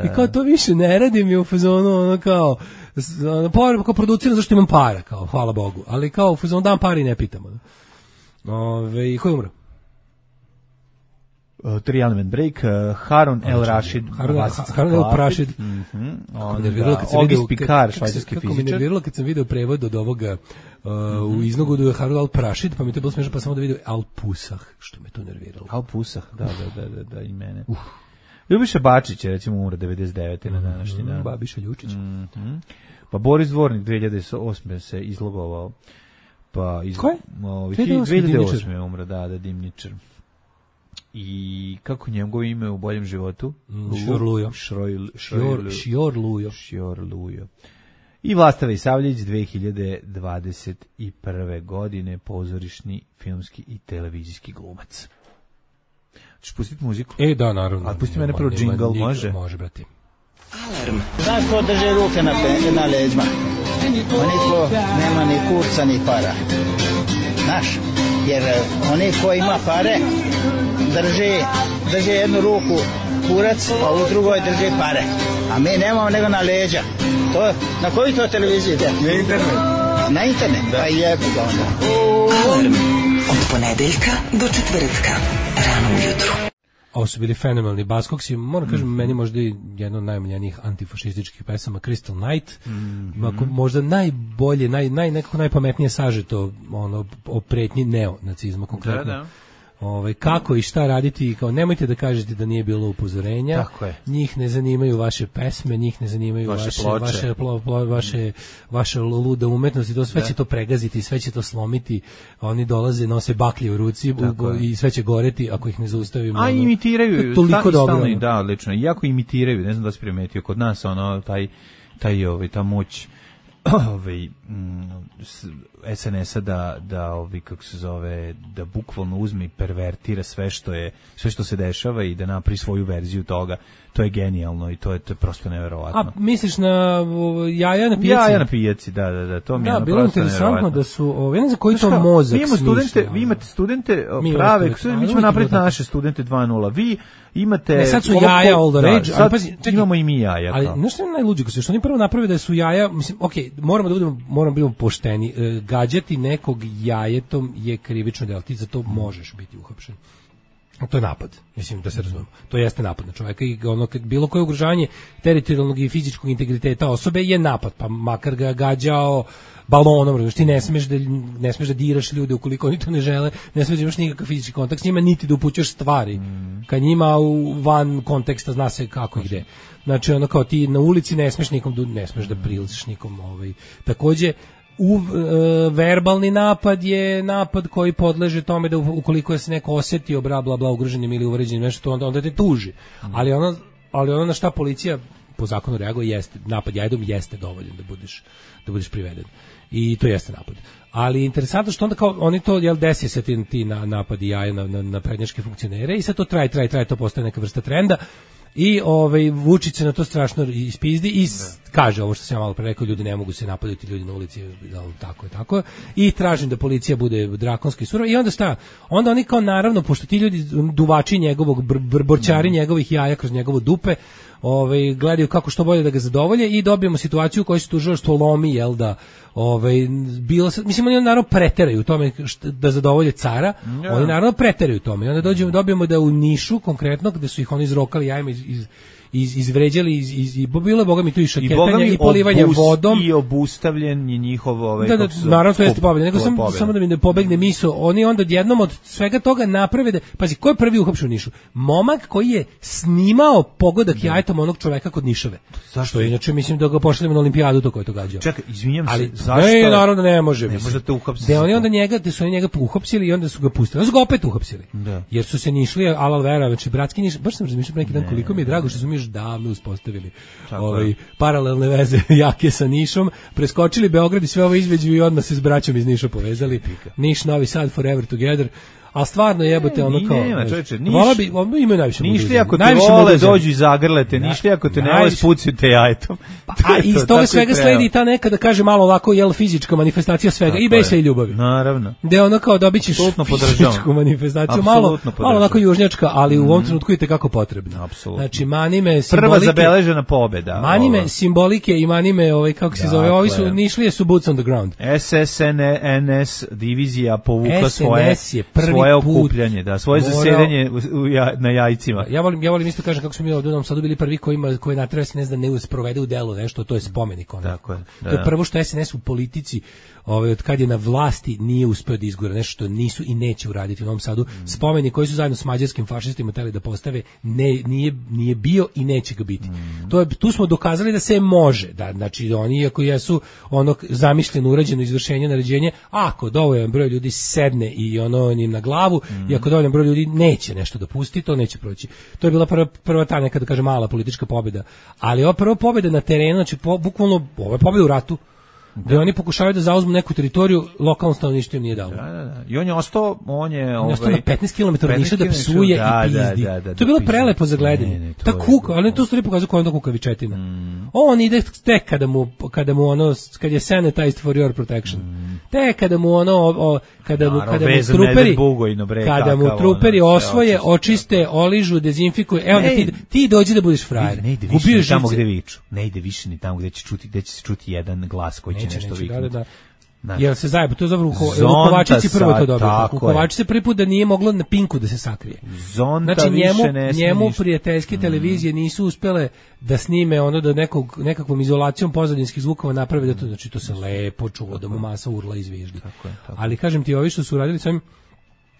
I kao to više ne radim i u fazonu ono kao producirano zašto imam para, kao hvala Bogu. Ali kao u fazonu dam para i ne pitamo. Ko je umro? 3 element break, Harun El Rashid, Harun El Rashid, Auguste Picard, švajcarski kako mi fizičar. nerviralo kad sam video prevod od ovoga u iznogu da je Harun El Rashid, pa mi to bilo smiješno, pa sam onda video Al Pusah, što me to nerviralo. Al Pusah, da, i mene. Ljubiša Bačić je recimo umro 99. na današnji dan. Babiša Ljučić. Pa Boris Dvornik 2008. se izlogovao. Ko je? 2008. je umro, da, Dimničar. I kako njegovo ime u boljem životu? Šior Lujo. I Vlasta Vejsavljević 2021. godine pozorišni, filmski i televizijski glumac. Ćeš pustiti muziku? Da, naravno. A pusti mene prvo džingl, može? Može, brati. Alarm. Znaš ko drže ruke na leđima? Oni ko nema ni kurca ni para. Znaš, jer oni ko ima pare drže jednu ruku kurac, a u drugoj drže pare. A mi nemamo nego na leđa. Na koji to televiziji ide? Na internet. Na internet? Da. Pa jebu ga onda. Alarm. Od ponedeljka do četvrtka. Rano ujutru. Ovo su bili fenomenalni Buzzcocksi, moram kažem, meni možda i jedna od najomiljenijih antifašističkih pesama, Crystal Night, možda najbolje, nekako najpametnije sažeto o pretnji neonacizma konkretno. Da. Kako i šta raditi, kao nemojte da kažete da nije bilo upozorenja, njih ne zanimaju vaše pesme, njih ne zanimaju vaše luda umetnosti, to sve će to pregaziti, sve će to slomiti, oni dolaze, nose baklje u ruci i sve će goreti ako ih ne zaustavimo. A imitiraju, toliko dobro. Da, odlično, iako imitiraju, ne znam da se primetio, kod nas ta moć SNS-a da kako se zove, da bukvalno uzme i pervertira sve što se dešava i da napravi svoju verziju toga. To je genijalno i to je prosto neverovatno. A misliš na jaja na pijaci? Jaja na pijaci, da, to mi je bilo interesantno da su, ja ne znam koji to mozak smišlja. Vi imate studente prave, mi ćemo napraviti naše studente 2.0, vi imate... Ne, sad su jaja all the rage, sad imamo i mi jaja. Ali nešto je najluđe, što oni prvo napravili da su jaja, mislim, okej, moramo biti pošteni, gađati nekog jajetom je krivično delo, ti za to možeš biti uhapšen. To je napad, mislim da se razumemo. To jeste napad na čovjeka i bilo koje ugrožavanje teritorijalnog i fizičkog integriteta osobe je napad, pa makar ga gađao balonom, ti ne smeš da diraš ljude ukoliko oni to ne žele, ne smeš da imaš nikakav fizički kontakt s njima, niti da upućaš stvari. Kad njima van konteksta zna se kako i gde. Znači, kao ti na ulici ne smeš da priličiš nikom. Takođe, verbalni napad je napad koji podleže tome da ukoliko se neko osjetio bla ugroženim ili uvređenim nešto, onda te tuži. Ali ono na šta policija po zakonu reaguje, jeste napad jajdom jeste dovoljan da budeš priveden. I to jeste napad. Ali interesantno što onda kao oni to desi se ti napadi jaja na prednjačke funkcionere i sad to traje, to postaje neka vrsta trenda. I Vučić se na to strašno ispizdi i kaže ovo što sam ja malo pre rekao, ljudi ne mogu se napadati, ljudi na ulici, tako i tražim da policija bude drakonski surova i onda šta? Onda oni kao naravno, pošto ti ljudi duvači njegovog, borčari njegovih jaja kroz njegovo dupe, gledaju kako što bolje da ga zadovolje i dobijemo situaciju u kojoj se tužilaštvo lomi, mislim oni naravno preteraju u tome da zadovolje cara, oni naravno preteraju u tome i onda dobijemo da u Nišu konkretno, gde su ih oni izrokali jajima izvređali i bilo je bogami tu i šaketanja i polivanja vodom i obustavljen je njihov naravno to jeste pobjeda, nego samo da mi ne pobegne misao, oni onda jednom od svega toga naprave da, pazi, ko je prvi uhapšen u Nišu? Momak koji je snimao pogodak jajetom onog čoveka kod Nišave. Zašto? Inače mislim da ga pošaljemo na olimpijadu to ko je to gađao. Čekaj, izvinjam se, zašto? Ne, naravno ne može. Ne možete uhapsiti. Da oni onda njega uhapsili i onda su ga pustili. Onda su ga opet uhapsili. Jer su se Nišli alal vera, znači bratski Niš, baš sam razmišljao neki dan koliko mi je drago što su mi još davno uspostavili paralelne veze jake sa Nišom, preskočili Beograd i sve ovo izveđu i odmah se s braćom iz Niša povezali. Niš, Novi Sad, forever together. A stvarno jebote ono kao. Nema, čoveče, imaju najviše. Nišli ako te vole dođu i zagrlete, nišli ako te ne vole spucaju te jajetom. A iz toga svega sledi ta neka da kaže malo ovako fizička manifestacija svega i besa i ljubavi. Naravno. Da ono kao dobićeš fizičku manifestaciju, malo onako južnjačka, ali u ovom trenutku je kako potrebno. Znači manime simbolike. Prva zabeležena pobeda. Manime simbolike i manime kako se zove, ovi su Nišlije su boots on the ground. SSNS divizija povukla svoje okupljanje, da, svoje zasedanje na jajcima. Ja volim isto kažem kako smo mi ovdje u Novom Sadu bili prvi koji nateraju SNS da ne sprovede u delo nešto, to je spomenik. Tako je. To je prvo što SNS u politici od kad je na vlasti nije uspeo da izgura nešto što nisu i neće uraditi u Novom Sadu. Spomenik koji su zajedno s mađarskim fašistima hteli da postave nije bio i neće ga biti. Tu smo dokazali da se može, da znači oni iako jesu ono zamišljeno urađeno izvršenje naređenje, ako dovoljan broj ljudi sedne i ono njim na glavu, i ako dovoljan broj ljudi neće nešto dopustiti, to neće proći. To je bila prva ta neka da kaže mala politička pobjeda, ali ova prva pobjeda na terenu, znači bukvalno ovo je pobjeda u ratu. Da oni pokušavaju da zauzmu neku teritoriju, lokalno stanovništvo im nije dalo. Da. I on je ostao, na 15 km od Niša da psuje i pizdi. To je bilo prelepo za gledanje. Ta kuka, ali to stvari pokazuje koja je onda kukavičetina. On ide tek kada mu ono, kad je sanitized for your protection. Tek kada mu ono, kada mu truperi osvoje, očiste, oližu, dezinfikuju. Evo da ti dođi da budeš frajer. Ne ide više ni tamo gde viču. Ne ide više ni tamo gde će se čuti jedan glas koji će nešto viknuti. Jer se zajeba, to je zapravo Kovačici prvo to dobro. Kovačici prvi put da nije moglo na Pinku da se sakrije. Znači njemu prijateljske televizije nisu uspele da snime ono da nekakvom izolacijom pozadinskih zvukova naprave da to, znači to se lepo čulo, da mu masa urla izviždi. Ali kažem ti, ovi što su uradili s ovim,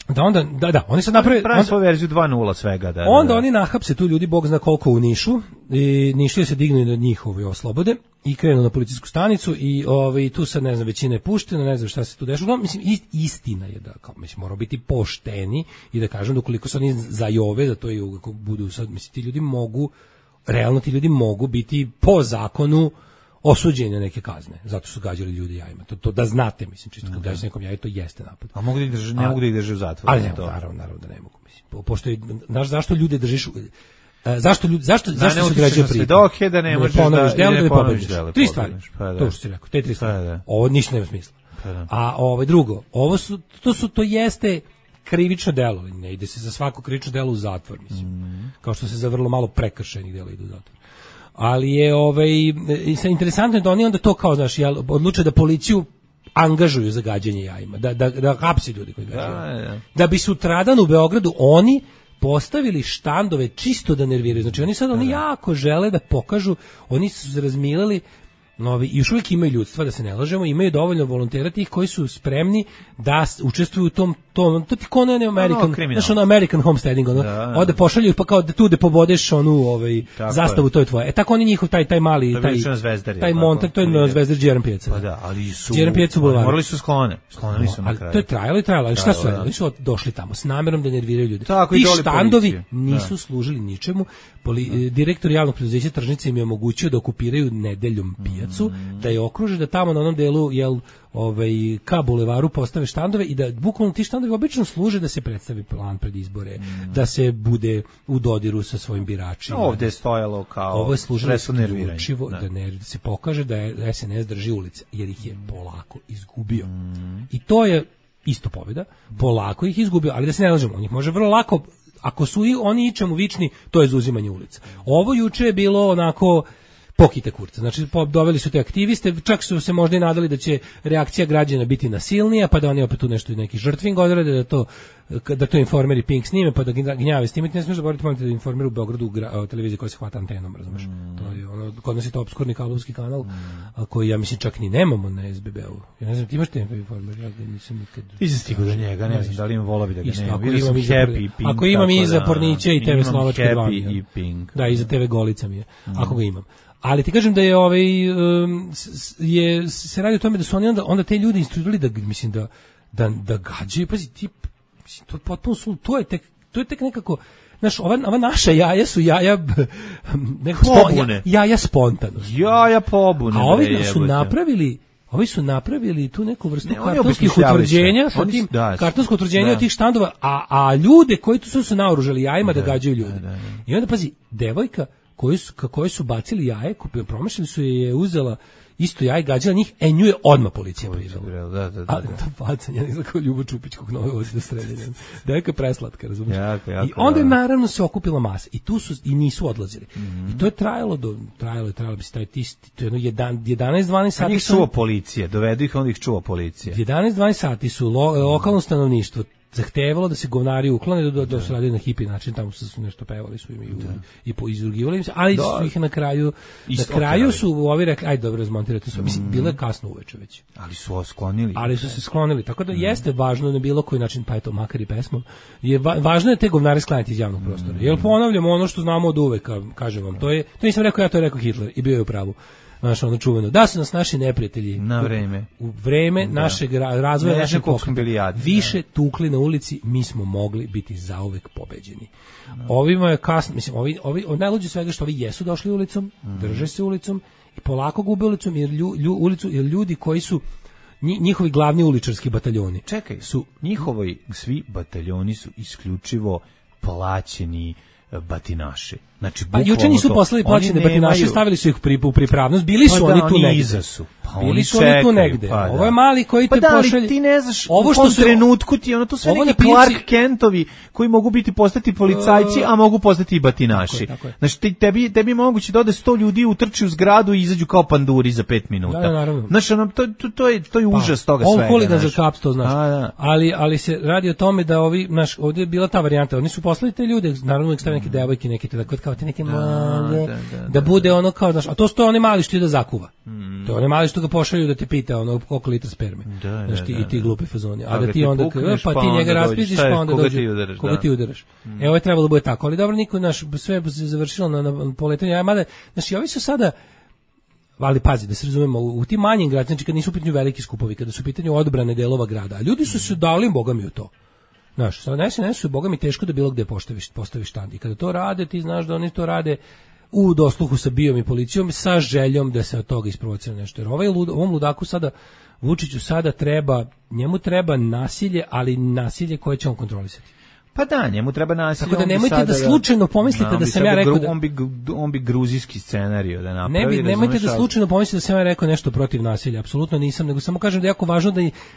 da onda, oni sad naprave svoju verziju 2.0 svega, onda oni nahapse tu ljudi, bog zna koliko u Nišu, i Nišlije se dignu na njihovi oslobode i krenu na policijsku stanicu i tu sad, ne znam, većina je puštena, ne znam šta se tu dešava. Mislim, istina je da, kao, mislim, moramo biti pošteni i da kažem da ukoliko se oni zajove, da to i budu sad, mislim, ti ljudi mogu biti po zakonu osuđeni na neke kazne, zato su gađali ljudi jajima. To da znate, mislim, čisto kad gađate nekom jaje, to jeste napad. A mogu da ih drže, ne mogu da ih drže u zatvoru. Ali naravno da ne mogu, mislim. Pošto znaš zašto ljude držiš, zašto se građaju pritvor? Da ne možeš da pobediš. Tri stvari. To što si rekao, te tri stvari. Ovo ništa nema smisla. A drugo, to jeste krivično delo, ne ide se za svako krivično delo u zatvor, mislim. Kao što se za vrlo malo prekršajnih dela ide u zatvor. Ali je interesantno je da oni onda to kao, znaš, odluče da policiju angažuju za gađanje jajima, da hapse ljudi koji gađaju. Da bi sutradan u Beogradu oni postavili štandove čisto da nerviraju. Znači oni jako žele da pokažu, oni su se razmilili, i još uvijek imaju ljudstva, da se ne lažemo, imaju dovoljno volontera tih koji su spremni da učestvuju u tom to ti ko ne American, znaš ono American homesteading, ono, ovde pošalju pa kao da tu da pobodeš onu zastavu, to je tvoje. Tako oni njihov taj mali, taj montaj, to je na Zvezdar Đeran pijaca. Pa da, ali su morali su sklonili su na kraju. To je trajalo, ali šta su radili? Oni su došli tamo s namerom da nerviraju ljude. Ti štandovi nisu služili ničemu. Direktor javnog preduzeća Tržnica im je omogućio da okupiraju nedeljom pijacu, da je okruže, da tamo na onom delu ka bulevaru postave štandove i da bukvalno ti štandovi obično služe da se predstavi plan pred izbore, da se bude u dodiru sa svojim biračima. Ovde je stojalo kao ovo je služilo isključivo da se pokaže da je SNS drži ulice, jer ih je polako izgubio. I to je isto pobjeda, polako ih izgubio, ali da se ne lažemo, on ih može vrlo lako, ako su oni ičemu vični, to je zauzimanje ulica. Ovo juče je bilo onako pokite kurca. Znači, doveli su te aktiviste, čak su se možda i nadali da će reakcija građana biti nasilnija, pa da oni opet tu nešto neki žrtving odrade, da to Informer i Pink snime, pa da gnjave s tim. Ne smiješ zaboraviti da Informer u Beogradu televizija koja se hvata antenom, razumeš? To je ono, kod nas je to obskurni kablovski kanal, koji ja mislim čak ni nemamo na SBB-u. Ja ne znam, ti imaš te Informer? Ja nisam nikad... Nisam stigao do njega, ne znam, da li imam volao bi da ga nema. Ako imam i za Porniće i TV Slovačke 2. I Pink. Da, i za TV Golica mi je, ako ga imam. Ali ti kažem da je se radi o tome da su oni onda te ljudi instruirali da mislim da gađaju, pazi ti, mislim, to je potpuno to je tek nekako, znaš, ova naša jaja su jaja pobune. Jaja spontano. Jaja pobune. A ovi su napravili tu neku vrstu kartonskih utvrđenja sa tim kartonsko utvrđenje od tih štandova, a ljude koji tu su naoružali jajima da gađaju ljude. I onda pazi, devojka koji su bacili jaje, promašili su je uzela isto jaje, gađala njih, nju je odmah policija privela. Da. Ali to bacanje, ne znam kao Ljubo Čupić kog nove vozi do streljanja. Devojka je preslatka, razumiješ? I onda je naravno se okupila masa i tu su i nisu odlazili. I to je trajalo bi se taj to je 11-12 sati. Njih čuva policija, dovedu ih, onda ih čuva policija. 11-12 sati su lokalno stanovništvo zahtevalo da se govnari uklone, da su radili na hipi način, tamo su nešto pevali su im i izrugivali im se, ali su ih na kraju su ovi rekli, ajde dobro, razmontirajte su, mislim, bilo je kasno uveče već. Ali su se sklonili, tako da jeste važno na bilo koji način, pa je to makar i pesmom, važno je te govnare sklanjati iz javnog prostora, jer ponavljamo ono što znamo od uveka, kažem vam, to nisam rekao ja, to je rekao Hitler i bio je u pravu. Znaš, ono čuveno, da su nas naši neprijatelji u vreme našeg razvoja, našeg pokreta više tukli na ulici, mi smo mogli biti zauvek pobeđeni. Ovima je kasno, mislim, ovi najluđe svega što ovi jesu došli ulicom, drže se ulicom i polako gube ulicom, jer ljudi koji su njihovi glavni uličarski bataljoni. Čekaj, njihovi svi bataljoni su isključivo plaćeni batinaši. Znači, juče nisu poslali plaćene batinaše, stavili su ih u pripravnost, bili su oni tu negde. Bili su oni tu negde. Ovo je mali koji te pošalje. Ti ne znaš, u tom trenutku ti ono, to sve neki Clark Kentovi koji mogu postati policajci, a mogu postati i batinaši. Znači, tebi moguće da ode 100 ljudi, utrči u zgradu i izađu kao panduri za 5 minuta. Da, naravno. Znači, to je užas toga svega. On huligan za kaps, to znaš. Ali se radi o tome da ovdje je bila ta varijanta, oni su poslali te ljude, naravno uvijek stavili neke devojke, neke kao te neke male, da bude ono kao, znaš, a to su oni mali što je da zakuva. To je oni mali što ga pošalju da te pita ono koliko litra sperme. Znaš, i ti glupi fazoni. A da ti onda, pa ti njega raspiziš, pa onda dođe, koga ti udaraš. Ovo je trebalo da bude tako, ali dobro, niko, naš, sve se završilo na poletanju, mada, znaš, i ovi su sada, ali pazi, da se razumemo, u tim manjim gradima, znači kad nisu u pitanju veliki skupovi, kada su u pitanju odbrane delova grada, a ljudi su se dali bogami u to. Znaš, sad SNS su bogami teško da bilo gde postaviš štand. I kada to rade, ti znaš da oni to rade u dosluhu sa BIA-om i policijom sa željom da se od toga isprovocira nešto. Jer ovom ludaku sada, Vučiću sada njemu treba nasilje, ali nasilje koje će on kontrolisati. Pa da, njemu treba nasilje. Tako da nemojte da slučajno pomislite da sam ja rekao da... On bi gruzijski scenarij da napravi. Nemojte da slučajno pomislite da sam ja rekao nešto protiv nasilja. Apsolutno nisam, nego samo kažem da je jako važno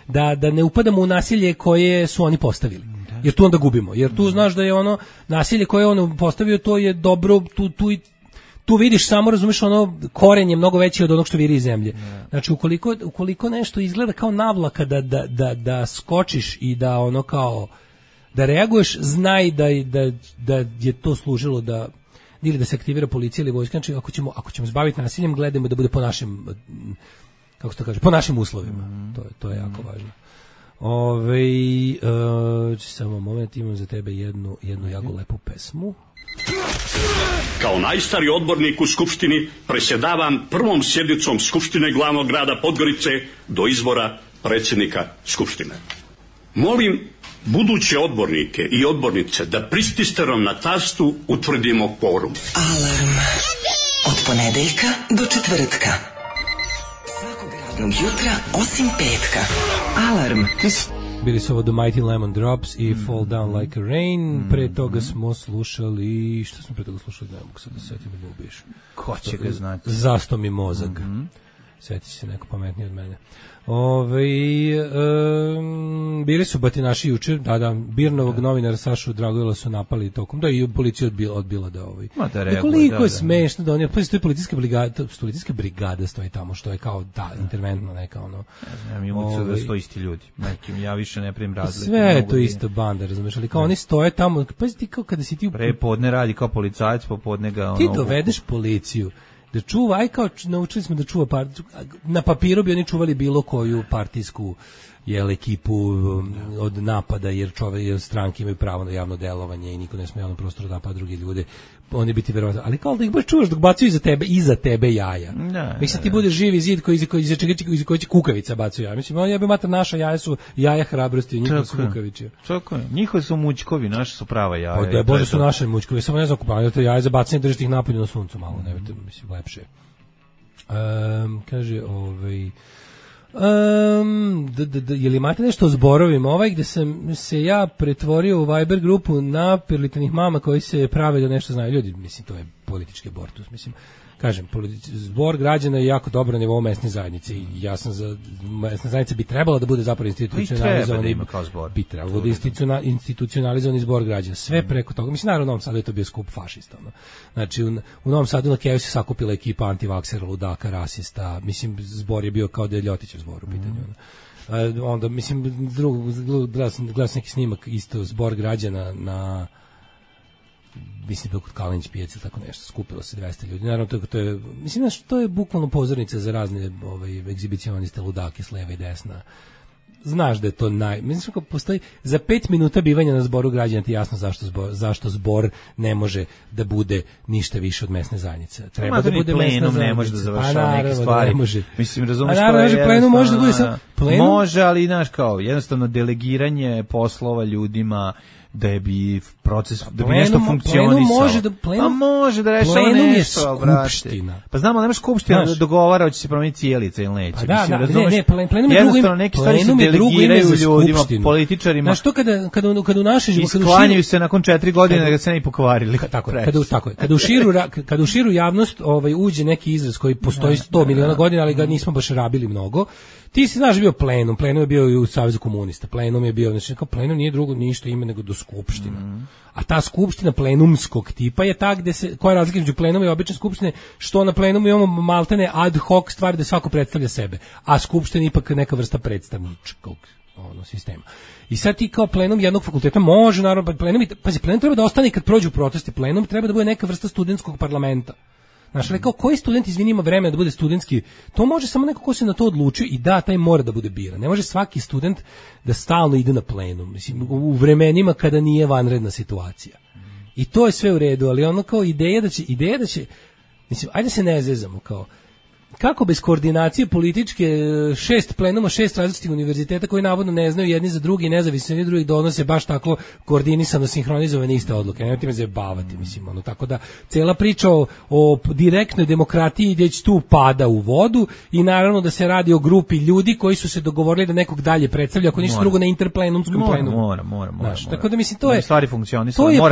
da ne upadamo u nasilje koje su oni postavili. Jer tu onda gubimo. Jer tu znaš da je ono nasilje koje je on postavio, to je dobro, tu vidiš samo, razumiješ, ono koren je mnogo veći od onog što viri iz zemlje. Znači, ukoliko nešto izgleda kao navlaka da skočiš i da ono kao da reaguješ, znaj da je to služilo da ili da se aktivira policija ili vojska. Znači, ako ćemo zbaviti nasiljem, gledajmo da bude po našim, kako se to kaže, po našim uslovima. To je jako važno. Samo moment, imam za tebe jednu jako lepu pesmu. Kao najstariji odbornik u Skupštini presjedavam prvom sjednicom Skupštine glavnog grada Podgorice do izbora predsjednika Skupštine. Molim buduće odbornike i odbornice da prististerom na tastu utvrdimo kvorum. Alarm od ponedeljka do četvrtka. Svakog radnog jutra osim petka. Alarm. Bili su ovo The Mighty Lemon Drops i Fall Down Like a Rain. Pre toga smo slušali... Šta smo pre toga slušali? Ne mogu sad da setim da ubiješ. Ko će ga znati? Zasto mi mozak. Sjeti se neko pametniji od mene. Bili su batinaši juče, Birnovog novinara Sašu Dragojla su napali tokom, da i policija odbila da koliko je smešno da oni, pa to je policijska brigada stoji tamo, što je kao interventno neka ono. Ja mi umicu da stoji isti ljudi, nekim, ja više ne primim razliku. Sve je to isto banda, razumeš, ali kao oni stoje tamo, pa ti kao kada si ti... Prepodne radi kao policajac, popodne ga... Ti dovedeš policiju da čuva, aj kao naučili smo da čuva na papiru bi oni čuvali bilo koju partijsku ekipu od napada, jer stranke imaju pravo na javno delovanje i niko ne sme javno prostoru da napada druge ljude, oni bi ti verovatno, ali kao da ih baš čuvaš dok bacaju iza tebe jaja. Mislim ti budeš živi zid iz koji će kukavica bacaju jaja. Mislim, ja bi mater, naša jaja su jaja hrabrosti, njihovi su kukavići. Čako, njihovi su mućkovi, naši su prava jaja. Pa da, bože su naše mućkovi, samo ne znam kupavaju, to jaja za bacanje, držite ih napolju na suncu malo, ne vidite, mislim, lepše. Kaže, je li imate nešto o zborovima? Gde sam se ja pretvorio u Viber grupu napirlitanih mama koji se prave da nešto znaju. Ljudi, mislim, to je politički abortus. Mislim, kažem, zbor građana je jako dobro na nivou mesne zajednice i ja sam za mesna zajednica bi trebala da bude zapravo institucionalizovani. Bi trebalo da institucionalizovani zbor građana. Sve preko toga. Mislim, naravno u Novom Sadu je to bio skup fašista. No. Znači, u Novom Sadu na Keju se sakupila ekipa antivaksera, ludaka, rasista. Mislim, zbor je bio kao da je Ljotićev zbor u pitanju. Onda, mislim, gledao sam neki snimak isto, zbor građana na mislim da kod Kalinić pijace tako nešto, skupilo se 200 ljudi. Naravno to je mislim da to je bukvalno pozornica za razne egzibicioniste ludake s leva i desna. Znaš da je to mislim kako postoji za 5 minuta bivanja na zboru građana ti jasno zašto zbor ne može da bude ništa više od mesne zajednice. Treba da bude plenum, ne može da završava neke stvari. Mislim, razumeš, plenum može da bude samo plenum. Može, ali znaš kao jednostavno delegiranje poslova ljudima da bi proces, da bi nešto funkcionisalo. Pa može da rešava nešto. Plenum je skupština. Pa znamo, nemaš skupština da dogovara hoće se promeniti cijelica ili neće. Plenum je drugo, neke stvari se delegiraju ljudima, političarima. Znaš, to kada u našoj životu... Isklanjaju se nakon 4 godine da ga se ne i pokvarili. Tako je. Kada u širu javnost uđe neki izraz koji postoji 100 miliona godina, ali ga nismo baš rabili mnogo, ti si znaš bio plenum je bio i u Savezu komunista, plenum je bio, znači kao plenum nije drugo ništa ime nego do skupština. A ta skupština plenumskog tipa je ta gde se, koja je razlika između plenuma i obične skupštine, što na plenumu imamo maltene ad hoc stvari da svako predstavlja sebe, a skupština ipak neka vrsta predstavničkog sistema. I sad ti kao plenum jednog fakulteta može, naravno, plenum treba da ostane kad prođu protesti, plenum treba da bude neka vrsta studentskog parlamenta. Znaš, ali kao koji student izvini ima vremena da bude studentski, to može samo neko ko se na to odlučio i da, taj mora da bude biran. Ne može svaki student da stalno ide na plenum, mislim, u vremenima kada nije vanredna situacija. I to je sve u redu, ali ono kao ideja da će, mislim, ajde se ne zezamo, kao, kako bez koordinacije političke 6 plenuma, 6 različitih univerziteta koji navodno ne znaju jedni za drugi, nezavisni jedni drugih donose baš tako koordinisano, sinhronizovane iste odluke. Nemojte me zajebavati, mislim, tako da cela priča o direktnoj demokratiji već tu pada u vodu i naravno da se radi o grupi ljudi koji su se dogovorili da nekog dalje predstavlja, ako nisu drugo na interplenumskom plenumu. Mora. Tako da mislim, to je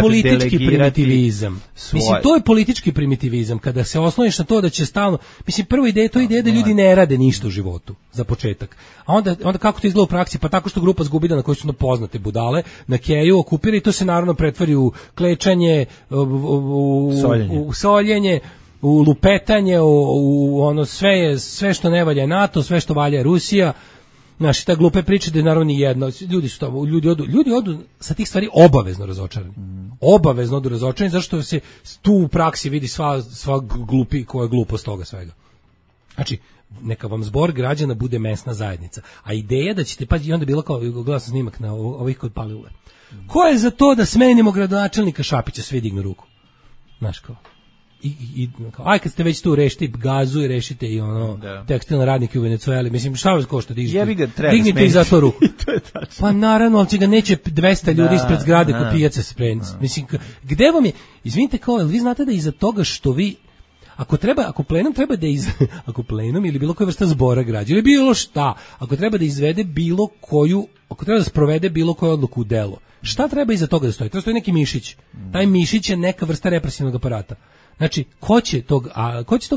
politički primitivizam. Mislim, to je politički primitivizam, kada se osloniš na to da će stalno, mislim, prvo ideja da ljudi ne rade ništa u životu, za početak. A onda kako to izgleda u praksi? Pa tako što grupa zgubida na kojoj su poznate budale, na keju okupira i to se naravno pretvori u klečanje, u soljenje, u lupetanje, u ono sve što ne valja NATO, sve što valja Rusija. Znaš, ta glupe priče da je naravno ni jedno, ljudi odu sa tih stvari obavezno razočarani. Obavezno odu razočarani, zašto se tu u praksi vidi sva glupi koja je glupost toga svega. Znači, neka vam zbor građana bude mesna zajednica. A ideja da ćete, pa i onda bilo kao, gledao sam snimak na ovih kod Palilule. Ko je za to da smenimo gradonačelnika Šapića? Svi dignu ruku. Znaš kao. Aj kad ste već tu, rešite gazu i rešite i ono tekstilne radnike u Venecueli. Mislim, šta vas košta dižite? Dignite i za to ruku. To je tačno. Pa naravno, ali će ga neće 200 ljudi ispred zgrade kod pijace spremiti. Mislim, gde vam je, izvinite kao, vi znate da iza toga što vi, ako plenum treba da ako plenum ili bilo koja vrsta zbora građana, ili bilo šta, ako treba da izvede bilo koju, ako treba da sprovede bilo koju odluku u delo, šta treba iza toga da stoji? Treba stoji neki mišić. Taj mišić je neka vrsta represivnog aparata. Znači, ko će tog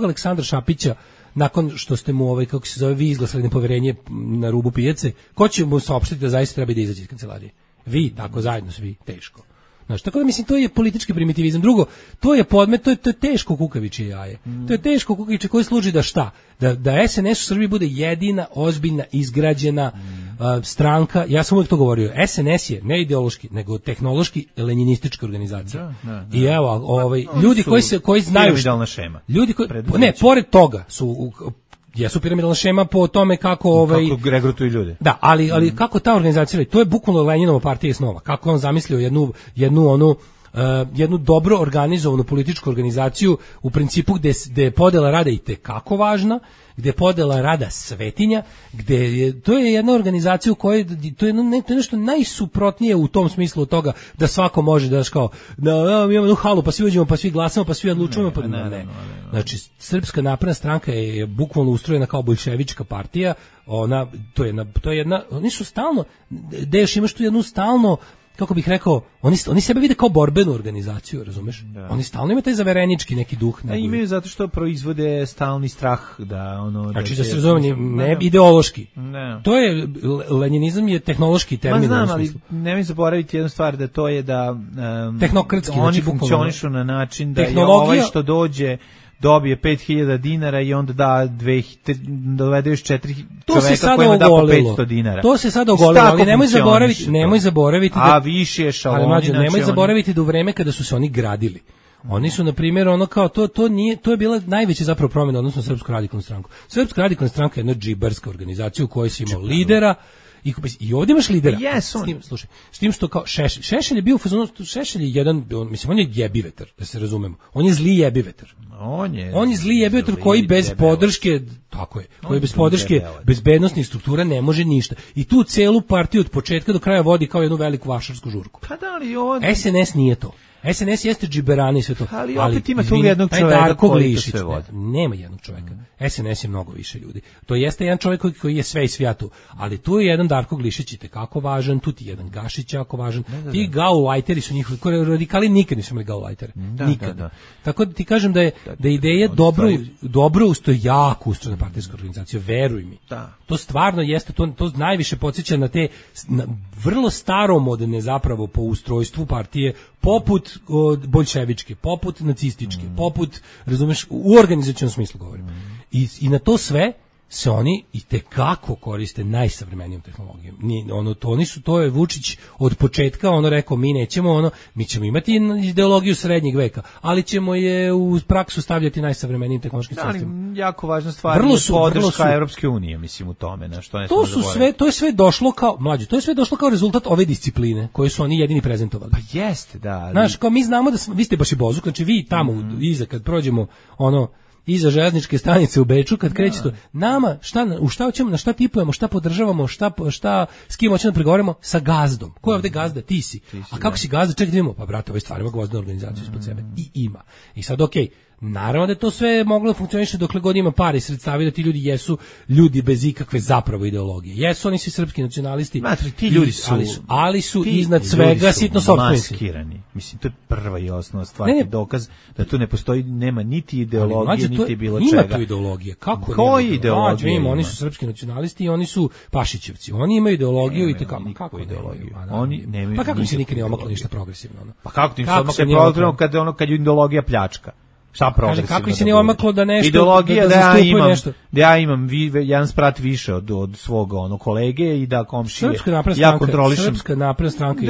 Aleksandra Šapića, nakon što ste mu kako se zove, vi izglasali nepoverenje na rubu pijace, ko će mu saopštiti da zaista treba da izaći iz kancelarije? Vi, tako zajedno svi, teško. Znači, tako da mislim, to je politički primitivizam. Drugo, to je podmet, to je teško kukavičje jaje. To je teško kukavičje koje služi da šta? Da SNS u Srbiji bude jedina, ozbiljna, izgrađena stranka. Ja sam uvijek to govorio. SNS je ne ideološki, nego tehnološki lenjinistička organizacija. I evo, ljudi koji znaju piramidalna šema. Ljudi koji pored toga su jesu piramidalna šema po tome kako kako regrutuju ljude. Da, ali kako ta organizacija, to je bukvalno Lenjinova partija snova. Kako on zamislio jednu dobro organizovanu političku organizaciju u principu gde je podela rada i tekako važna, gde je podela rada svetinja, to je jedna organizacija u kojoj to je nešto najsuprotnije u tom smislu od toga da svako može da kao da imamo jednu halu pa svi uđemo pa svi glasamo pa svi odlučujemo pa ne. Znači Srpska napredna stranka je bukvalno ustrojena kao boljševička partija, to je jedna, oni su stalno, da još imaš tu jednu stalno, kako bih rekao, oni sebe vide kao borbenu organizaciju, razumeš? Da. Oni stalno imaju taj zaverenički neki duh. Imaju zato što proizvode stalni strah da ono... Znači da se razumije, ne ideološki. Ne. To je, lenjinizam je tehnološki termin. Znam, ali nemoj zaboraviti jednu stvar, da to je da tehnokratski, oni funkcionišu na način da je ovaj što dođe dobije 5.000 dinara i onda dovede još 4 čoveka kojima da po 500 dinara. To se sada ogolilo, ali nemoj zaboraviti da... A više je šaloni. Nemoj zaboraviti da u vreme kada su se oni gradili. Oni su, na primjer, ono kao, to je bila najveća zapravo promjena odnosno Srpsku radikalnu stranku. Srpska radikalna stranka je jedna džibarska organizacija u kojoj si imao lidera, i ovdje imaš lidera. S tim što kao Šešelj je bio u fazonu, Šešelj je jedan, on je jebivetar, da se razumemo. On je zli jebivetar. On je zli jebivetar koji bez podrške, tako je, koji bez podrške bezbednosnih struktura ne može ništa. I tu celu partiju od početka do kraja vodi kao jednu veliku vašarsku žurku. Pa da li ovo... SNS nije to. SNS jeste džiberani i sve to. Ali opet ima tu jednog čoveka koji to sve vodi. Nema jednog čoveka. SNS je mnogo više ljudi. To jeste jedan čovjek koji je sve i svijatu. Ali tu je jedan Darko Glišić kako važan, tu ti je jedan Gašić jako važan. Ti gaulajteri su njihovi, radikali nikad nisu imali gaulajtere. Nikad. Tako da ti kažem da je ideja dobro ustoji, jako ustrojena partijska organizacija, veruj mi. To stvarno jeste, to najviše podsjeća na te vrlo staromodne zapravo po ustrojstvu partije, poput boljševičke, poput nacističke, poput, razumeš, u organizacionom smislu govorim. I na to sve se oni i tekako koriste najsavremenijom tehnologijom. To je Vučić od početka rekao, mi ćemo imati ideologiju srednjeg veka, ali ćemo je u praksu stavljati najsavremenijim tehnološkim sredstvima. Ali jako važna stvar je podrška Evropske unije, mislim, u tome. To je sve došlo kao, mlađe, to je sve došlo kao rezultat ove discipline koje su oni jedini prezentovali. Pa jeste, da. Ali... Znaš, kao mi znamo da vi ste baš i bozuk, znači vi tamo iza kad prođemo iza železničke stanice u Beču, kad kreće to, nama, u šta hoćemo, na šta tipujemo, šta podržavamo, s kim hoćemo da pregovaramo? Sa gazdom. Ko je ovde gazda? Ti si. A kako si gazda? Čekaj da vidimo. Pa brate, ovaj stvar ima gvozdenu organizaciju ispod sebe. I ima. I sad okej. Naravno da je to sve moglo da funkcioniše dokle god ima para i sredstava, da ti ljudi jesu ljudi bez ikakve zapravo ideologije. Jesu oni svi srpski nacionalisti, ti ljudi su, ali su iznad svega sitno sopstvenici. Maskirani. Mislim, to je prva i osnovna stvar, dokaz da tu ne postoji, nema niti ideologije, niti bilo čega. Ima tu ideologije. Kako koji ideologije ima? Oni su srpski nacionalisti i oni su Pašićevci. Oni imaju ideologiju i kako ideologiju? Oni nemaju. Pa kako im se nikad ne omaklo ništa progresivno? Pa kako ti se progresivno kad je ideologija pljačka? Šta progresivno? Kako se nije omaklo da nešto ideologija da ja imam jedan sprat više od svog kolege i da komšije ja kontrolišem. Srpska napredna stranka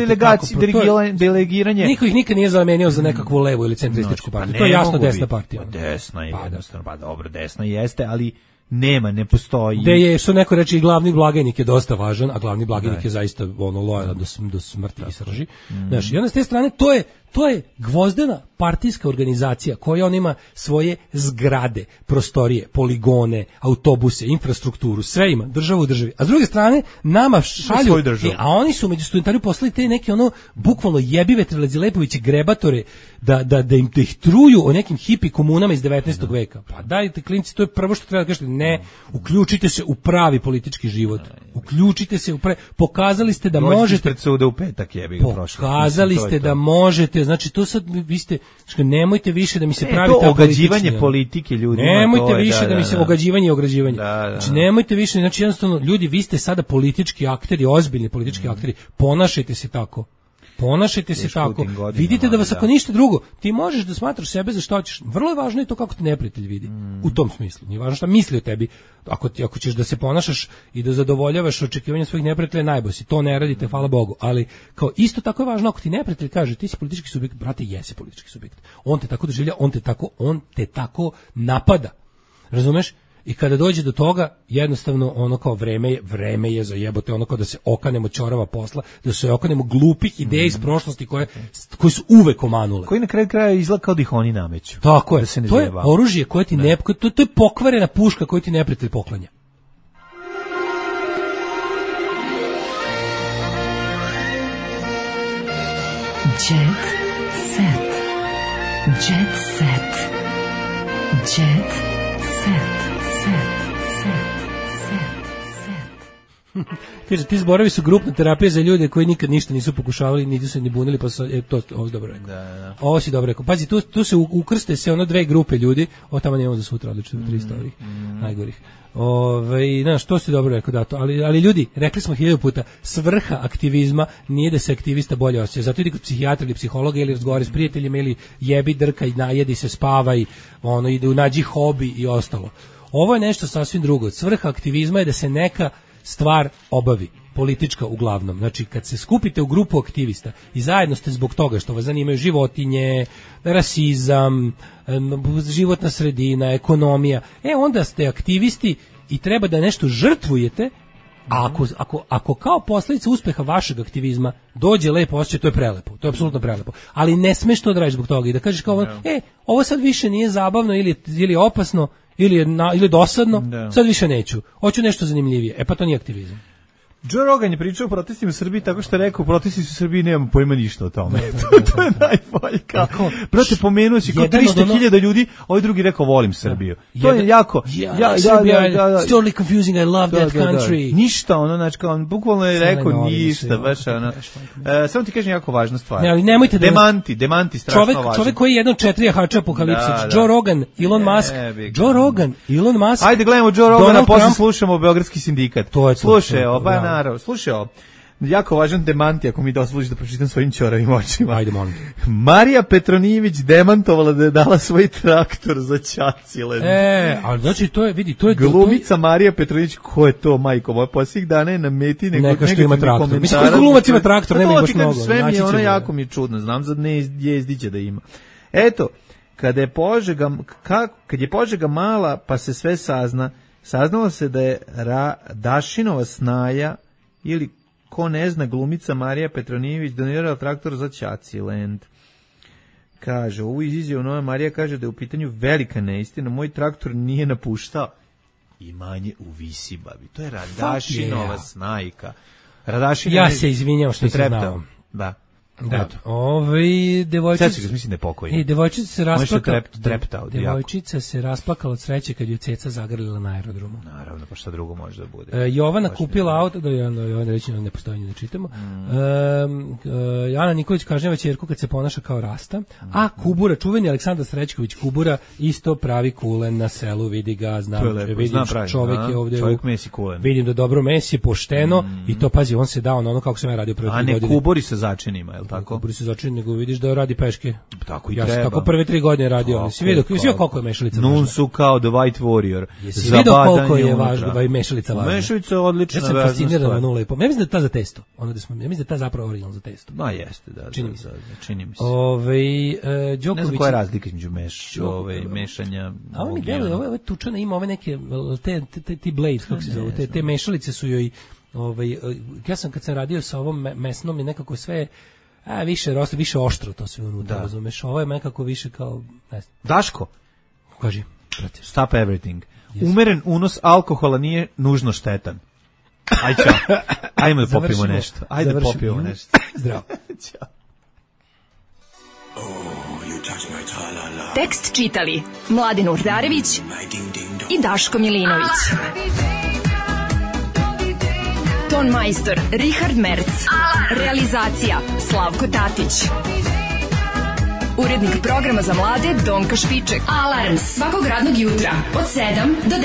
delegiranje. Niko ih nikad nije zamenio za nekakvu levu ili centrističku partiju. To je jasno desna partija. Desna je jednostavno, pa dobro, desna jeste, ali ne postoji. Da je, što neko reče, i glavni blagajnik je dosta važan, a glavni blagajnik je zaista lojalan do smrti i srži. Znaš, i onda s te strane, to je gvozdena partijska organizacija koja on ima svoje zgrade, prostorije, poligone, autobuse, infrastrukturu, sve ima, državu u državi. A s druge strane, nama šalju, a oni su među studentariju poslali te neke bukvalno jebive Terlezi Lepoviće grebatore da ih truju o nekim hipi komunama iz 19. veka. Pa dajte klinci, to je prvo što treba da kažete, ne, uključite se u pravi politički život. Uključite se u pokazali ste da možete pred suda u petak jebi ga prošlo. Pokazali ste da možete, znači to sad vi ste, nemojte više da mi se pravi to ogađivanje politike ljudima. Nemojte više da mi se ogađivanje i ograđivanje. Znači nemojte više, znači jednostavno ljudi, vi ste sada politički akteri, ozbiljni politički akteri, ponašajte se tako. Ponašajte se tako. Vidite da vas ako ništa drugo, ti možeš da smatraš sebe za što hoćeš. Vrlo je važno i to kako te neprijatelj vidi. U tom smislu. Nije važno šta misli o tebi. Ako ćeš da se ponašaš i da zadovoljavaš očekivanja svojih neprijatelja, najbolje si. To ne radite, hvala Bogu. Ali kao isto tako je važno ako ti neprijatelj kaže ti si politički subjekt, brate, jesi politički subjekt. On te tako doživlja, on te tako napada. Razumeš? I kada dođe do toga, jednostavno ono kao vreme je za jebote, ono kao da se okanemo ćorava posla, da se okanemo glupih ideja iz prošlosti koje su uvek omanule. Koji na kraju kraja izgleda kao da ih oni nameću. Tako je, da to je oružje koje ti to je pokvarena puška koju ti neprijatelj poklanja. Jet set. Jet set. Jet set. Kaže, ti zborovi su grupna terapija za ljude koji nikad ništa nisu pokušavali, niti se ni bunili, pa ovo si dobro rekao. Da. Ovo si dobro rekao. Pazi, tu se ukrste se dve grupe ljudi, tamo nemamo za sutra, odlično, 300 ovih najgorih. Znaš, to si dobro rekao, da to, ali ljudi, rekli smo 1000 puta, svrha aktivizma nije da se aktivista bolje osjeća, zato idi kod psihijatra ili psihologa ili razgovara s prijateljima ili jebi, drkaj, najedi se, spavaj, ide nađi hobi i ostalo. Ovo je nešto sasvim drugo. Svrha aktivizma je da se neka stvar obavi, politička uglavnom. Znači, kad se skupite u grupu aktivista i zajedno ste zbog toga što vas zanimaju životinje, rasizam, životna sredina, ekonomija, onda ste aktivisti i treba da nešto žrtvujete, a ako kao posljedica uspeha vašeg aktivizma dođe lepo osjećaj, to je prelepo, to je apsolutno prelepo. Ali ne smeš to da radiš zbog toga i da kažeš kao, ovo sad više nije zabavno ili opasno, ili dosadno, sad više neću. Hoću nešto zanimljivije. Pa to nije aktivizam. Joe Rogan je pričao o protestima u Srbiji tako što je rekao, protesti su u Srbiji, nemamo pojma ništa o tome. To je najbolje. Brate, pomenuo si kao 300.000 ljudi, ovaj drugi rekao, volim Srbiju. To je jako... It's totally confusing, I love that country. Ništa, znači, on bukvalno je rekao ništa, baš ono. Samo ti kažem jako važna stvar. Demanti, strašno važno. Čovjek koji je jedan od 4 jahača apokalipse. Joe Rogan, Elon Musk. Ajde, gledamo Joe Rogana, posle slušamo Beogradski sindikat. Slušaj, naravno, slušaj ovo, jako važan demanti, ako mi dozvoliš da pročitam svojim ćoravim očima. Ajde, molim. Marija Petronijević demantovala da je dala svoj traktor za Ćacilen. Ali znači to je, vidi, to je... Glumica Marija Petronijević, ko je to, majko moja, posljednjih dana je na meti neka što ima traktor. Mislim, koji glumac ima traktor, nema ih baš mnogo. Sve mi je ono jako mi je čudno, znam za Jezdića da ima. Eto, kad je Požega mala, pa se sve saznalo se da je Dašinova snaja ili ko ne zna glumica Marija Petronijević donirala traktor za Ćaciland. Kaže, ovu izjavu Nova Marija kaže da je u pitanju velika neistina, moj traktor nije napuštao imanje u Visibabi. To je Radašinova snajka. Ja se izvinjam što se znao. Da. Da. Devojčica, mislim da je pokojna. Devojčica se rasplakala od sreće kad ju ceca zagrlila na aerodromu. Naravno, pa šta drugo može da bude. Jovana kupila auto, Jovana reći ne postoji, ne čitamo. Ana Nikolić kažnjava ćerku kad se ponaša kao rasta, a Kubura, čuveni Aleksandar Srećković Kubura, isto pravi kulen na selu, vidi ga, vidim čovjek je ovdje, vidim da dobro mesi, pošteno, i to pazi, on se dao na ono kako sam ja radio prvi godine. A ne kubori sa začinima, je li tako? Buri se začini, nego vidiš da radi peške. Tako i ja treba. Ja sam tako prve 3 godine radio, ali si vidio koliko je mešalica važna. Nun su kao The White Warrior. Jesi vidio koliko je važno, mešalica važna? Mešalica je odlična. Ja sam fasciniran na 0,5. Ja mislim da je ta za testo. Ja mislim da je ta zapravo original za testo. Ma jeste, da. Čini mi se. Đoković. Ne znam koja je razlika između mešanja. A on mi deluje, ove tučane ima ove neke, ti blades, kako se zove, te mešalice su joj, ja sam kad sam radio sa ovom mesnom je nekako sve, više roste, više oštro to sve unutra, razumeš, ovo je nekako više kao, ne znam. Daško? Kaži. Stop everything. Yes. Umeren unos alkohola nije nužno štetan. Aj čao. Ajmo da popijemo nešto. Ajde da popijemo nešto. Zdravo. Ćao. Tekst čitali Mladin Urdarević i Daško Milinović. Ton majstor Richard Merc. Realizacija Slavko Tatić. Urednik programa za mlade Donka Špiček. Alarms svakog radnog jutra od 7 do 10.